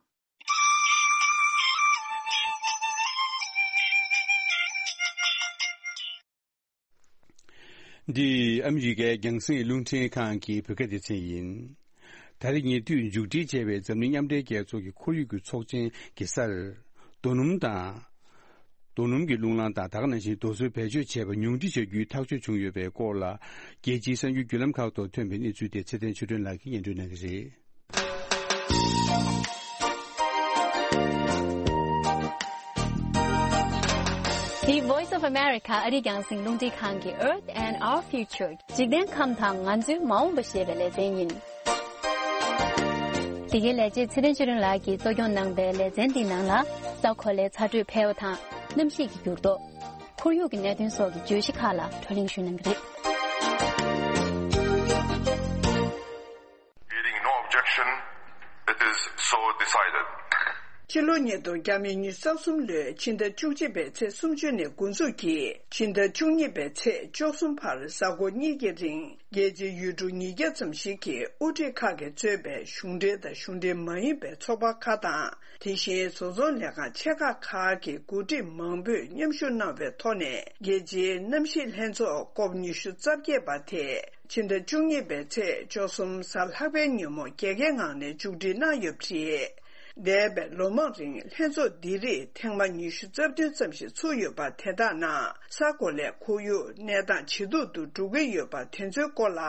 འདི་ཨ་མི་རི་ཀའི་རྒྱང་སྲིང་རླུང་འཕྲིན་ཁང་གི་བོད་སྐད་སྡེ་ཚན་ཡིན། ད་རེས་ཉེ་དུས་མཇུག་སྒྲིལ་བྱས་པའི་འཛམ་གླིང་མཉམ་འབྲེལ་རྒྱལ་ཚོགས་ཀྱི་ཁོར་ཡུག་གི་ཚོགས་ཆེན་གྱི་སར། རྡོ་སྣུམ་དང་། རྡོ་སྣུམ་གྱི་རླུང་ལངས་དང་ད་ག་ནང་བཞིན་རྡོ་སོལ་བེད་སྤྱོད་བྱས་པ་ཉུང་འཕྲི་བྱ་རྒྱུའི་ཐག་གཅོད་བྱུང་ཡོད་པའི་སྐོར་ལ། རྒྱལ་སྤྱིའི་གསར་འགྱུར་བརྒྱུད་ལམ་ཁག་ཐོག་ཐོན་པའི་གནས་ཚུལ་དེ་ཚེ་བརྟན་ཆོས་སྒྲོན་ལགས་ཀྱིས་སྙན་སྒྲོན་གནང་གི་རེད། The Voice of America ཨ་རིའི་རྒྱང་སྲིང་རླུང་འཕྲིན་ཁང་གི Earth and Our Future འཇིག་རྟེན་ཁམས་དང་ང་ཚོའི་མ་འོངས་པ་ཞེས་པའི་ལེ་ཚན་ཡིན། འདི་གའི་ལས་བྱེད་ཚེ་བརྟན་ཆོས་སྒྲོན་ལགས་ཀྱིས་གཙོ་སྐྱོང་གནང་པའི་ལེ་ཚན་འདིའི་ནང་ལ། ས་གོ་ལའི་ཚ་དྲོད་འཕེལ་བ་དང་གནམ་གཤིས་ཀྱི་འགྱུར་ལྡོག་ཁོར་ཡུག་གི་གནད་དོན་སོགས་ཀྱི་བརྗོད་གཞི་ཁག་ལ་བགྲོ་གླེང་ཞུས་གནང་གི་རེད། Hearing no objection, it is so decided. ཕྱི་ལོ་ཉིས་སྟོང་ཉི་ཤུ་རྩ་གསུམ་ལོའི་ཕྱི་ཟླ་བཅུ་གཅིག་པའི་ཚེས་སུམ་ཅུ་ནས་འགོ་འཛུགས་ཀྱིས་ཕྱི་ཟླ་བཅུ་གཉིས་པའི་ཚེས་བཅུ་གསུམ་བར་གཟའ་འཁོར་གཉིས་ཀྱི་རིང་རྒྱལ་སྤྱིའི་ཡུལ་གྲུ་ཉིས་བརྒྱ་ཙམ་ཞིག་གི་དབུ་ཁྲིད་ཁག་གིས་གཙོས་པའི་གཞུང་འབྲེལ་དང་གཞུང་འབྲེལ་མ་ཡིན་པའི་ཚོགས་པ་ཁག་དང་། དེ་བཞིན་བཟོ་ཚོང་ལས་ཁང་ཆེ་ཁག་ཁག་གི་འགོ་ཁྲིད་མང་པོས་མཉམ་ཞུགས་གནང་བའི་ཐོག་ནས་རྒྱལ་སྤྱིའི་གནམ་གཤིས་ལྷན་ཚོགས་ཀོབ་ཉི་ཤུ་རྩ་བརྒྱད་པ་དེ་ཕྱི་ཟླ་བཅུ་གཉིས་པའི་ཚེས་བཅུ་གསུམ་གཟའ་ལྷག་པའི་ཉིན་མོ་རྒྱལ་ཁའི་ངང་ནས་མཇུག་སྒྲིལ་གནང་ཡོད་པ་རེད། འདས་པའི་ལོ་མང་རིང་ལྷན་ཚོགས་འདི་རིགས་ཐེངས་མ་ཉི་ཤུ་རྩ་བདུན་ཙམ་ཞིག་ཚུགས་ཡོད་པ་དེ་དག་ནང་ས་གོ་ལའི་ཁོར་ཡུག་གནས་སྟངས་ཇེ་སྡུག་ཏུ་འགྲོ་གི་ཡོད་པ་དེ་ཚོའི་སྐོར་ལ།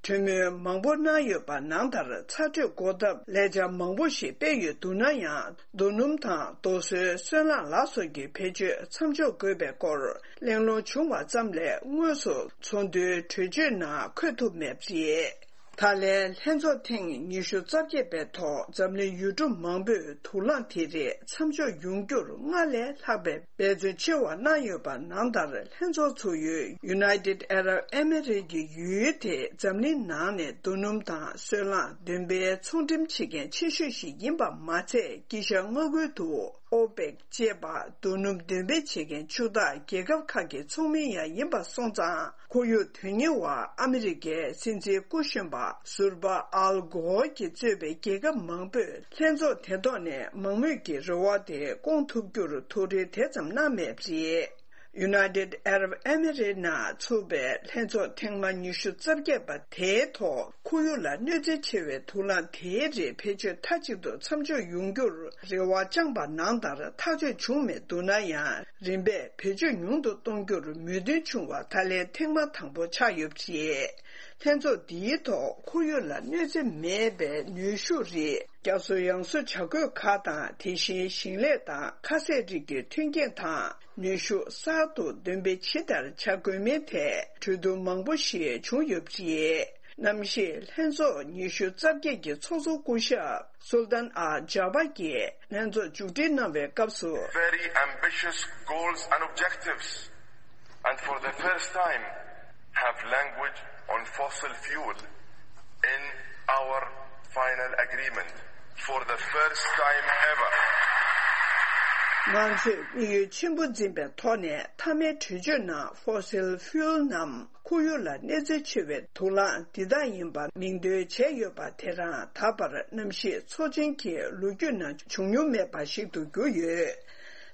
གྲོས་མོལ་མང་པོ་གནང་ཡོད་པ་ནང་ལྟར་ཚ་དྲོད་འགོག་ཐབས་ལས་འཆར་མང་པོ་ཞིག་སྤེལ་ཡོད་འདུག་ན་ཡང་རྡོ་སྣུམ་དང་རྡོ་སོལ་སོལ་རླངས་ལ་སོགས་ཀྱི་བེད་སྤྱོད་མཚམས་འཇོག་དགོས་པའི་སྐོར་གླེང་སློང་བྱུང་བ་ཙམ་ལས་དངོས་སུ་ཚོགས་འདུའི་གྲོས་ཆོད་ནང་འཁོད་ཐུབ་མེད་པ་རེད། ད་ལན་ལྷན་ཚོགས་ཐེངས་ཉི་ཤུ་རྩ་བརྒྱད་པའི་ཐོག་འཛམ་གླིང་ཡུལ་གྲུ་མང་པོས་དུག་རླངས་དེ་རིགས་མཚམས་འཇོག་ཡོང་རྒྱུར་སྔར་ལས་ལྷག་པའི་འབད་བརྩོན་ཆེ་བ་གནང་ཡོད་པ་ནང་ལྟར་ལྷན་ཚོགས་ཚུགས་ཡུལ་United Arab Emirates ཀྱི་ཡུལ་དེ་འཛམ་གླིང་ནང་ནས་རྡོ་སྣུམ་དང་སོལ་རླངས་འདོན་སྤེལ་ཚོང་འགྲེམས་བྱེད་མཁན་ཆེ་ཤོས་ཤིག་ཡིན་པ་མ་ཚད་དཀྱིལ་ཤར་མངའ་ཁུལ་དུ་ཨོ་པེག་ཅེས་པ་རྡོ་སྣུམ་འདོན་སྤེལ་བྱེད་མཁན་ཕྱུག་བདག་རྒྱལ་ཁབ་ཁག་གི་ཚོགས་མི་ཡང་ཡིན་པ་སོང་ཙང་། ཁོར་ཡུག་དོན་གཉེར་བ་ཨ་མི་རི་ཀའི་སྲིད་འཛིན་སྐུ་གཞོན་པ་ཟུར་པ་ཨལ་གོ་ཨོར་གྱིས་གཙོས་པའི་རྒྱལ་ཁབ་མང་པོས་ལྷན་ཚོགས་དེ་ཐོག་ནས་མང་མོས་ཀྱི་རེ་བ་དེ་སྐོང་ཐུབ་རྒྱུར་ཐུགས་རེ་དེ་ཙམ་གནང་མེད་པ་རེད། United Arab Emirates ནང་ཚུགས་པའི་ལྷན་ཚོགས་ཐེངས་མ་ཉི་ཤུ་རྩ་བརྒྱད་པ་དེའི་ཐོག་ཁོར་ཡུག་ལ་གནོད་འཚེ་ཆེ་བའི་དུག་རླངས་དེའི་རིགས་བེད་སྤྱོད་མཐའ་གཅིག་ཏུ་མཚམས་འཇོག་ཡོང་རྒྱུར་རེ་བ་བཅངས་པ་ནང་ལྟར་ཐག་གཅོད་བྱུང་མེད་འདུག་ན་ཡང་། རིམ་པས་བེད་སྤྱོད་ཉུང་དུ་གཏོང་རྒྱུར་མོས་མཐུན་བྱུང་བ་ད་ལན་ཐེངས་མ་དང་པོ་ཆགས་ཡོད་པ་རེད། ལྷན་ཚོགས་འདིའི་ཐོག་ཁོར་ཡུག་ལ་གནོད་འཚེ་མེད་པའི་ནུས་ཤུགས་རིགས་ བསྐྱར་གསོ་ཡང་གསོ་བྱ་དགོས་ཁག་དང་། དེ་བཞིན་ཞིང་ལས་དང་ཁ་ཟས་རིགས་ཀྱི་མཐུན་རྐྱེན་དང་ནུས་ཤུགས་གསར་དུ་འདོན་སྤེལ་ཇི་ལྟར་བྱ་དགོས་མིན་ཐད་གྲོས་བསྡུར་མང་པོ་ཞིག་བྱུང་ཡོད་པ་རེད། གནམ་གཤིས་ལྷན་ཚོགས་ཉི་ཤུ་རྩ་བརྒྱད་ཀྱི་ཚོགས་གཙོ་སྐུ་ཞབས་སུལ་ཏན་ཨལ་ཇཱ་བ་གིས་ལྷན་ཚོགས་མཇུག་སྒྲིལ་གནང་བའི་སྐབས་སུ། Very ambitious goals and objectives, and for the first time have language on fossil fuel in our final agreement, for the first time ever. ང་ཚོས་དམིགས་ཡུལ་ཆེན་པོ་འཛིན་པའི་ཐོག་ནས་མཐའ་མའི་གྲོས་ཆོད་ནང་fossil fuel རྣམས་ཁོར་ཡུག་ལ་གནོད་འཚེ་ཆེ་བའི་དུག་རླངས་འདི་དག་ཡིན་པ་མིང་འདོན་བྱས་ཡོད་པ་དེ་རང་ད་བར་གནམ་གཤིས་ཚོགས་ཆེན་གྱི་ལོ་རྒྱུས་ནང་བྱུང་མྱོང་མེད་པ་ཞིག་ཏུ་གྱུར་ཡོད།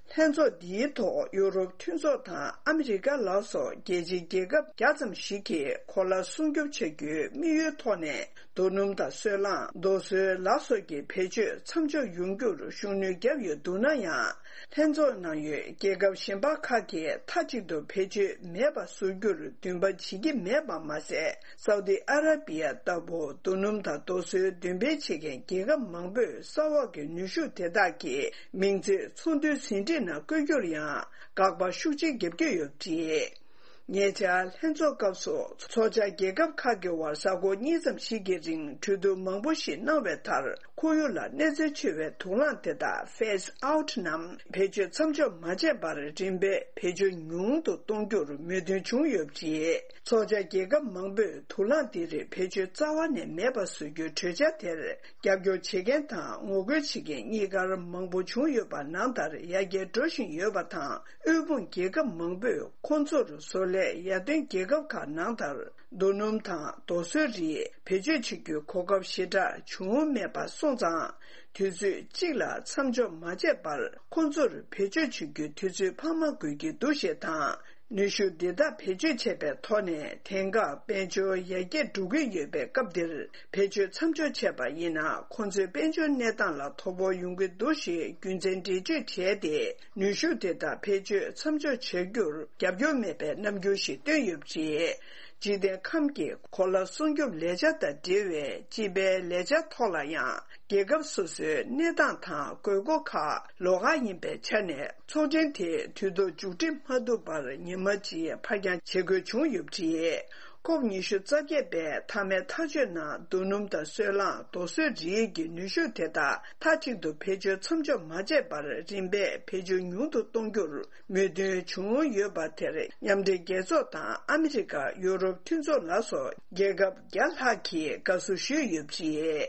ལྷན་ཚོགས་འདིའི་ཐོག་ཡུ་རོབ་མཐུན་ཚོགས་དང་ཨ་མི་རི་ཀ་ལ་སོགས་རྒྱལ་སྤྱིའི་རྒྱལ་ཁབ་བརྒྱ་ཙམ་ཞིག་གིས་གོ་ལ་སྲུང་སྐྱོབ་བྱ་རྒྱུའི་དམིགས་ཡུལ་ཐོག་ནས་རྡོ་སྣུམ་དང་སོལ་རླངས། རྡོ་སོལ་ལ་སོགས་ཀྱི་བེད་སྤྱོད་མཚམས་འཇོག་ཡོང་རྒྱུར་ཤུགས་སྣོན་བརྒྱབ་ཡོད་འདུག་ན་ཡང་། ལྷན་ཚོགས་ནང་ཡོད་རྒྱལ་ཁབ་གཞན་པ་ཁག་གིས་མཐའ་གཅིག་ཏུ་བེད་སྤྱོད་མེད་པ་བཟོ་རྒྱུར་འདུན་པ་བྱེད་ཀྱི་མེད་པ་མ་ཟད། སའུ་ཏི་ཨ་ར་པི་ཡ་ལྟ་བུ་རྡོ་སྣུམ་དང་རྡོ་སོལ་འདོན་སྤེལ་བྱེད་མཁན་རྒྱལ་ཁབ་མང་པོས་ས་འོག་གི་ནུས་ཤུགས་དེ་དག་གི་མིང་ཚིག་ཚོགས་འདུའི་ཟིན་བྲིས་ནང་བཀོད་རྒྱུར་ཡང་དགག་པ་ཤུགས་ཆེ་བརྒྱབ་ཀྱི་ཡོད་པ་རེད། ཉེ་ཆར་ལྷན་ཚོགས་སྐབས་སུ་ཚོགས་བཅར་རྒྱལ་ཁབ་ཁག་གི་དབར་གཟའ་འཁོར་གཉིས་ཙམ་ཞིག་གི་རིང་གྲོས་བསྡུར་མང་པོ་ཞིག་གནང་བའི་མཐར། ཁོར་ཡུག་ལ་གནོད་འཚེ་ཆེ་བའི་དུག་རླངས་དེ་དག་ཕེ་སི་ཨའུ་ཊི་རྣམས་བེད་སྤྱོད་མཚམས་འཇོག་མ་བྱས་པར་རིམ་པས་བེད་སྤྱོད་ཉུང་དུ་གཏོང་རྒྱུར་མོས་མཐུན་བྱུང་ཡོད་པ་རེད། ཚོགས་བཅར་རྒྱལ་ཁབ་མང་པོས་དུག་རླངས་འདི་རིགས་བེད་སྤྱོད་རྩ་བ་ནས་མེད་པ་བཟོ་རྒྱུའི་གྲོས་འཆར་དེར་རྒྱབ་སྐྱོར་བྱེད་མཁན་དང་ངོ་རྒོལ་བྱེད་མཁན་གཉིས་ཀར་མང་པོ་བྱུང་ཡོད་པ་ནང་ལྟར་ཡར་རྒྱས་འགྲོ་བཞིན་ཡོད་པ་དང་། དབུལ་ཕོངས་རྒྱལ་ཁབ་མང་པོས་ཁོང་ཚོར་བཟོ་ལས་ཡར་ཐོན་རྒྱལ་ཁབ་ཁག་ནང་ལྟར་རྡོ་སྣུམ་དང་རྡོ་སོལ་རིགས་བེད་སྤྱོད་བྱེད་རྒྱུའི་གོ་སྐབས་ཞེ་དྲག་བྱུང་མེད་པ་སོང་ཙང་། དུས་ཚོད་གཅིག་ལ་མཚམས་འཇོག་མ་བྱས་པར་ཁོང་ཚོར་བེད་སྤྱོད་བྱེད་རྒྱུའི་དུས་ཚོད་འཕར་མ་དགོས་ཀྱི་འདུག་ཞེས་དང་། ནུས་ཤུགས་འདི་དག་བེད་སྤྱོད་བྱས་པའི་ཐོག་ནས་ཐེངས་འགའ་དཔལ་འབྱོར་ཡར་རྒྱས་འགྲོ་གི་ཡོད་པའི་སྐབས་འདིར་བེད་སྤྱོད་མཚམས་འཇོག་བྱས་པ་ཡིན་ན། ཁོང་ཚོའི་དཔལ་འབྱོར་གནས་སྟངས་ལ་དོ་ཕོག་ཡོང་གི་འདུག་ཞེས་རྒྱུ་མཚན་འགྲེལ་བརྗོད་བྱས་ཏེ། ནུས་ཤུགས་དེ་དག་བེད་སྤྱོད་མཚམས་འཇོག་བྱ་རྒྱུར་རྒྱབ་སྐྱོར་མེད་པའི་རྣམ་འགྱུར་ཞིག་བཏོན་ཡོད་པ་རེད། འཇིག་རྟེན་ཁམས་ཀྱི་གོ་ལ་སྲུང་སྐྱོབ་ལས་འཆར་དང་འབྲེལ་བའི་སྤྱི་པའི་ལས་འཆར་ཐོག་ལ་ཡང་རྒྱལ་ཁབ་སོ་སོའི་གནས་སྟངས་དང་དགོས་མཁོ་ཁག་ལོགས་ཀ་ཡིན་པའི་ཆ་ནས། ཚོགས་ཆེན་དེ་དུས་ཐོག་མཇུག་སྒྲིལ་མ་ཐུབ་པར་ཉི་མ་གཅིག་ཕར་འགྱངས་བྱེད་དགོས་བྱུང་ཡོད་པ་རེད། ཁོབ་ཉི་ཤུ་རྩ་བརྒྱད་པའི་མཐའ་མའི་ཐག་གཅོད་ནང་རྡོ་སྣུམ་དང་སོལ་རླངས། རྡོ་སོལ་རིགས་ཀྱི་ནུས་ཤུགས་དེ་དག་མཐའ་གཅིག་ཏུ་བེད་སྤྱོད་མཚམས་འཇོག་མ་བྱས་པར་རིམ་པས་བེད་སྤྱོད་ཉུང་དུ་གཏོང་རྒྱུར་མོས་མཐུན་བྱུང་ཡོད་པ་དེར་མཉམ་འབྲེལ་རྒྱལ་ཚོགས་དང་ཨ་མི་རི་ཀ། ཡུ་རོབ་མཐུན་ཚོགས་ལ་སོགས་རྒྱལ་ཁབ་བརྒྱ་ལྷག་གིས་དགའ་བསུ་ཞུས་ཡོད་པ་རེད།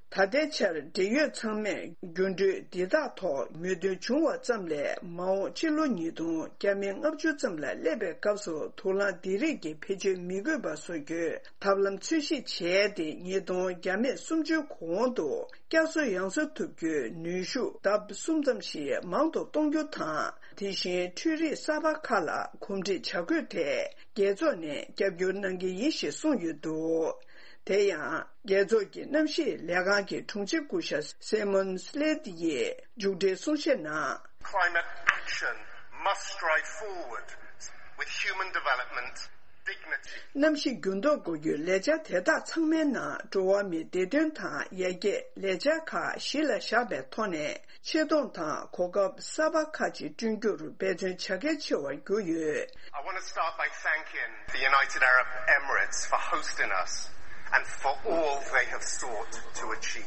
ད་ལྟའི་ཆར་འབྲེལ་ཡོད་ཚང་མས་འགྱུར་འགྲོས་འདི་དག་ཐོག་མོས་མཐུན་བྱུང་བ་ཙམ་ལས། མ་འོངས་ཕྱི་ལོ་ཉིས་སྟོང་བརྒྱ་མེད་ལྔ་བཅུ་ཙམ་ལ་སླེབས་པའི་སྐབས་སུ་དུག་རླངས་འདི་རིགས་ཀྱི་བེད་སྤྱོད་མི་དགོས་པ་བཟོ་རྒྱུའི་ཐབས་ལམ་འཚོལ་ཞིབ་བྱས་ཏེ། ཉིས་སྟོང་བརྒྱ་མེད་སུམ་ཅུའི་གོང་དུ་བསྐྱར་གསོ་ཡང་གསོ་ཐུབ་རྒྱུའི་ནུས་ཤུགས་ལྡབ་གསུམ་ཙམ་ཞིག་མང་དུ་གཏོང་རྒྱུ་དང་། དེ་བཞིན་འཕྲུལ་རིག་གསར་པ་ཁག་ལ་གོམས་འདྲིས་བྱ་དགོས་ཐད་རྒྱལ་ཚོགས་ནས་རྒྱབ་སྐྱོར་གནང་གི་ཡིན་ཞེས་གསུངས་ཡོད་འདུག། དེ་ཡང་། རྒྱལ་ཚོགས་ཀྱི་གནམ་གཤིས་ལས་ཁང་གི་དྲུང་ཆེ་སྐུ་ཞབས་སེ་མོན་སི་ལེ་ཏི་ཡིས་མཇུག་སྒྲིལ་གསུང་བཤད་ནང་། Climate action must strive forward with human development, dignity. གནམ་གཤིས་འགྱུར་ལྡོག་འགོག་རྒྱུའི་ལས་འཆར་དེ་དག་ཚང་མའི་ནང་འགྲོ་བ་མིའི་བདེ་དོན་དང་ཡར་རྒྱས་ལས་འཆར་ཁག་གཞི་ལ་བཞག་པའི་ཐོག་ནས། ཆེ་མཐོང་དང་གོ་སྐབས་གསར་པ་ཁག་ཅིག་བསྐྲུན་རྒྱུར་འབད་བརྩོན་བྱ་གལ་ཆེ་བར་གྱུར་ཡོད། I want to start by thanking the United Arab Emirates for hosting us and for all they have sought to achieve.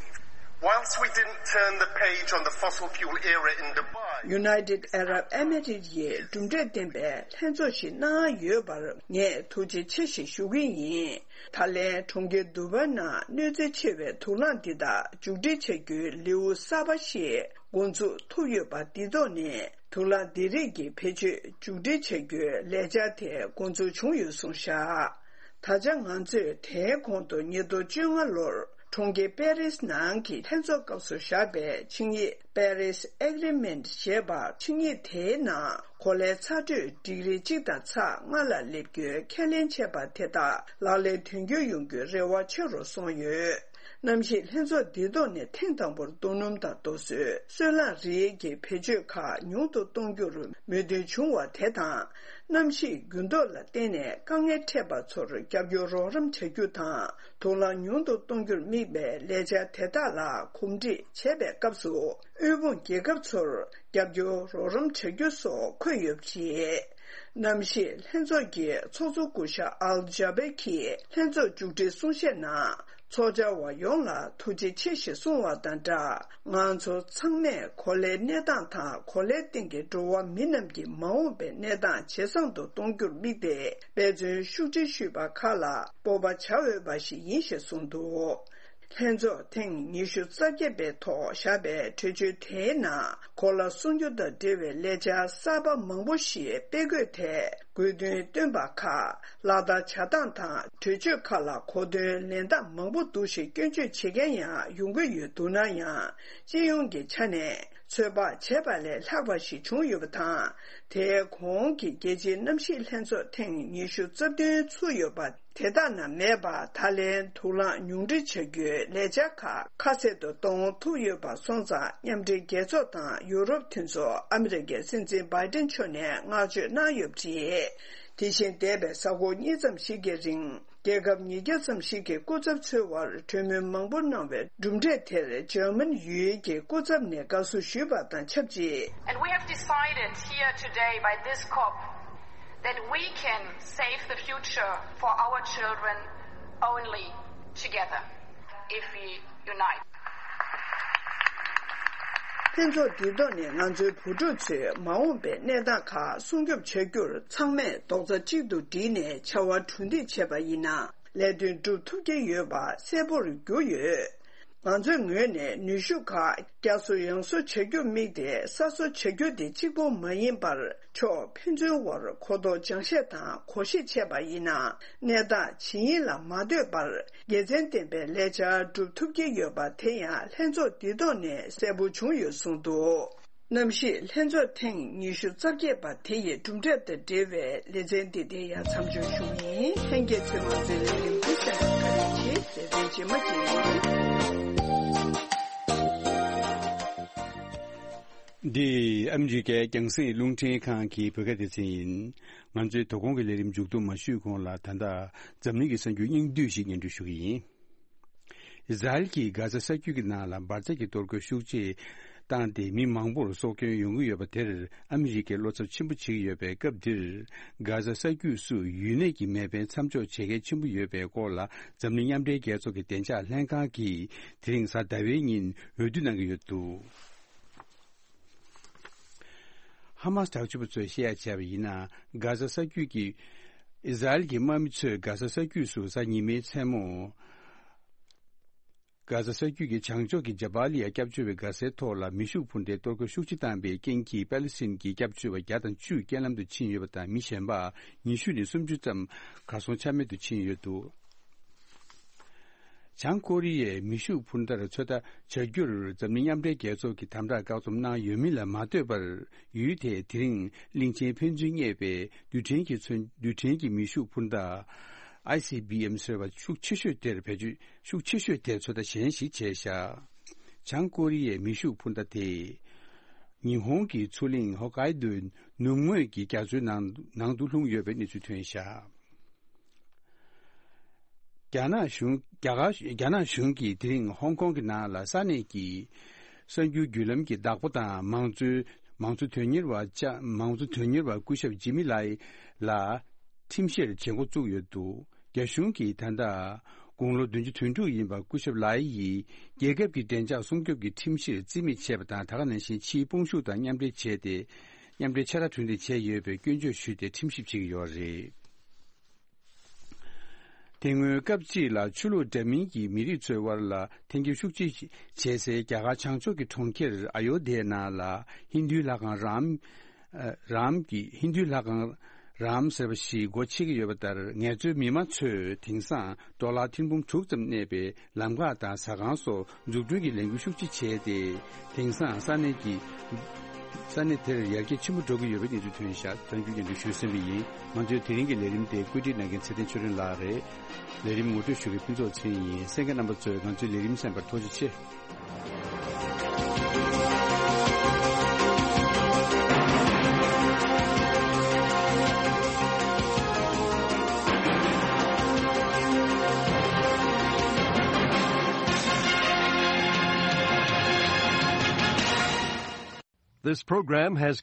Whilst we didn't turn the page on the fossil fuel era in Dubai, United Arab Emirates ཡིས་གྲུབ་འབྲས་ལྡན་པའི་ལྷན་ཚོགས་ཤིག་གནང་ཡོད་པར་ངས་ཐུགས་རྗེ་ཆེ་ཞེས་ཞུ་གི་ཡིན། ད་ལན་གྲོང་ཁྱེར་དུ་བའི་ནང་གནོད་འཚེ་ཆེ་བའི་དུག་རླངས་འདི་དག་མཇུག་སྒྲིལ་བྱ་རྒྱུའི་ལེའུ་གསར་པ་ཞིག་འགོ་འཛུགས་ཐུབ་ཡོད་པ་འདིའི་ཐོག་ནས། དུག་རླངས་འདི་རིགས་ཀྱི་བེད་སྤྱོད་མཇུག་སྒྲིལ་བྱ་རྒྱུའི་ལས་འཆར་དེ་འགོ་འཛུགས་བྱུང་ཡོད་གསུངས་བཞག། ད་ཆ་ང་ཚོས་དེའི་གོང་དུ་ཉིས་སྟོང་བཅོ་ལྔ་ལོར་གྲོང་ཁྱེར་པེ་རིས་ནང་གི་ལྷན་ཚོགས་སྐབས་སུ་བཞག་པའི་ཆིངས་ཡིག Paris Agreement ཞེས་པ། ཆིངས་ཡིག་དེའི་ནང་གོ་ལའི་ཚ་དྲོད་ཌིག་རི་གཅིག་དང་ཚེག་ལྔ་ལ་སླེབས་རྒྱུའི་ཁས་ལེན་བྱས་པ་དེ་དག་ལག་ལེན་དོན་འཁྱོལ་ཡོང་རྒྱུའི་རེ་བ་ཆེ་རུ་སོང་ཡོད། གནམ་གཤིས་ལྷན་ཚོགས་འདིའི་ཐོག་ནས་ཐེངས་དང་པོར་རྡོ་སྣུམ་དང་རྡོ་སོལ། སོལ་རླངས་རིགས་ཀྱི་བེད་སྤྱོད་ཁག་ཉུང་དུ་གཏོང་རྒྱུར་མོས་མཐུན་བྱུང་བ་དེ་དང་། གནམ་གཤིས་འགྱུར་ལྡོག་ལ་བརྟེན་ནས་དཀའ་ངལ་འཕྲད་པ་ཚོར་རྒྱབ་སྐྱོར་རོགས་རམ་བྱ་རྒྱུ་དང་། དུག་རླངས་ཉུང་དུ་གཏོང་རྒྱུར་དམིགས་པའི་ལས་འཆར་དེ་དག་ལ་གོམས་འདྲིས་བྱེད་པའི་སྐབས་སུ། དབུལ་ཕོངས་རྒྱལ་ཁབ་ཚོར་རྒྱབ་སྐྱོར་རོགས་རམ་བྱ་རྒྱུ་སོགས་འཁོད་ཡོད་པ་རེད། གནམ་གཤིས་ལྷན་ཚོགས་ཀྱི་ཚོགས་གཙོ་སྐུ་ཞབས་ཨལ་ཇཱ་བེ་གིས་ལྷན་ཚོགས་མཇུག་སྒྲིལ་གསུང་བཤད་ནང་། ཚོགས་བཅར་བ་ཡོངས་ལ་ཐུགས་རྗེ་ཆེ་ཞེས་གསུངས་བ་དང་སྦྲགས། ང་ཚོ་ཚང་མས་གོ་ལའི་གནས་སྟངས་དང་གོ་ལའི་སྟེང་གི་འགྲོ་བ་མི་རྣམས་ཀྱི་མ་འོངས་པའི་གནས་སྟངས་ཇེ་བཟང་དུ་གཏོང་རྒྱུར་དམིགས་ཏེ་འབད་བརྩོན་ཤུགས་ཆེ་ཞུས་པ་ཁག་ལ་སྤོབས་པ་བྱ་འོས་པ་ཞིག་ཡིན་ཞེས་གསུངས་འདུག་ལྷན་ཚོགས་ཐེངས་ཉི་ཤུ་རྩ་བརྒྱད་པའི་ཐོག་བཞག་པའི་གྲོས་ཆོད་དེའི་ནང་གོ་ལ་སྲུང་སྐྱོབ་དང་འབྲེལ་བའི་ལས་འཆར་གསར་པ་མང་པོ་ཞིག་སྤེལ་དགོས་ཐད་དགོས་འདུན་བཏོན་པ་ཁག་ལག་བསྟར་བྱ་སྟངས་དང་གྲོས་ཆོད་ཁག་ལ་གོ་དོན་ལེན་སྟངས་མང་པོ་འདུག་ཞེས་སྐྱོན་བརྗོད་བྱེད་མཁན་ཡང་ཡོང་གི་ཡོད་འདུག་ན་ཡང་། སྤྱི་ཡོངས་ཀྱི་ཆ་ནས་ཚོད་དཔག་བྱས་པ་ལས་ལྷག་པ་ཞིག་བྱུང་ཡོད་པ་དང་། དེའི་གོང་གི་རྒྱལ་སྤྱིའི་གནམ་གཤིས་ལྷན་ཚོགས་ཐེངས་ཉི་ཤུ་རྩ་བདུན་ཚུགས་ཡོད་པ། དེ་དག་ནང་མེད་པར་ད་ལན་དུག་རླངས་ཉུང་འཕྲི་བྱ་རྒྱུའི་ལས་འཆར་ཁག་ཁ་གསལ་དུ་གཏོང་ཐུབ་ཡོད་པ་སོང་ཙང་། མཉམ་འབྲེལ་རྒྱལ་ཚོགས་དང་ཡུ་རོབ་མཐུན་ཚོགས། ཨ་མི་རི་ཀའི་སྲིད་འཛིན་བྷའི་ཏིན་མཆོག་ནས་བསྔགས་བརྗོད་གནང་ཡོད་པ་རེད། དེ་བཞིན་འདས་པའི་གཟའ་འཁོར་གཉིས་ཙམ་ཞིག་གི་རིང་རྒྱལ་ཁབ་ཉིས་བརྒྱ་ཙམ་ཞིག་གི་སྐུ་ཚབ་ཚོའི་དབར་གྲོས་མོལ་མང་པོ་གནང་བའི་གྲུབ་འབྲས་དེར་འཇར་མན་ཡུལ་གྱི་སྐུ་ཚབ་ནས་དགའ་བསུ་ཞུས་པ་དང་ཆབས་ཅིག And we have decided here today by this COP that we can save the future for our children only together if we unite. ལྷན་ཚོགས་འདིའི་ཐོག་ནས་ང་ཚོའི་བུ་ཕྲུག་ཚོས་མ་འོངས་པའི་གནས་སྟངས་ཁག་སྲུང་སྐྱོབ་བྱ་རྒྱུར་ཚང་མས་རྡོག་རྩ་གཅིག་ཏུ་བསྒྲིལ་ནས་བྱ་བ་གྲུབ་འདེགས་བྱས་པ་ཡིན་ན། ལས་དོན་སྒྲུབ་ཐུབ་ཀྱི་ཡོད་པ་གསལ་པོར་གྱུར་ཡོད། ང་ཚོའི་ངོས་ནས་ནུས་ཤུགས་ཁག་བསྐྱར་གསོ་ཡང་གསོ་བྱ་རྒྱུར་དམིགས་ཏེ་གསར་བཟོ་བྱ་རྒྱུ་དེ་གཅིག་པོ་མ་ཡིན་པར། ཕྱོགས་ཕན་ཚུན་དབར་གོ་རྟོགས་སྦྱང་བཤད་དང་གོ་ཤེས་བྱས་པ་ཡིན་ན། གནས་སྟངས་ཇི་ཡིན་ལ་མ་ལྟོས་པར་དགེ་མཚན་ལྡན་པའི་ལས་འཆར་སྒྲུབ་ཐུབ་ཀྱི་ཡོད་པ་དེ་ཡང་ལྷན་ཚོགས་འདིའི་ཐོག་ནས་གསལ་པོ་བྱུང་ཡོད་གསུངས་འདུག་གནམ་གཤིས་ལྷན་ཚོགས་ཐེངས་ཉི་ཤུ་རྩ་བརྒྱད་པ་དེ་ཡི་གྲུབ་འབྲས་དང་འབྲེལ་བའི་ལེ་ཚན་འདི་དེ་ཡང་མཚམས་འཇོག་ཞུ་ཡིན། ལྷན་རྒྱས་ཚོས་མང་གཙོའི་ལས་རིམ་འདི་གསན་པར་བཀའ་དྲིན་ཆེ། ལེ་ཚན་རྗེས་མ་ཅིག་འདི་ཨ་མི་རི་ཀའི་རྒྱང་སྲིང་རླུང་འཕྲིན་ཁང་གི་བོད་སྐད་སྡེ་ཚན་ཡིན། ང་ཚོའི་དོ་དགོང་གི་ལས་རིམ་མཇུག་བསྡོམས་མ་ཞུས་གོང་ལ། ད་ལྟ་འཛམ་གླིང་གི་གསར་འགྱུར་སྙིང་བསྡུས་ཤིག་སྙན་སྒྲོན་ཞུ་གི་ཡིན། ཨི་ཟ་རེལ་གྱིས་གྷ་ཛ་ས་རྒྱུད་ཀྱི་ནང་ལ་འབར་རྫས་ཀྱི་གཏོར་རྒོལ་ཤུགས་ཆེ་བཏང་སྟེ། མི་མང་པོར་སྲོག་སྐྱོན་ཡོང་གི་ཡོད་པ་དེར་ཨ་མི་རི་ཀས་བློ་འཚབ་ཆེན་པོ་བྱེད་ཀྱི་ཡོད་པའི་སྐབས་འདིར། གྷ་ཛ་ས་རྒྱུད་སུ་ཡུལ་ནད་ཀྱི་མེ་འཕེན་མཚམས་འཇོག་བྱེད་གལ་ཆེན་པོ་ཡོད་པའི་སྐོར་ལ། འཛམ་གླིང་མཉམ་འབྲེལ་རྒྱལ་ཚོགས་ཀྱི་བདེ་འཇགས་ལྷན་ཁང་གིས་དེ་རིང་གཟའ་ཟླ་བའི་ཉིན་འོས་བསྡུ་གནང་གི་ཡོད་འདུག་ཧ་མ་སི་དྲག་སྤྱོད་པ་ཚོས་བཤད་ཡ་བྱས་པ་ཡིན་ན། གྷ་ཛ་ས་རྒྱུད་ཀྱི་ཨི་ཟ་རེལ་གྱི་དམག་མི་ཚོས་གྷ་ཛ་ས་རྒྱུད་སུ་གཟའ་ཉི་མའི་མཚན་མོ། གྷ་ཛ་ས་རྒྱུད་ཀྱི་བྱང་ཕྱོགས་ཀྱི་ཇ་བཱ་ལི་ཡ་སྐྱབས་བཅོལ་བའི་སྒར་སའི་ཐོག་ལ་མེ་ཤུགས་འཕུར་མདའི་གཏོར་རྒོལ་ཤུགས་ཆེ་བཏང་པའི་རྐྱེན་གྱིས། པ་ལི་སི་ཐན་གྱི་སྐྱབས་བཅོལ་བ་བརྒྱ་དང་བཅུ་རྐྱེན་ལམ་དུ་ཕྱིན་ཡོད་པ་དང་། མི་གཞན་པ་ཉི་ཤུ་ནས་སུམ་ཅུ་ཙམ་གར་སོང་ཆ་མེད་དུ་ཕྱིན་ཡོད་འདུག་བྱང་ཀོ་རི་ཡས་མེ་ཤུགས་འཕུར་མདའ་ཚོད་ལྟ་བྱ་རྒྱུར་འཛམ་གླིང་མཉམ་འབྲེལ་རྒྱལ་ཚོགས་ཀྱིས་དམ་དྲག་བཀག་སྡོམ་གནང་ཡོད་མིན་ལ་མ་ལྟོས་པར། ཡུལ་དེས་དེ་རིང་གླིང་ཆེན་ཕན་ཚུན་བསྙད་པའི་རྡུལ་ཕྲན་གྱི་མཚོན། རྡུལ་ཕྲན་གྱི་མེ་ཤུགས་འཕུར་མདའ། ཨའི་སི་བི་ཨེམ་ཟེར་བ་ཤུགས་ཆེ་ཤོས་དེར་བེད་སྤྱོད། ཤུགས་ཆེ་ཤོས་དེར་ཚོད་ལྟ་གཞན་ཞིག་བྱས་བཞག་བྱང་ཀོ་རི་ཡའི་མེ་ཤུགས་འཕུར་མདའ་དེས་ཉི་ཧོང་གི་མཚོ་གླིང་ཧོ་ཀའི་དོའི་ནུབ་ངོས་ཀྱི་རྒྱ་མཚོའི་ནང་། ནང་དུ་ལྷུང་ཡོད་པའི་གནས་ཚུལ་ཐོན་བཞག་རྒྱ་ནག་གཞུང་། རྒྱ་གར། རྒྱ་ནག་གཞུང་གིས་དེ་རིང་ཧོང་ཀོང་གི་ནང་ལ་ས་གནས་ཀྱི་གསར་འགྱུར་བརྒྱུད་ལམ་གྱི་བདག་པོ་དང་། མང་གཙོའི། མང་གཙོ་དོན་གཉེར་བ་ཅ། མང་གཙོ་དོན་གཉེར་བ་སྐུ་ཞབས་ཇི་མི་ལའི་ལ་ཁྲིམས་བཤེར་བྱེད་འགོ་བཙུགས་ཡོད་འདུག་རྒྱ་གཞུང་གིས་ད་ལྟ་དགུང་ལོ་བདུན་ཅུ་དོན་དྲུག་ཡིན་པ་སྐུ་ཞབས་ལའི་ཡིས་རྒྱལ་ཁབ་ཀྱི་བདེ་འཇགས་སྲུང་སྐྱོབ་ཀྱི་ཁྲིམས་གཞིར་རྩིས་མེད་བྱས་པ་དང་། ད་ག་ནང་བཞིན་ཕྱིའི་དཔུང་ཤུགས་དང་མཉམ་འབྲེལ་བྱས་ཏེ། མཉམ་འབྲེལ་ཕྱིར་ར་གྲུ་འདེགས་བྱས་ཡོད་པའི་སྐྱོན་བརྗོད་ཞུས་ཏེ་ཁྲིམས་ཞིབ་བྱེད་ཀྱི་ཡོད་རེད། དེ་སྔོན་སྐབས་གཅིག་ལ་ཆོས་ལུགས་འདྲ་མིན་གྱི་མི་རིགས་ཚོའི་དབར་ལ་འཐེན་འཁྱེར་ཤུགས་ཆེ་བྱེད་སའི་རྒྱ་གར་བྱང་ཕྱོགས་ཀྱི་གྲོང་ཁྱེར་ཨ་ཡོ་དྷྱའི་ནང་ལ་ཧིན་རྡུའི་ལྷ་ཁང་རཱམ། ཨ། རཱམ་གྱི། ཧིན་རྡུའི་ལྷ་ཁང་རཱམ་ཟེར་བ་ཞིག་སྒོ་ཕྱེ་གི་ཡོད་པ་ལྟར། ངལ་རྩོལ་མི་མང་ཚོས་དེང་སང་ཌོ་ལར་ཐེར་འབུམ་དྲུག་ཙམ་གནས་པའི་ལམ་ཁ་དང་ཟ་ཁང་སོགས་འཛུགས་སྐྲུན་གྱི་ལས་འགུལ་ཤུགས་ཆེ་བྱས་ཏེ། དེང་སང་ས་གནས་ཀྱི། ས་གནས་དེར་ཡར་རྒྱས་ཆེན་པོ་འགྲོ་གི་ཡོད་པའི་གནས་ཚུལ་ཐོན་བཞག་གཏམ་རྒྱུད་སྙན་སྒྲོན་ཞུས་ཟིན་པ་ཡིན། ང་ཚོའི་དེ་རིང་གི་ལས་རིམ་དེ་བཀོད་སྒྲིག་གནང་མཁན་ཚེ་བརྟན་ཆོས་སྒྲོན་ལགས་རེད། ལས་རིམ་ངོ་སྤྲོད་ཞུ་མཁན་ཕུན་ཚོགས་ཚེ་རིང་ཡིན། གསན་མཁན་རྣམ་པ་ཚོས་ང་ཚོའི་ལས་རིམ་གསན་པར་ཐུགས་རྗེ་ཆེ། This program has